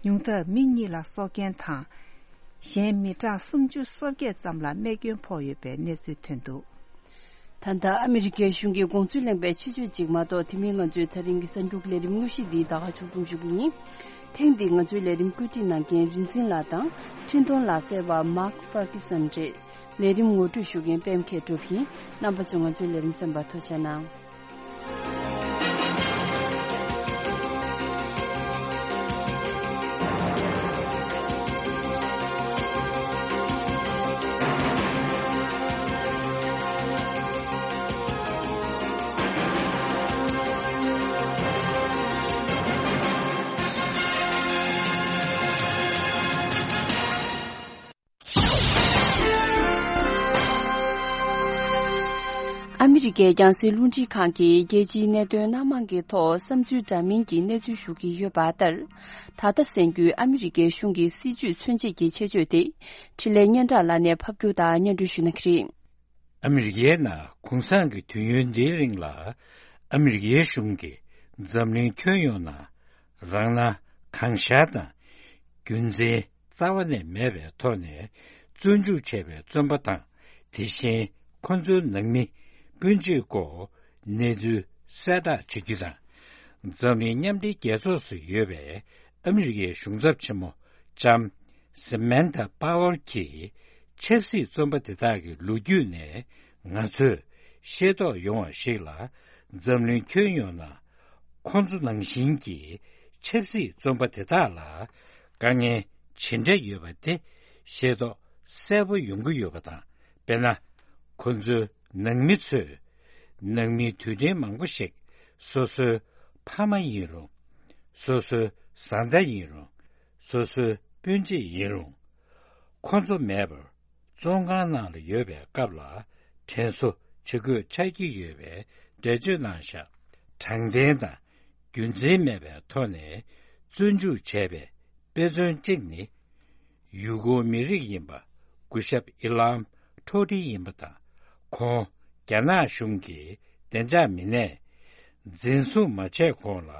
ཉུང་མཐར་མི་གཉིས་ལ་སྲོག་སྐྱོན་དང་། གཞན་མི་གྲངས་སུམ་ཅུ་སོ་བརྒྱད་ཙམ་ལ་རྨས་སྐྱོན་ཕོག་ཡོད་པའི་གནས་ཚུལ་ཐོན་འདུག་ད་ལྟ་ཨ་མི་རི་ཀའི་གཞུང་གིས་དགོངས་ཚུལ་གླེང་པའི་ཆེད་བརྗོད་ཅིག་མ་གཏོགས། དེ་མིན་ང་ཚོའི་ད་རིང་གི་གསར་འགྱུར་ལས་རིམ་དངོས་གཞི་འདི་ད་ག་ཕྱོགས་བསྡོམས་ཞུ་གི་ཡིན། ཐེངས་འདིའི་ང་ཚོའི་ལས་རིམ་བཀོད་སྒྲིག་གནང་མཁན་རིན་འཛིན་ལགས་དང་། འཕྲིན་གཏོང་ལག་རྩལ་བ་མཱག་ཧྥར་ཀི་སན་རེད། ལས་རིམ་ངོ་སྤྲོད་ཞུ་མཁན་པད་མཁས་གྲུབ་ཡིན། རྣམ་པ་ཚོས་ང་ཚོའི་ལས་རིམ་གསན་པར་ཐུགས་རྗེ་གནང་། ཨ་མི་རི་ཀའི་རྒྱང་སྲིང་རླུང་འཕྲིན་ཁང་གིས་རྒྱལ་སྤྱིའི་གནད་དོན་སྣ་མང་གི་ཐོག་བསམ་ཚུལ་འདྲ་མིན་གྱི་གནས་ཚུལ་ཞུ་གི་ཡོད་པ་ལྟར། ད་ལྟ་གསན་རྒྱུའི་ཨ་མི་རི་ཀའི་གཞུང་གི་སྲིད་ཇུས་མཚོན་བྱེད་ཀྱི་ཆེད་བརྗོད་དེ། འཕྲིན་ལས་སྙན་གྲགས་ལགས་ནས་ཕབ་སྒྱུར་དང་སྙན་སྒྲོན་ཞུ་གནང་གི་རེད། ཨ་མི་རི་ཀའི་ནང་གུང་སེང་གི་དུས་ཡུན་འདིའི་རིང་ལ། ཨ་མི་རི་ཀའི་གཞུང་གིས་འཛམ་གླིང་ཁྱོན་ཡོངས་ནང་རང་སྣང་གང་ཤར་དང་། རྒྱུ་མཚན་རྩ་བ་ནས་མེད་པའི་ཐོག་ནས་བཙོན་འཇུག་བྱས་པའི་བཙོན་པ་དང་། དེ་བཞིན་ཁོ་ཚོའི་ནང་མི་སྤུན་མཆེད་སྐོར་གནས་ཚུལ་གསལ་བསྒྲགས་བྱ་རྒྱུ་དང་། འཛམ་གླིང་མཉམ་འབྲེལ་རྒྱལ་ཚོགས་སུ་ཡོད་པའི་ཨ་མི་རི་ཀའི་གཞུང་ཚབ་ཆེན་མོ་ལྕམ་Samantha Power གྱིས་ཆབ་སྲིད་བཙོན་པ་དེ་དག་གི་ལོ་རྒྱུས་ནས་ང་ཚོས་ཤེས་རྟོགས་ཡོང་བ་ཞིག་ལ། འཛམ་གླིང་ཁྱོན་ཡོངས་ན་ཁོང་ཚོ་ནང་བཞིན་གྱི་ཆབ་སྲིད་བཙོན་པ་དེ་དག་ལ་དཀའ་ངལ་ཇི་འདྲ་ཡོད་པ་དེ་ཤེས་རྟོགས་གསལ་པོ་ཡོང་གི་ཡོད་པ་དང་། དཔེར་ན། ཁོ་ཚོའི་ནང་མི་ཚོས་ནང་མིའི་དུད་སྤྲིན་མང་པོ་ཞིག་སོ་སོའི་ཕ་མ་ཡིན་རུང་། སོ་སོའི་བཟའ་ཟླ་ཡིན་རུང་། སོ་སོའི་སྤུན་མཆེད་ཡིན་རུང་། ཁོ་ཚོ་མེད་པར་བཙོན་ཁང་ནང་ལ་ཡོད་པའི་སྐབས་ལ་དྲན་གསོ་བྱེད་དགོས་ཆགས་ཀྱི་ཡོད་པའི་འགྲེལ་བརྗོད་གནང་བཞག་དྲང་བདེན་དང་རྒྱུ་མཚན་མེད་པའི་ཐོག་ནས་བཙོན་འཇུག་བྱས་པའི་དཔེ་མཚོན་གཅིག་ནི། ཡུ་གུར་མི་རིགས་ཡིན་པ་སྐུ་ཞབས་ཨི་ལམ་ཁྲོ་ཏི་ཡིན་པ་དང་། ཁོང་རྒྱ་ནག་གཞུང་གི་བདེ་འཇགས་མི་སྣས་འཛིན་བཟུང་མ་བྱས་གོང་ལ་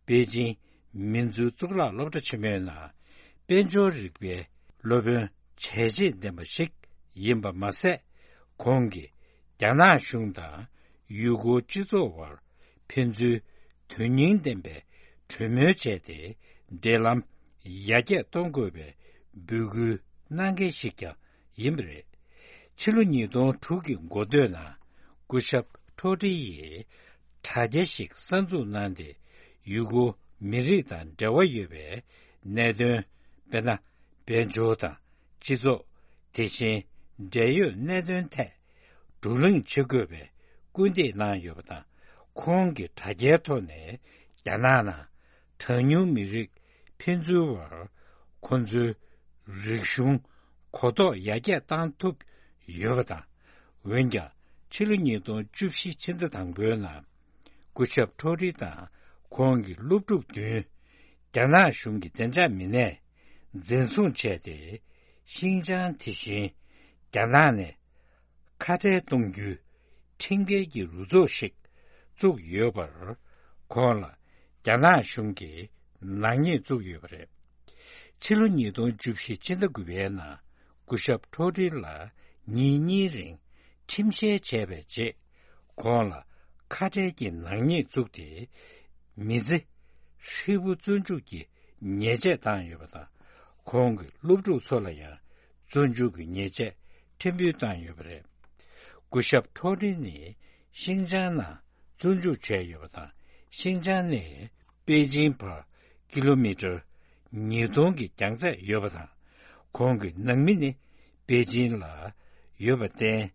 པེ་ཅིང་མིན་ཙུའུ་གཙུག་ལག་སློབ་གྲྭ་ཆེན་མོའི་ནང་དཔལ་འབྱོར་རིག་པའི་སློབ་དཔོན་བྱས་རྗེས་ལྡན་པ་ཞིག་ཡིན་པ་མ་ཟད། ཁོང་གིས་རྒྱ་ནག་གཞུང་དང་ཡུ་གུར་སྤྱི་ཚོགས་བར་ཕན་ཚུན་དོན་སྙིང་ལྡན་པའི་གྲོས་མོལ་བྱས་ཏེ། འབྲེལ་ལམ་ཡར་རྒྱས་གཏོང་དགོས་པའི་འབོད་སྐུལ་གནང་མཁན་ཞིག་ཀྱང་ཡིན་པ་རེད། ཕྱི་ལོ་ཉིས་སྟོང་དྲུག་གི་འགོ་སྟོད་ནང་སྐུ་ཞབས་ཁྲོ་ཏི་ཡིས་དྲ་རྒྱ་ཞིག་གསར་འཛུགས་གནང་སྟེ། ཡུ་གུར་མི་རིགས་དང་འབྲེལ་བ་ཡོད་པའི་གནད་དོན། དཔེར་ན། དཔལ་འབྱོར་དང་སྤྱི་ཚོགས། དེ་བཞིན་འབྲེལ་ཡོད་གནད་དོན་ཐད་བགྲོ་གླེང་བྱེད་དགོས་པའི་སྐུལ་འདེད་གནང་ཡོད་པ་དང་། ཁོང་གིས་དྲ་རྒྱའི་ཐོག་ནས་རྒྱ་ནག་ནང་གྲངས་ཉུང་མི་རིགས་ཕན་ཚུན་བར་ཁོ་ཚོའི་རིག་གཞུང་གོ་རྟོགས་ཡར་རྒྱས་བཏང་ཐུབ་ཡོད་པ་དང་། འོན་ཀྱང་ཕྱི་ལོ་ཉིས་སྟོང་བཅུ་བཞི་ཕྱི་ཟླ་དང་པོའི་ནང་སྐུ་ཞབས་ཁྲོ་རི་དང་ཁོང་གི་སློབ་ཕྲུག་བདུན་རྒྱ་ནག་གཞུང་གི་བདེ་འཇགས་མི་སྣས་འཛིན་བཟུང་བྱས་ཏེ། ཤིན་ཅང་དེ་བཞིན་རྒྱ་ནག་ནས་ཁ་བྲལ་གཏོང་རྒྱུའི་ཁྲིམས་འགལ་གྱི་རུ་ཚོགས་ཤིག་བཙུགས་ཡོད་པར། ཁོང་ལ་རྒྱ་ནག་གཞུང་གིས་ནག་ཉེས་བཙུགས་ཡོད་པ་རེད། ཕྱི་ལོ་ཉིས་སྟོང་བཅུ་བཞི་ཕྱི་ཟླ་དགུ་པའི་ནང་སྐུ་ཞབས་ཁྲོ་ཏི་ལ་ཉིན་གཉིས་རིང་ཁྲིམས་བཤེར་བྱས་པའི་རྗེས། ཁོང་ལ་ཁ་བྲལ་གྱི་ནག་ཉེས་བཙུགས་ཏེ། མི་ཚེ་ཧྲིལ་པོ་བཙོན་འཇུག་གི་ཉེས་ཆད་བཏང་ཡོད་པ་དང་། ཁོང་གི་སློབ་ཕྲུག་ཚོ་ལ་ཡང་བཙོན་འཇུག་གི་ཉེས་ཆད་ཕྲན་བུ་བཏང་ཡོད་པ་རེད། སྐུ་ཞབས་ཁྲོ་ཏི་ནི་ཤིན་ཅང་ནང་བཙོན་འཇུག་བྱས་ཡོད་པ་དང་། ཤིན་ཅང་ནས་པེ་ཅིང་བར་ཀི་ལོ་མི་ཊར་ཉིས་སྟོང་གི་རྒྱང་ཚད་ཡོད་པ་དང་། ཁོང་གི་ནང་མི་ནི་པེ་ཅིང་ལ་ཡོད་པར་བརྟེན།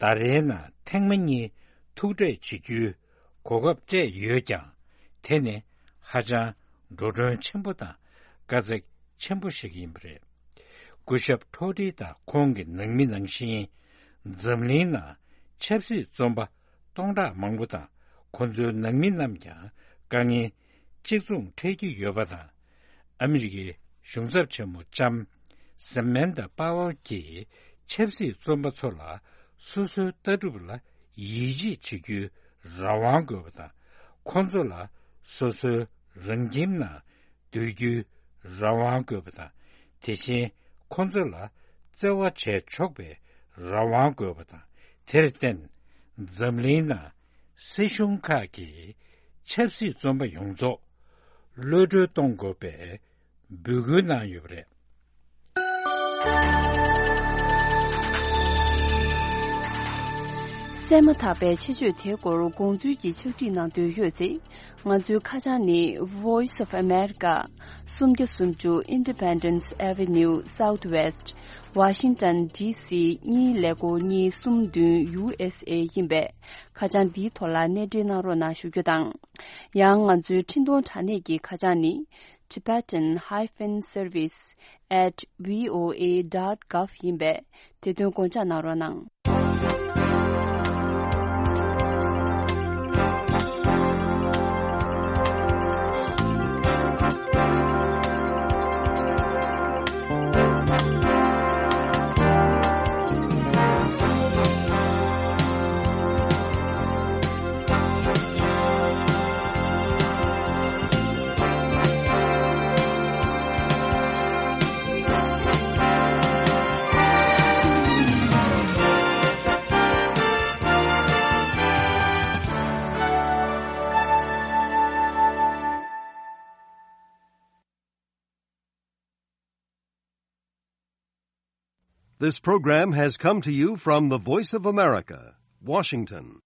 ཟླ་རེའི་ནང་ཐེངས་མ་གཉིས་ཐུག་འཕྲད་བྱེད་རྒྱུའི་གོ་སྐབས་སྤྲད་ཡོད་ཀྱང་། དེ་ནི་ཧ་ཅང་འགྲོ་གྲོན་ཆེན་པོ་དང་དཀའ་ཚེགས་ཆེན་པོ་ཞིག་ཡིན་པ་རེད། སྐུ་ཞབས་ཁྲོ་ཏི་དང་ཁོང་གི་ནང་མི་ནང་བཞིན། འཛམ་གླིང་ནང་ཆབ་སྲིད་བཙོན་པ་སྟོང་ཕྲག་མང་པོ་དང་། ཁོ་ཚོའི་ནང་མི་རྣམས་ཀྱང་དཀའ་ངལ་གཅིག་མཚུངས་འཕྲད་ཀྱི་ཡོད་པ་དང་། ཨ་མི་རི་ཀའི་གཞུང་ཚབ་ཆེན་མོ་ལྕམ་སེ་མན་ཐ་པ་ཝར་གྱིས་ཆབ་སྲིད་བཙོན་པ་ཚོ་ལ་སོ་སོའི་ལྟ་གྲུབ་ལ་ཡིད་ཆེས་བྱེད་རྒྱུའི་རང་དབང་དགོས་པ་དང་། ཁོ་ཚོ་ལ་སོ་སོའི་རང་ཁྱིམ་ནང་སྡོད་རྒྱུའི་རང་དབང་དགོས་པ་དང་། དེ་བཞིན་ཁོ་ཚོ་ལ་བརྩེ་བ་བྱས་ཆོག་པའི་རང་དབང་དགོས་པ་དང་། དེར་བརྟེན། འཛམ་གླིང་ནང་སྲིད་གཞུང་ཁག་གིས་ཆབ་སྲིད་བཙོན་པ་ཡོངས་རྫོགས་གློད་གྲོལ་གཏོང་དགོས་པའི་འབོད་སྐུལ་གནང་ཡོད་པ་རེད། གསན་མ་ཐག་པའི་ཆེད་བརྗོད་དེའི་སྐོར་དགོངས་ཚུལ་གྱི་ཕྱག་བྲིས་གནང་འདོད་ཡོད་ཚེ། ང་ཚོའི་ཁ་བྱང་ནི། Voice of America། སུམ་བརྒྱ་སུམ་ཅུ་Independence Avenue Southwest། Washington D C གཉིས་ཀླད་ཀོར་གཉིས་གསུམ་བདུན། U S A ཡིན་པས། ཁ་བྱང་འདིའི་ཐོག་ལ་གནས་འབྲེལ་གནང་རོགས་གནང་ཞུ་རྒྱུ་དང་། ཡང་ང་ཚོའི་འཕྲིན་གཏོང་དྲ་གནས་ཀྱི་ཁ་བྱང་ནི། Tibetan hyphen service at V O A dot gov ཡིན་པས། དེ་དོན་དགོངས་འཇགས་གནང་རོགས་གནང་། This program has come to you from the Voice of America, Washington.